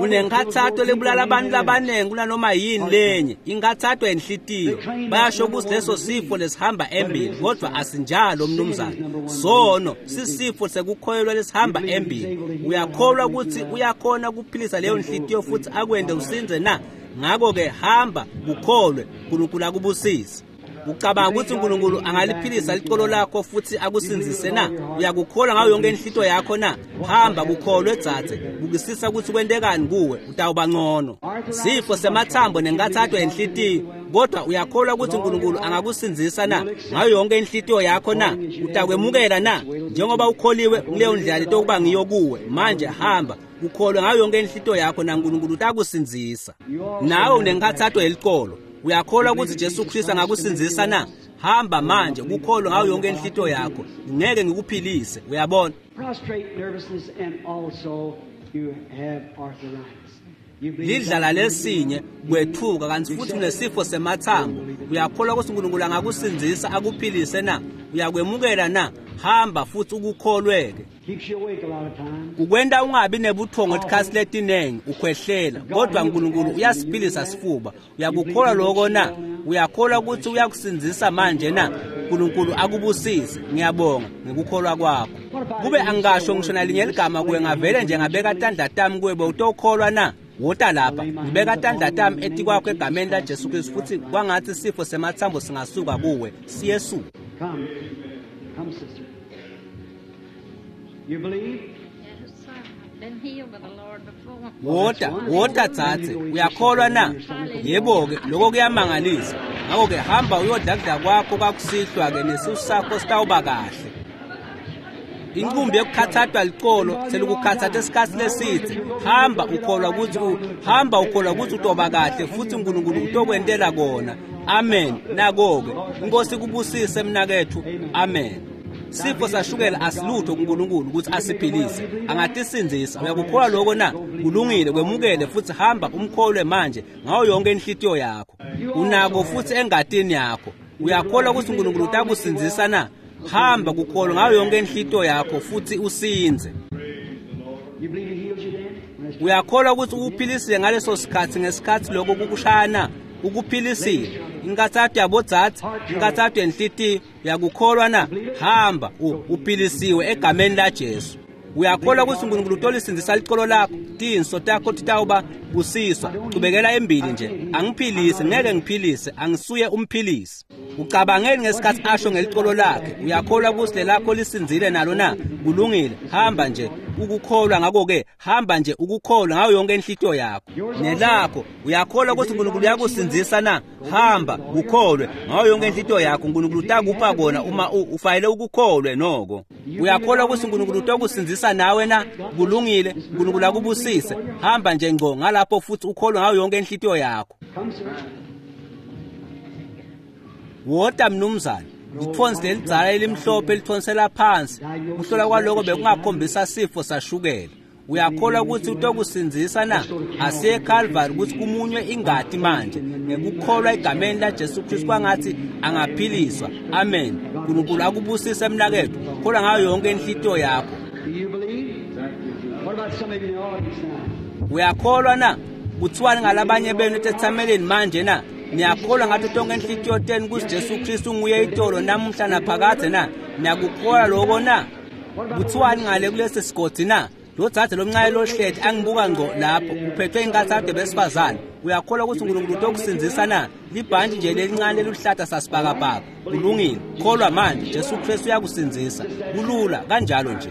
Unenkathato lebulala abantu labanengi kunanoma yini lenye, inkathato yenhlitiyo. Bayasho ukuthi leso sifo lesihamba embili, kodwa asinjalo mnumzane. Sono sisifo sekukholelwa lesihamba embili. Uyakholwa ukuthi uyakhona ukuphilisa leyo nhlitiyo futhi akwende usinze na? Ngakho-ke hamba kukholwe, uNkulunkulu akubusise. Ucabanga ukuthi uNkulunkulu angaliphilisa licolo lakho futhi akusinzise na? Uyakukholwa ngayo yonke inhlito yakho na? Hamba kukholwe dzadze, bukisisa ukuthi kwentekani kuwe, utawuba ngcono. Sifo semathambo nenkathato yenhlitiyo, kodwa uyakholwa ukuthi uNkulunkulu angakusinzisa na ngayo yonke inhlitiyo yakho na? Utakwemukela na? Njengoba ukholiwe kuleyo ndlela letokuba ngiyo kuwe, manje hamba ukholwe ngayo yonke inhlitiyo yakho na uNkulunkulu utakusinzisa. Nawe unenkathato yelicolo, uyakholwa ukuthi Jesu Kristu angakusinzisa na? Hamba manje kukholwa ngayo yonke inhlitiyo yakho, ngeke ngikuphilise. Uyabona? Prostrate nervousness and also you have arthritis. Lidlala lesinye kwethuka kanti futhi unesifo semathambo. Uyakholwa ukuthi uNkulunkulu angakusinzisa akuphilise na? Uyakwemukela na? Hamba futhi ukukholweke. Ukwenta ungabi nebuthongo etikhatsi letinengi ukhwehlela, kodwa uNkulunkulu uyasiphilisa sifuba. Uyakukholwa lokho na? Uyakholwa ukuthi uyakusinzisa manje na? uNkulunkulu akubusise. Ngiyabonga ngikukholwa kwakho. Kube angisho ngisho nalinye ligama kuwe, ngavele nje ngabeka tandla tami kuwe, bewutokholwa na? Wota lapha, ngibeka tandla tami etikwakho egameni la Jesu Kristu, futhi kwangathi isifo semathambo singasuka kuwe. Siyesuka. Come. Come, sister. You believe? Yes, sir. I've been healed by the Lord before. Wota, wota dzadze, uyakholwa na? Yebo-ke, lokho kuyamangalisa. Ngakho-ke hamba uyodla kudla kwakho kwakusihlwa-ke nesisu sakho sitawuba kahle. Inqumbi yokukhathathwa licolo selikukhathatha esikhathi lesithe. Hamba ukholwa ukuthi hamba ukholwa ukuthi utoba kahle futhi uNkulunkulu utokwentela kona. Amen. Nako-ke inkosi kubusise mnakethu. Amen. Sifo sashukela asilutho kuNkulunkulu ukuthi asiphilise, angatisinzisa. Uyakukholwa lokho na? Kulungile, kwemukele futhi hamba umkholwe manje ngayo yonke inhlitiyo yakho. Unako futhi engatini yakho. Uyakholwa ukuthi uNkulunkulu utakusinzisa na? Hamba kukholwa ngayo yonke inhlitiyo yakho futhi usinze. Uyakholwa ukuthi ukuphilisile ngaleso sikhathi, ngesikhathi lokho kukushaya na? Ukuphilisile. Inkathatho yabodzadze, inkathatho yenhlitiyo, uyakukholwa na? Hamba uphilisiwe egameni la Jesu. Uyakholwa ukuthi uNkulunkulu utolisindzisa licolo lakho, tinso takho titawuba busiswa. Chubekela embili nje. Angiphilise, ngeke ngiphilise, angisuye umphilisi. Ucabangeni ngesikhathi asho ngelicolo lakhe. Uyakholwa ukuthi lelakho lisinzile nalo na? Kulungile, hamba nje ukukholwa. Ngakho-ke hamba nje ukukholwa ngayo yonke inhlitiyo yakho nelakho. Uyakholwa ukuthi uNkulunkulu uyakusindzisa na? Hamba ukholwe ngayo yonke inhlitiyo yakho, uNkulunkulu utakupha kona uma ufanele ukukholwe noko. Uyakholwa ukuthi uNkulunkulu utakusindzisa nawe na? Kulungile, uNkulunkulu akubusise. Hamba nje ngqo ngalapho futhi ukholwe ngayo yonke inhlitiyo yakho. Wota mnumzane. Lithonsi lelidzala elimhlophe elithonsela phansi. Kuhlola kwaloko bekungakhombisa sifo sashukela. Uyakholwa ukuthi utokusindzisa na? Asiye eCalvary ukuthi kumunywe ingati manje ngekukholwa egameni la Jesu Kristu kwangathi angaphiliswa. Amen. uNkulunkulu akubusise mnakethu. Kholwa ngayo yonke inhlitiyo yakho. Uyakholwa na? Kuthiwani ngalabanye benu etethameleni manje na? Niyakholwa ngathi tonke inhlitiyo tenu ukuthi Jesu Kristu nguye itolo namuhla naphakadze na? Niyakukholwa lokho na? Kuthiwani ngale kulesi sigodi na? Lo dzadze lomncane lohleti angibuka ngqo lapho uphethwe inkathazo besifazane. Uyakholwa ukuthi uNkulunkulu utokusindzisa na? Libhantshi nje lelincane leluhlata sasibhakabhaka. Kulungile, kholwa manje, Jesu Kristu uyakusindzisa. Kulula kanjalo nje.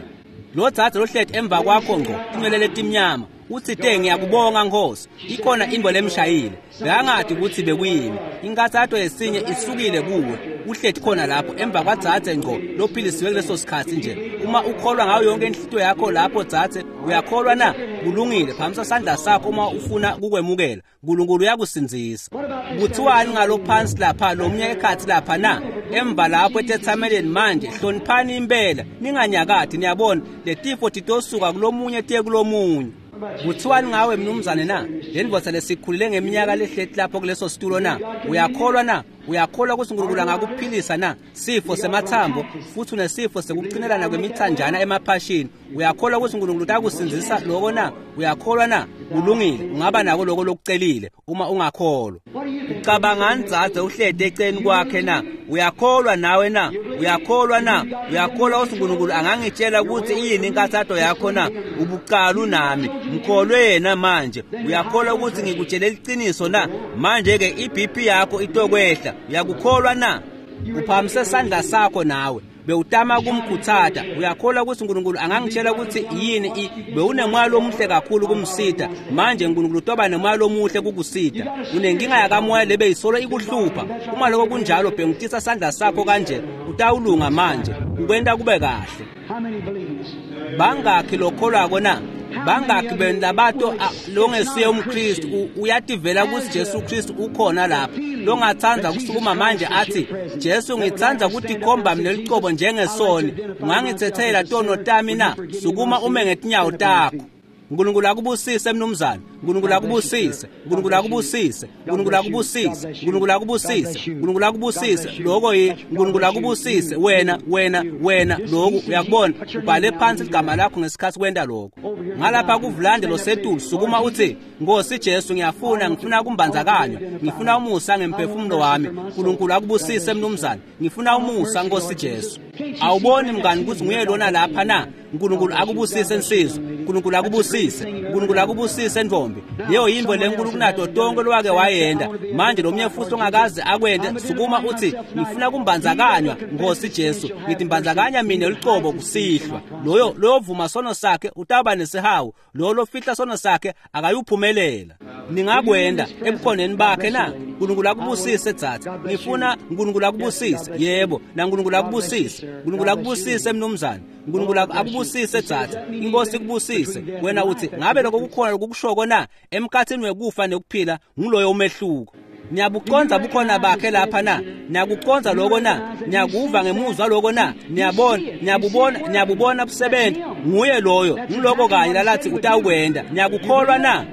Lo dzadze lohleti emva kwakho ngqo, tinwele letimnyama. Utsite ngiyakubonga Nkosi. Ikhona intfo lemshayile. Bekangati kutsi bekuyini. Inkathato yesinye isukile kuwe. Uhleti khona lapho emva kwadzadze ngco lophilisiwe kuleso sikhatsi nje. Uma ukholwa ngayo yonke inhlitiyo yakho lapho dzadze, uyakholwa na? Kulungile, phamisa sandla sakho uma ufuna kukwemukela. Nkulunkulu uyakusindzisa. Kuthiwani ngalo phansi lapha lomunye ekhatsi lapha na? Emva lapho etetsameleni manje, hloniphani impela, ninganyakati. Niyabona, letifo titosuka kulomunye tiye kulomunye. Kuthiwani ngawe mnumzane na? Le ndvodza lesikhulile ngeminyaka lehleti lapho kuleso situlo na? Uyakholwa na? Uyakholwa kutsi Nkulunkulu angakuphilisa na? Sifo semathambo futhi unesifo sekucinelana kwemithanjana emaphashini. Uyakholwa kutsi Nkulunkulu utakusindzisa loko na? Uyakholwa na? Kulungile, ungaba nako loko lokucelile uma ungakholwa. Ucabangani dzadze uhleti eceleni kwakhe na? Uyakholwa nawe na? Uyakholwa na? Uyakholwa kutsi Nkulunkulu angangitshela kutsi iyini inkathato yakho na? Ubucalu nami, mkholwe yena manje. Uyakholwa kutsi ngikutshele liciniso na? Manje-ke i-BP yakho itokwehla. Uyakukholwa na? Uphamise sandla sakho nawe. Bewutama kumkhutsata. Uyakholwa kutsi Nkulunkulu angangitshela kutsi yini bewunemoya lomuhle kakhulu kumsita. Manje Nkulunkulu utoba nemoya lomuhle kukusita. Unenkinga yakamoya lebeyisolo ikuhlupha. Uma lokho kunjalo, bhengutisa sandla sakho kanje, utawulunga manje. Ukwenta kube kahle. Bangakhi lokholwako na? Bangakhi benu labato longesiye umKristu uyativela kutsi Jesu Kristu ukhona lapha, longatsandza kusukuma manje athi, Jesu ngitsandza kutikhomba mina licobo njengesoni, ungangitsetsela tono tami na? Sukuma ume ngetinyawo takho. Nkulunkulu akubusise mnumzane. Nkulunkulu akubusise. Nkulunkulu akubusise. Nkulunkulu akubusise. Nkulunkulu akubusise. Nkulunkulu akubusise. Lokho yi Nkulunkulu akubusise wena wena wena lokhu uyakubona. Ubhale phansi igama lakho ngesikhathi kwenta lokho. Ngalapha kuvulande losetulu sukuma uthi, Nkosi Jesu ngiyafuna, ngifuna kumbandzakanywa. Ngifuna umusa ngemphefumulo wami. Nkulunkulu akubusise mnumzane. Ngifuna umusa Nkosi Jesu. Awuboni mngani kutsi nguye lona lapha na? Nkulunkulu akubusise nsizwa. Nkulunkulu akubusise. Nkulunkulu akubusise ntombi. Leyo yintfo lenkulu kunato tonke lowake wayenda. Manje lomunye futhi ongakaze akwente, sukuma uthi, ngifuna kumbandzakanywa Nkosi Jesu. Ngithi mbandzakanya mina licobo kusihlwa. Loyo loyovuma sono sakhe utawuba nesihawu. Loyo lofihla sono sakhe akayuphumelela. Ningakwenda ebukhoneni bakhe na? Nkulunkulu akubusise dzadze. Ngifuna Nkulunkulu akubusise. Yebo, na Nkulunkulu akubusise. Nkulunkulu akubusise mnumzane. Nkulunkulu akubusise dzadze. Inkosi ikubusise. Wena uthi, ngabe lokho kukhona lokukushoko na? Emkhathini wekufa nekuphila nguloyo umehluko. Niyabucondza bukhona bakhe lapha na? Niyakucondza lokho na? Niyakuva ngemuzwa lokho na? Niyabona, niyabubona, niyabubona busebenza. Nguye loyo, nguloko kanye lalathi utawukwenda. Niyakukholwa na?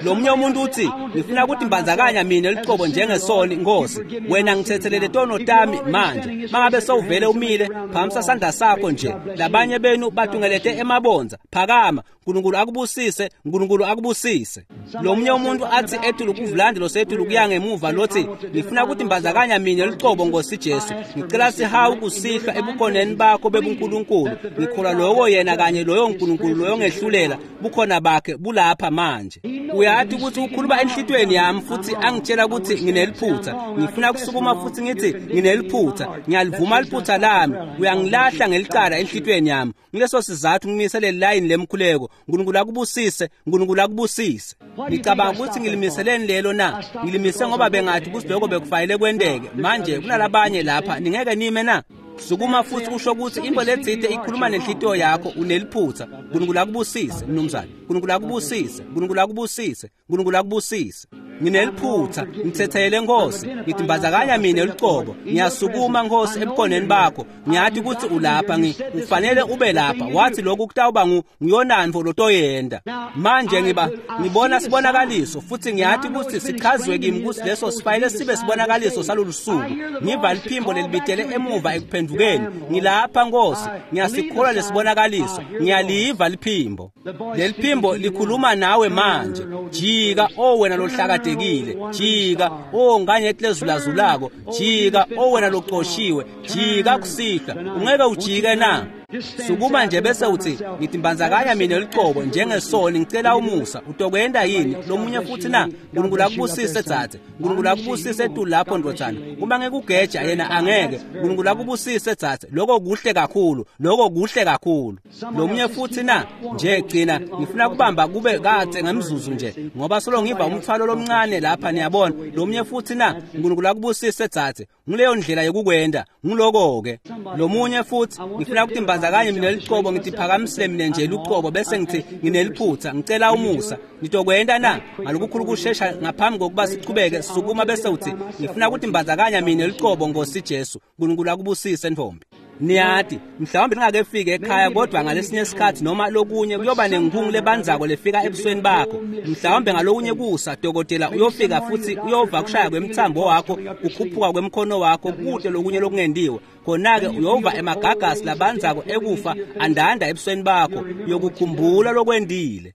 Lomunye umuntu uthi, ngifuna ukuthi mbandzakanya mina licobo njengesoni Nkosi. Wena ngithethelele tono tami manje. Mangabe sewuvele umile, phamisa sandla sakho nje. Labanye benu batungelete emabonza. Phakama. Nkulunkulu akubusise, Nkulunkulu akubusise. Lomunye umuntu athi etulu kuvulande losetulu kuya ngemuva lothi, ngifuna ukuthi mbandzakanya mina licobo Nkosi Jesu. Ngicela sihawu kusihlwa ebukhoneni bakho bebuNkulunkulu. Ngikholwa lokho yena kanye loyo Nkulunkulu loyo ngehlulela bukhona bakhe bulapha manje. Uyathi ukuthi ukhuluma enhlitiyweni yami futhi angitshela ukuthi ngineliphutha. Ngifuna kusukuma futhi ngithi ngineliphutha. Ngiyalivuma liphutha lami. Uyangilahla ngelicala enhlitiyweni yami. Ngileso sizathu ngimise le line lemkhuleko. Nkulunkulu akubusise, Nkulunkulu akubusise. Ngicabanga ukuthi ngilimiseleni lelo na? Ngilimise ngoba bengathi ukuthi lokho bekufanele kwenteke. Manje kunalabanye lapha, ningeke nime na? Sukuma futhi usho ukuthi into letsite ikhuluma nenhlitiyo yakho, uneliphutha. Nkulunkulu akubusise mnumzane. Nkulunkulu akubusise. Nkulunkulu akubusise. Nkulunkulu akubusise. Ngineliphutha, ngithethele Nkosi. Ngithi mbandzakanya mina licobo. Ngiyasukuma Nkosi ebukhoneni bakho. Ngiyathi ukuthi ulapha, ufanele ube lapha. Wathi lokhu kutawuba nguyonantfo lotoyenda. Manje ngibona sibonakaliso futhi ngiyathi ukuthi sichazwe kimi ukuthi leso sifanele sibe sibonakaliso salolu suku. Ngiva liphimbo lelibitele emuva ekuphendukeni. Ngilapha Nkosi, ngiyasikholwa lesibonakaliso. Ngiyaliva liphimbo. Leliphimbo likhuluma nawe manje. Jika o wena lohlakatekile, jika o nganyeti lezulazulako, jika o wena loqoshiwe, jika kusihlwa. Ungeke ujike na? Sukuma nje bese uthi ngitimbandzakanya mina lucobo njengesoni, ngicela umusa. Utokwenda yini lomunye futhi na? Nkulunkulu akubusise dzadze, Nkulunkulu akubusise etulu lapho ndvodzana. Uma ngikugeja yena angeke. Nkulunkulu akubusise dzadze, lokho kuhle kakhulu, lokho kuhle kakhulu. Lomunye futhi na? Nje gcina ngifuna kubamba kube kadze ngemzuzu nje, ngoba solo ngiva umthwalo lomncane lapha, niyabona. Lomunye futhi na? Nkulunkulu akubusise dzadze, nguleyo ndlela yokukwenda, nguloko-ke. Lomunye futhi, ngifuna ukutimbandzakanye mina lucobo, ngitiphakamisile mina nje lucobo bese ngithi ngineliphutha, ngicela umusa. Nitokwenda na? Ngalokukhulu kushesha ngaphambi kokuba sichubeke, sukuma bese uthi ngifuna ukutimbandzakanya mina lucobo, Nkosi Jesu. Nkulunkulu akubusise ntombi. Niyati mhlawumbe ningakefiki ekhaya, kodwa ngalesinye isikhathi noma lokunye kuyoba nenkhungu lebandzako lefika ebusweni bakho. Mhlawumbe ngalokunye kusa dokotela uyofika futhi uyova kushaya kwemthambo wakho, kukhuphuka kwemkhono wakho, kute lokunye lokungendiwe. Khona-ke uyova emagagasi labandzako ekufa andanda ebusweni bakho, uyokukhumbula lokwendile.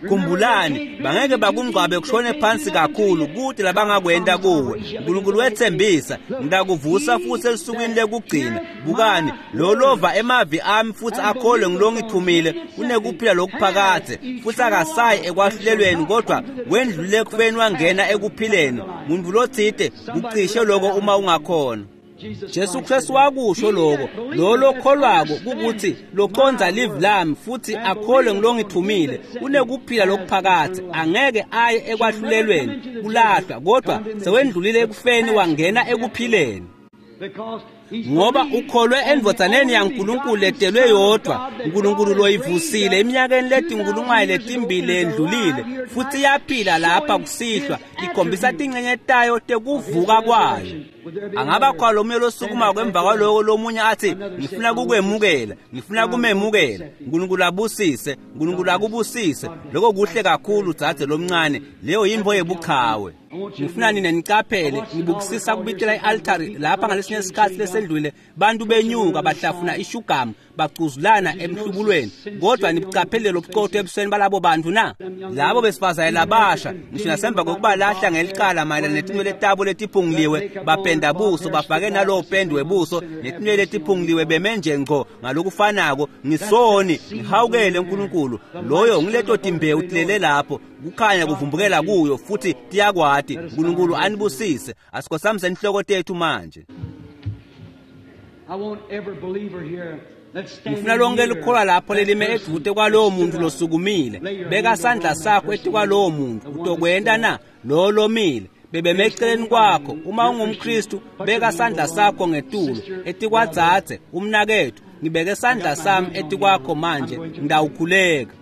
Khumbulani, bangeke bakungcwabe kushone phansi kakhulu, kude labangakwenta kuwe. Nkulunkulu wethembisa, ngitakuvusa futhi esukwini lekugcina. Bukani, lo lova emavi ami futhi akholwe ngilongithumile unekuphila lokuphakadze, futhi akasayi ekwahlulelweni, kodwa wendlule ekufeni wangena ekuphileni. Muntu lotsite kucishe lokho uma ungakhona. Jesu Kristu wakusho lokho, lo lokholwako kukuthi loconza live lami futhi akholwe ngilongithumile unekuphila lokuphakadze, angeke aye ekwahlulelweni kulahlwa, kodwa sewendlulile ekufeni wangena ekuphileni. Ngoba ukholwe endvodzaneni yaNkulunkulu letelwe yodwa, uNkulunkulu loyivusile eminyakeni letinkulungwane letimbili lendlulile, futhi iyaphila lapha kusihlwa, ikhombisa tincenye tayo tekuvuka kwayo. Angaba khona lomunye losukumako emva kwaloko, lomunye athi ngifuna kukwemukela, ngifuna kumemukela. Nkulunkulu abusise, Nkulunkulu akubusise. Lokho kuhle kakhulu dzadze lomncane, leyo yintfo yebuchawe. Ngifuna nina nicaphele, ngibukisisa kubitela i-altari lapha ngalesinye isikhathi lesendlule, bantu benyuka bahlafuna ishugamu bacuzulana emhlubulweni, kodwa nibucaphelele lobuqotho ebusweni balabo bantu na? Labo besifazane labasha, ngisho nasemva kokubalahla ngelicala mayelana netinwele tabo letiphunguliwe, bapenda buso, bafake nalowo pende webuso netinwele letiphunguliwe, beme nje ngco ngalokufanako. Ngisoni, ngihawukele uNkulunkulu. Loyo ngileto timbewu tilele lapho, kukhanya kuvumbukela kuyo futhi tiyakwati. uNkulunkulu anibusise. Asikhosamise inhloko tethu manje. Ngifuna lonke likholwa lapho lelime edvute kwalowo muntu losukumile. Beka sandla sakho etikwalowo muntu. Utokwenta na? Lo lomile bebeme eceleni kwakho. Uma ungumKristu, beka sandla sakho ngetulu etikwadzadze, umnaketfu. Ngibeke sandla sami etikwakho manje, ngitawukhuleka.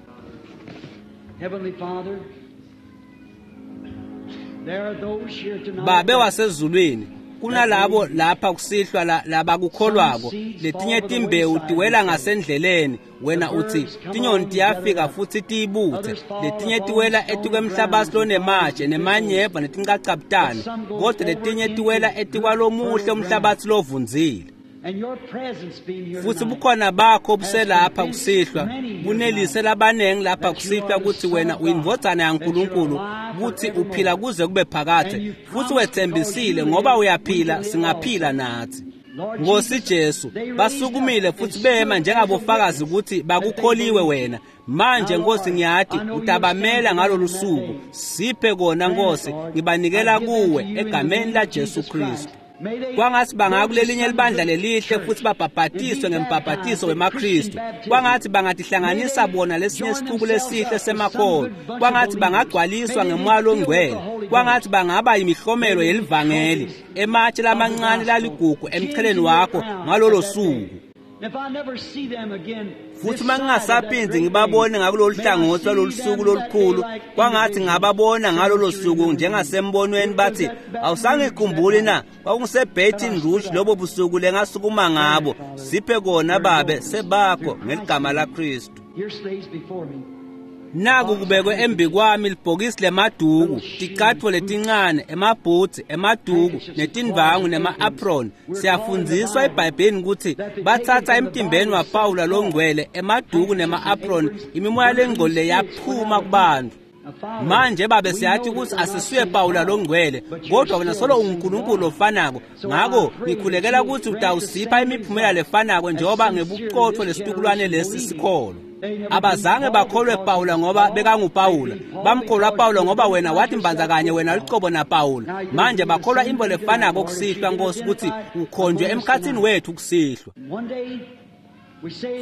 Babe wasezulwini, kunalabo lapha kusihlwa labakukholwako, letinye timbewu tiwela ngasendleleni. Wena uthi tinyoni tiyafika futhi tiyibuthe, letinye tiwela etikwemhlabathi lonematshe nemanyeva netincacabutane, kodwa letinye tiwela etikwalomuhle umhlabathi lovundzile. Futhi bukhona bakho buselapha kusihlwa bunelise labanengi lapha kusihlwa ukuthi wena uyindvodzana yaNkulunkulu, ukuthi uphila kuze kube phakadze, futhi wethembisile ngoba uyaphila singaphila nathi. Nkosi Jesu, basukumile futhi bema njengabofakazi ukuthi bakukholiwe wena. Manje Nkosi ngiyati utabamela ngalolu suku. Siphe kona Nkosi, ngibanikela kuwe egameni la Jesu Kristu. Kwangathi bangakulelinye libandla lelihle futhi babhabhatiswe ngembhabhatiso wemaKristu. Kwangathi bangatihlanganisa bona lesinye isicuku lesihle semakholwa. Kwangathi bangagcwaliswa ngemoya longcwele. Kwangathi bangaba imihlomelo yelivangeli, ematshe lamancane laligugu emcheleni wakho ngalolo suku. Futhi uma ngingasaphindzi ngibabone ngakulolu hlangothi lwalolu suku lolukhulu, kwangathi ngababona ngalolo suku njengasembonweni bathi, awusangikhumbuli na? KwakungiseBaton Rouge lobo busuku lengasukuma ngabo. Siphe kona Babe, sebakho ngeligama laKristu. Naku kubekwe embi kwami libhokisi lemaduku, ticatfo letincane, emabhutsi, emaduku, netindvangu nema-apron. Siyafundziswa eBhayibhelini ukuthi batsatsa emtimbeni waPawula longcwele emaduku nema-apron, imimoya lengcolile yaphuma kubantu. Manje babe siyathi ukuthi asisuye Pawula longcwele, kodwa wena solo unguNkulunkulu ofanako. Ngakho ngikhulekela ukuthi utawusipha imiphumela lefanako njengoba ngebuqotho lesitukulwane lesi sikholwa. Abazange bakholwe Pawula ngoba bekanguPawula, bamkholwa Pawula ngoba wena wathi mbanza kanye wena lucobo naPawula. Manje bakholwa imbo lefanako kusihlwa, Nkosi, ukuthi ukhonjwe emkhathini wethu kusihlwa.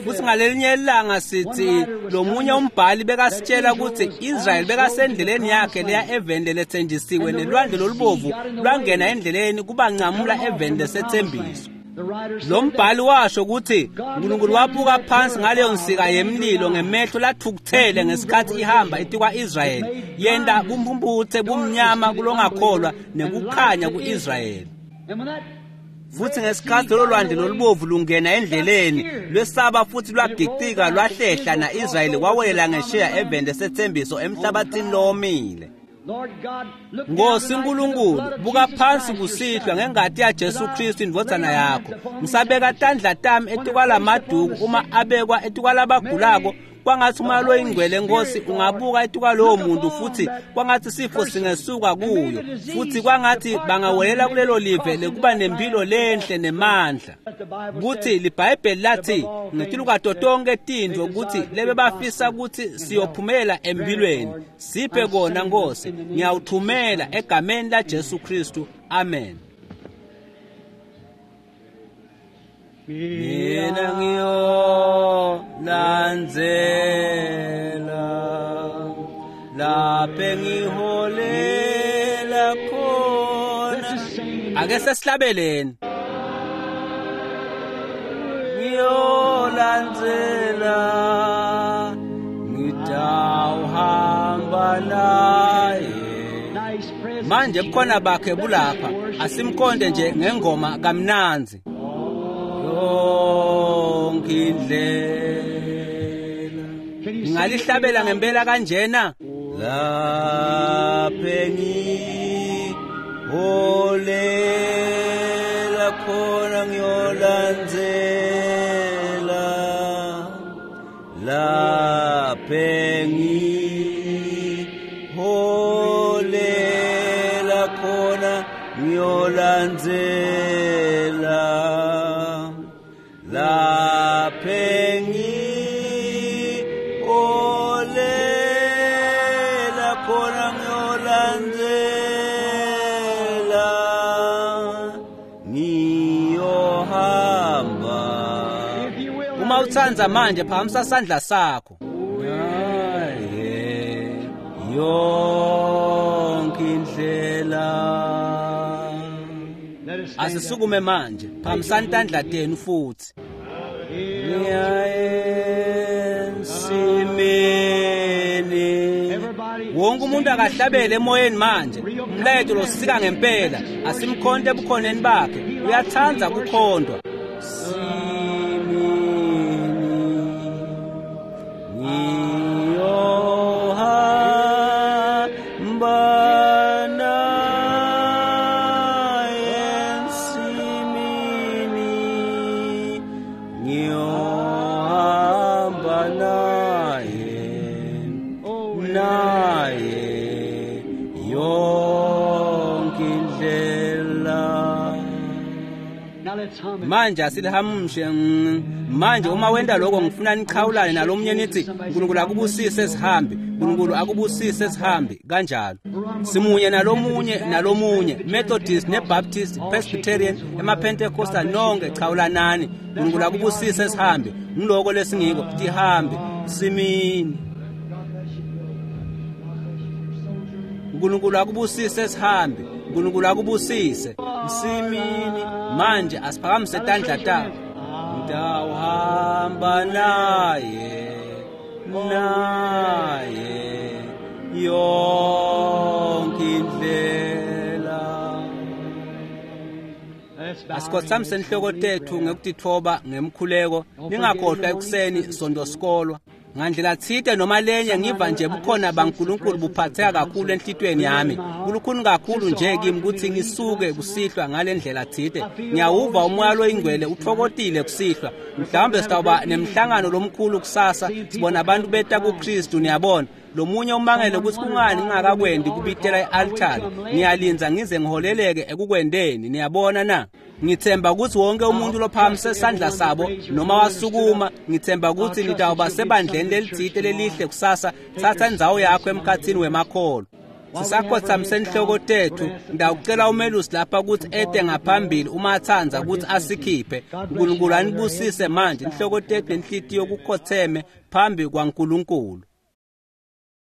Futhi ngalelinye ilanga sithi lomunye umbhali bekasitshela ukuthi Israel bekasendleleni yakhe leya eveni lelethenjisiwe, nelwandle lolubovu lwangena endleleni kubanqamula eveni lesethembiso. Lo mbhali washo ukuthi uNkulunkulu wabuka phansi ngaleyo nsika yemlilo ngemehlo lathukuthele ngesikhathi ihamba etikwa-Israyeli, yenta bumpumputhe bumnyama kulongakholwa nekukhanya ku-Israyeli. Futhi ngesikhathi lolo lwandle lolubovu lungena endleleni lwesaba futhi lwagicika lwahlehla, na-Israyeli wawelela ngesheya eveni lesethembiso emhlabathini lowomile. Nkosi uNkulunkulu, buka phansi kusihlwa ngengati yaJesu Kristu indvodzana yakho. Ngisabeka tandla tami etikwalamaduku uma abekwa etikwalabagulako, kwangathi umoya loyingcwele Nkosi ungabuka etikwalowo muntu, futhi kwangathi sifo singesuka kuyo, futhi kwangathi bangawelela kulelo live lekuba nempilo lenhle nemandla. Kuthi liBhayibheli lathi ngetilukato tonke tintfo ukuthi lebe bafisa ukuthi siyophumela empilweni. Siphe kona Nkosi, ngiyawuthumela egameni laJesu Kristu. Amen. Mina ngiyolandzela lapho ngiholela khona. Ake sesihlabeleni. Ngiyolandzela ngitawuhamba naye. Manje bukhona bakhe bulapha, asimkhonde nje ngengoma kamnanzi. Yonke indlela ngingalihlabela ngempela kanjena. Lapho ngiholela khona ngiyolandzela, lapho ngiholela khona ngiyolandzela, lapho ngiholela khona ngiyolandzela, ngiyohamba. Uma utsandza manje phakamisa sandla sakho. Naye yonke indlela. Asisukume manje, phakamisani tandla tenu futhi. Ngiyaensimini. Wonke umuntu akahlabele emoyeni manje. Umlayeto losika ngempela, asimkhonte ebukhoneni bakhe. Uyathanda kukhondwa. Simini ngiyohamba naye ensimini, ngiyohamba naye, naye yonke indlela. Manje asilihamushe. Manje uma wenda lokho ngifuna niqhawulane nalomunye nithi uNkulunkulu akubusise sihambi, uNkulunkulu akubusise sihambi, kanjalo. Simunye nalomunye nalomunye, Methodist neBaptist, Presbyterian, emaPentecostal, nonke chawulanani. uNkulunkulu akubusise sihambi. Ngiloko lesingiko tihambi simini. uNkulunkulu akubusise sihambi, uNkulunkulu akubusise simini. Manje asiphakamise tandla takho. Ngitawuhamba naye, naye yonke indlela. Asikhothamise inhloko tethu ngekutitfoba ngemkhuleko. Ningakhohlwa ekuseni sonto sikolwa. Ngandlela tsite noma lenye ngiva nje bukhona baNkulunkulu buphatheka kakhulu enhlitiyweni yami. Kulukhuni kakhulu nje kimi kutsi ngisuke kusihlwa ngale ndlela tsite. Ngiyawuva umoya loyingcwele utfokotile kusihlwa. Mhlawumbe sitawuba nemhlangano lomkhulu kusasa, sibona abantu beta kuKristu, niyabona. Lomunye umangele kutsi kungani ngingakakwendi kubitela i-altari. Ngiyalindza ngize ngiholeleke ekukwendeni, niyabona na? Ngithemba kutsi wonke umuntu lophakamise sandla sabo noma wasukuma, ngithemba kutsi nitawuba sebandleni lelitsite lelihle kusasa. Tsatsa indzawo yakho emkhatsini wemakholwa. Sisakhotsamise inhloko tethu, ngitawucela umelusi lapha kutsi ete ngaphambili uma atsandza kutsi asikhiphe. Nkulunkulu anibusise manje, inhloko tethu nenhlitiyo kukhotseme phambi kwaNkulunkulu.